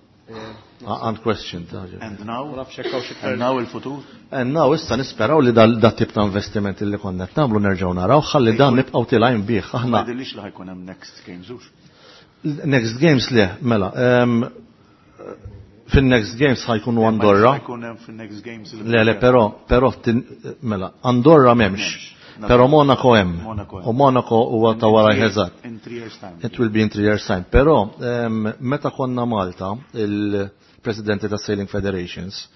And question, ta' ġifieri. And now? Ma nafx hekk hawn xi And now il-futur? And now issa nisperaw li dal-, dat tip ta' investiment li konna qed nagħmlu nerġgħu naraw, ħalli dan nibqgħu tilgħin bih. Aħna Ma jidhirlix li ħajkun hemm next games hux. Next games le, mela. Ehm, fin-next games ħajkunu Ma Andorra. ħajkun hemm fin-next games il- Le, le, però, però tin-, mela, Andorra m'hemmx. M'hemmx. Però Monaco hemm. Monaco hemm. U Monaco huwa ta' wara In three eżatt. In three years time. It will be in three years time. Però, ehm, meta konna Malta, il-presidenti ta' Sailing Federations,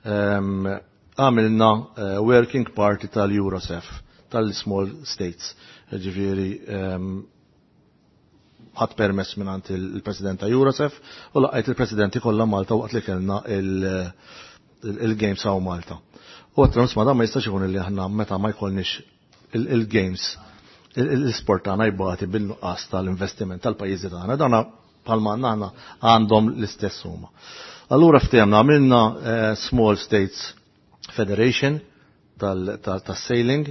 ehm, għamilna, eh, working party tal-Eurosef, tal-Small States. Ġifieri, ehm, ħadd permess mingħand il-president ta' Eurosef u laqgħet il-presidenti kollha Malta waqt li kellna il-, il-, il-Games hawn Malta. U għattra nisma' dan ma jistax ikun li aħna meta ma jkollniex il-, il-Games, il-, il-sport tagħna jbati bil-nuqqas tal-investiment tal-pajjiżi tagħna. Dana bħalma għandna aħna għandhom l-istess huma. Allura ftehemna għamilna, eh, Small States Federation tal-, tal-, tas-sailing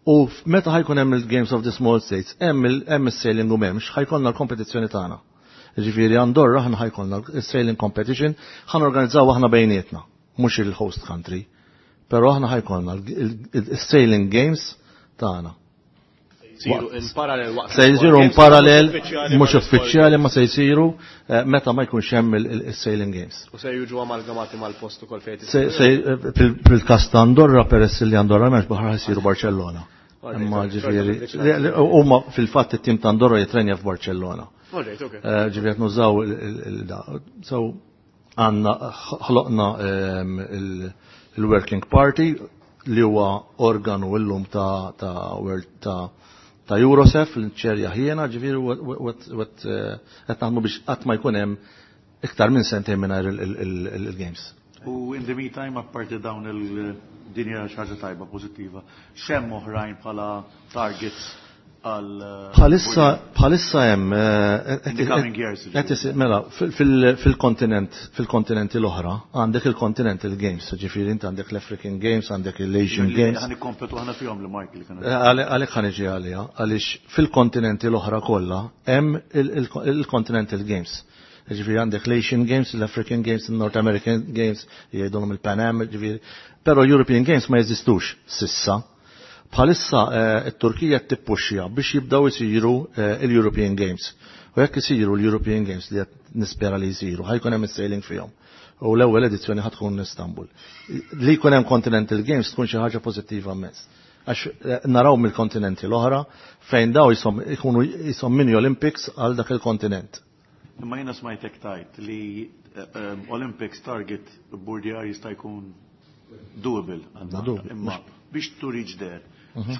U meta ħa jkun hemm il-Games of the Small States, hemm is-sailing u m'hemmx, ħa jkollna l-kompetizzjoni tagħna. Ġifieri Andorra aħna ħa jkollna il-sailing competition, ħa norganizzaw aħna bejnietna, mhux il-host country. Però aħna ħa jkollna il-sailing games tagħna. Jsiru in parallel waqt. Se jsiru in parallel, mhux uffiċjali ma se jsiru eh, meta ma jkunx hemm il-sailing games. U se jiġu amalgamati mal-post ukoll fejn. Fil-każ ta' Andorra, peress li Andorra m'hemmx baħar, jsiru Barcellona. Imma ġifieri huma fil-fatt it-tim ta' Andorra jitrenja f'Barcellona. Eh, ġifieri qed nużaw il-da. So għandna ħloqna ehm, il-Working Party li huwa organu illum ta' ta' ta' ta' Eurosef li nċerja ħiena, ġifieri qed naħdmu biex qatt ma jkun hemm iktar minn sentejn mingħajr il-games. U in the meantime, apparti dawn il-dinja xi ħaġa tajba, pożittiva, x'hemm oħrajn bħala targets għal Bħalissa bħalissa hemm mela fil-kontinent fil-kontinenti l-oħra għandek il-Continental Games, ġifieri inti għandek l-African Games, għandek l-Asian Games. Ħa nikkompetu aħna fihom li Mark li kienu. Għalhekk ħa niġi għaliha, għaliex fil-kontinenti l-oħra kollha hemm il-Continental Games. Ġifieri għandek l-Asian Games, l-African Games, il-North American Games, jgħidulhom il-Pan Am, ġifieri. Però European Games ma jeżistux s'issa. Bħalissa it-Turkija tippuxxja biex jibdaw isiru il-European Games. U jekk isiru l-European Games, li qed nispera li jsiru, ħa jkun hemm is-sailing fihom. U l-ewwel edizzjoni ħa tkun Istanbul. Li jkun hemm Continental Games tkun xi ħaġa pożittiva immens. Għax naraw mill-kontinenti l-oħra fejn daw jisom ikunu jisom mini Olympics għal dak il-kontinent. Imma jiena smajtek tajt li Olympics target burdjar jista' jkun doable. Imma biex to reach there,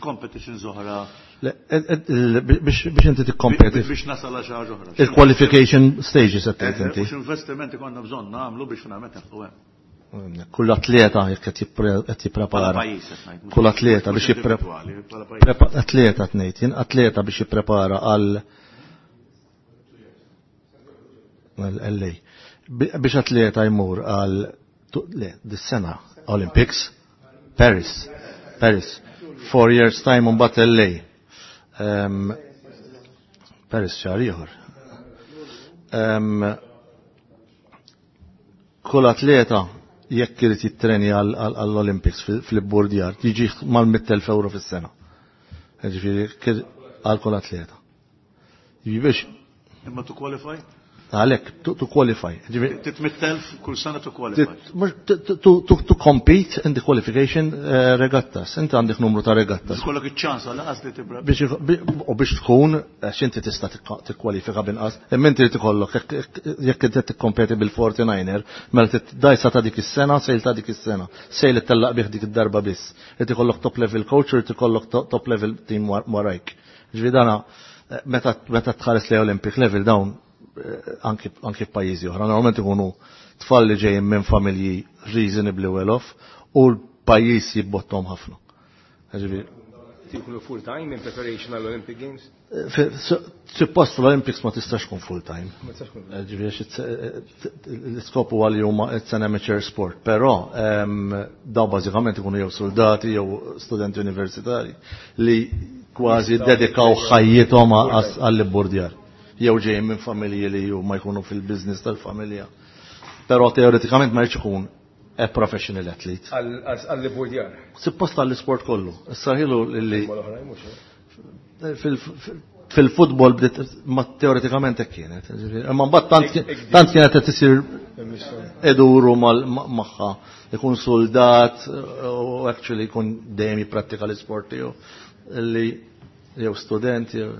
competitions oħra. Biex inti tikkompeti. Biex nasal għal xi ħaġa oħra. Il-qualification stages qed tgħid inti. Mhux investimenti konna bżonn nagħmlu biex finalment nilħqu hemm. Kull atleta jekk qed jipprepara. Kull atleta biex jipprepara. Atleta tnejt, jien atleta biex jipprepara għal L A. Biex atleta jmur għal le, dis-sena Olympics, Paris, Paris, four years time un bat L A. Um, Paris xahar ieħor. Um, kull atleta jekk irid jittrenja għall-Olympics fil-bordjar jiġi mal-mitt elf euro fis-sena. Ġifieri għal kull atleta. Biex Imma to qualify? Għalek, to, to qualify. Trid mitt elf kull sena to qualify. To, to, to compete in the qualification uh, regattas. Inti għandek numru ta' regattas. Ikollok iċ-ċans għal li tibra. U biex tkun, għax inti tista' tikkwalifika binqas, imma inti ikollok jekk inti tikkompeti bil-forty-niner, mela dajsa ta' dik is-sena, sail ta' dik is-sena, sail ittellaq bih dik id-darba biss. Irid ikollok top level coach u irid ikollok top level team warajk. Ġifieri dana meta meta tħares li Olympic level dawn anki anki f'pajjiżi oħra, normalment ikunu tfal li ġejjin minn familji reasonably well off u l-pajjiż jibbottom ħafna. Ġifieri Jkunu full time in preparation għall Olympic Games? Suppost l-Olympics ma tistax tkun full time. Ġifieri l-iskop huwa li huma it's an amateur sport, però daw bażikament ikunu jew soldati jew studenti universitari li kważi dedikaw ħajjithom għall-bordjar. Jew ġejjin minn familji li huma jkunu fil-business tal-familja. Però teoretikament ma jridx ikun a professional athlete. Għall-bordjar. Suppost għall-sport kollu. Issa ħilu li fil-futbol bdiet ma teoretikament hekk kienet. Imma mbagħad tant kienet qed isir eduru magħha, ikun soldat u actually jkun dejjem jipprattika l-isport tiegħu li jew student jew.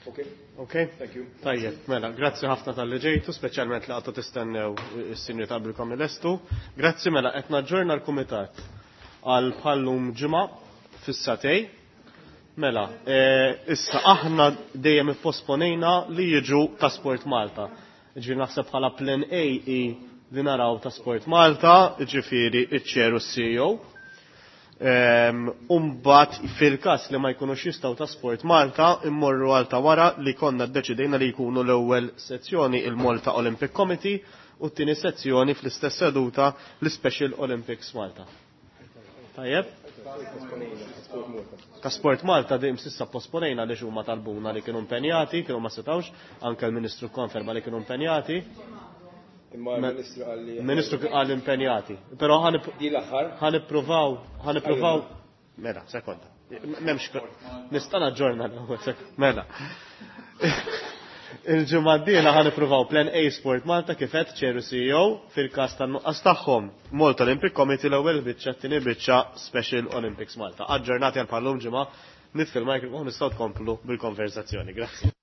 Okay. Okay. Thank you. Tajjeb, mela, grazzi ħafna talli ġejtu, speċjalment li għadtu tistennew is-sinjur ta' qabilkom il-estu. Grazzi, mela, qed naġġorna l-kumitat għal bħallum ġimgħa fis-sagħtejn. Mela, issa aħna dejjem ipposponejna li jiġu ta' Sport Malta. Ġifieri naħseb bħala plan A i li naraw ta' Sport Malta, ġifieri iċ-chair u C E O. Umbat fil-kas li ma jkunux jistgħu ta' Sport Malta, immorru għal ta' wara li konna ddeċidejna li jkunu l-ewwel sezzjoni il-Malta Olympic Committee u t-tieni sezzjoni fl-istess seduta l-Special Olympics Malta. Tajjeb? Ta' Sport Malta dejjem s'issa posponejna għaliex huma talbuna li kienu impenjati, kienu ma setgħux, anke l-Ministru konferma li kienu impenjati. Imma l-Ministru qal li Ministru qal impenjati. Però ħa nippruvaw, ħa nippruvaw. Mela, sekonda. M'hemmx nista' naġġorna l-ewwel Mela. Il-ġimgħa d-dieħla ħa nippruvaw Plan A Sport Malta kif qed Chair u C E O, fil-każ tan-nuqqas tagħhom Malta Olympic Committee l-ewwel biċċa, t-tieni biċċa Special Olympics Malta. Aġġornati għal bħal-lum ġimgħa, nitfi l-mikrofon, nistgħu tkomplu bil-konversazzjoni. Grazzi.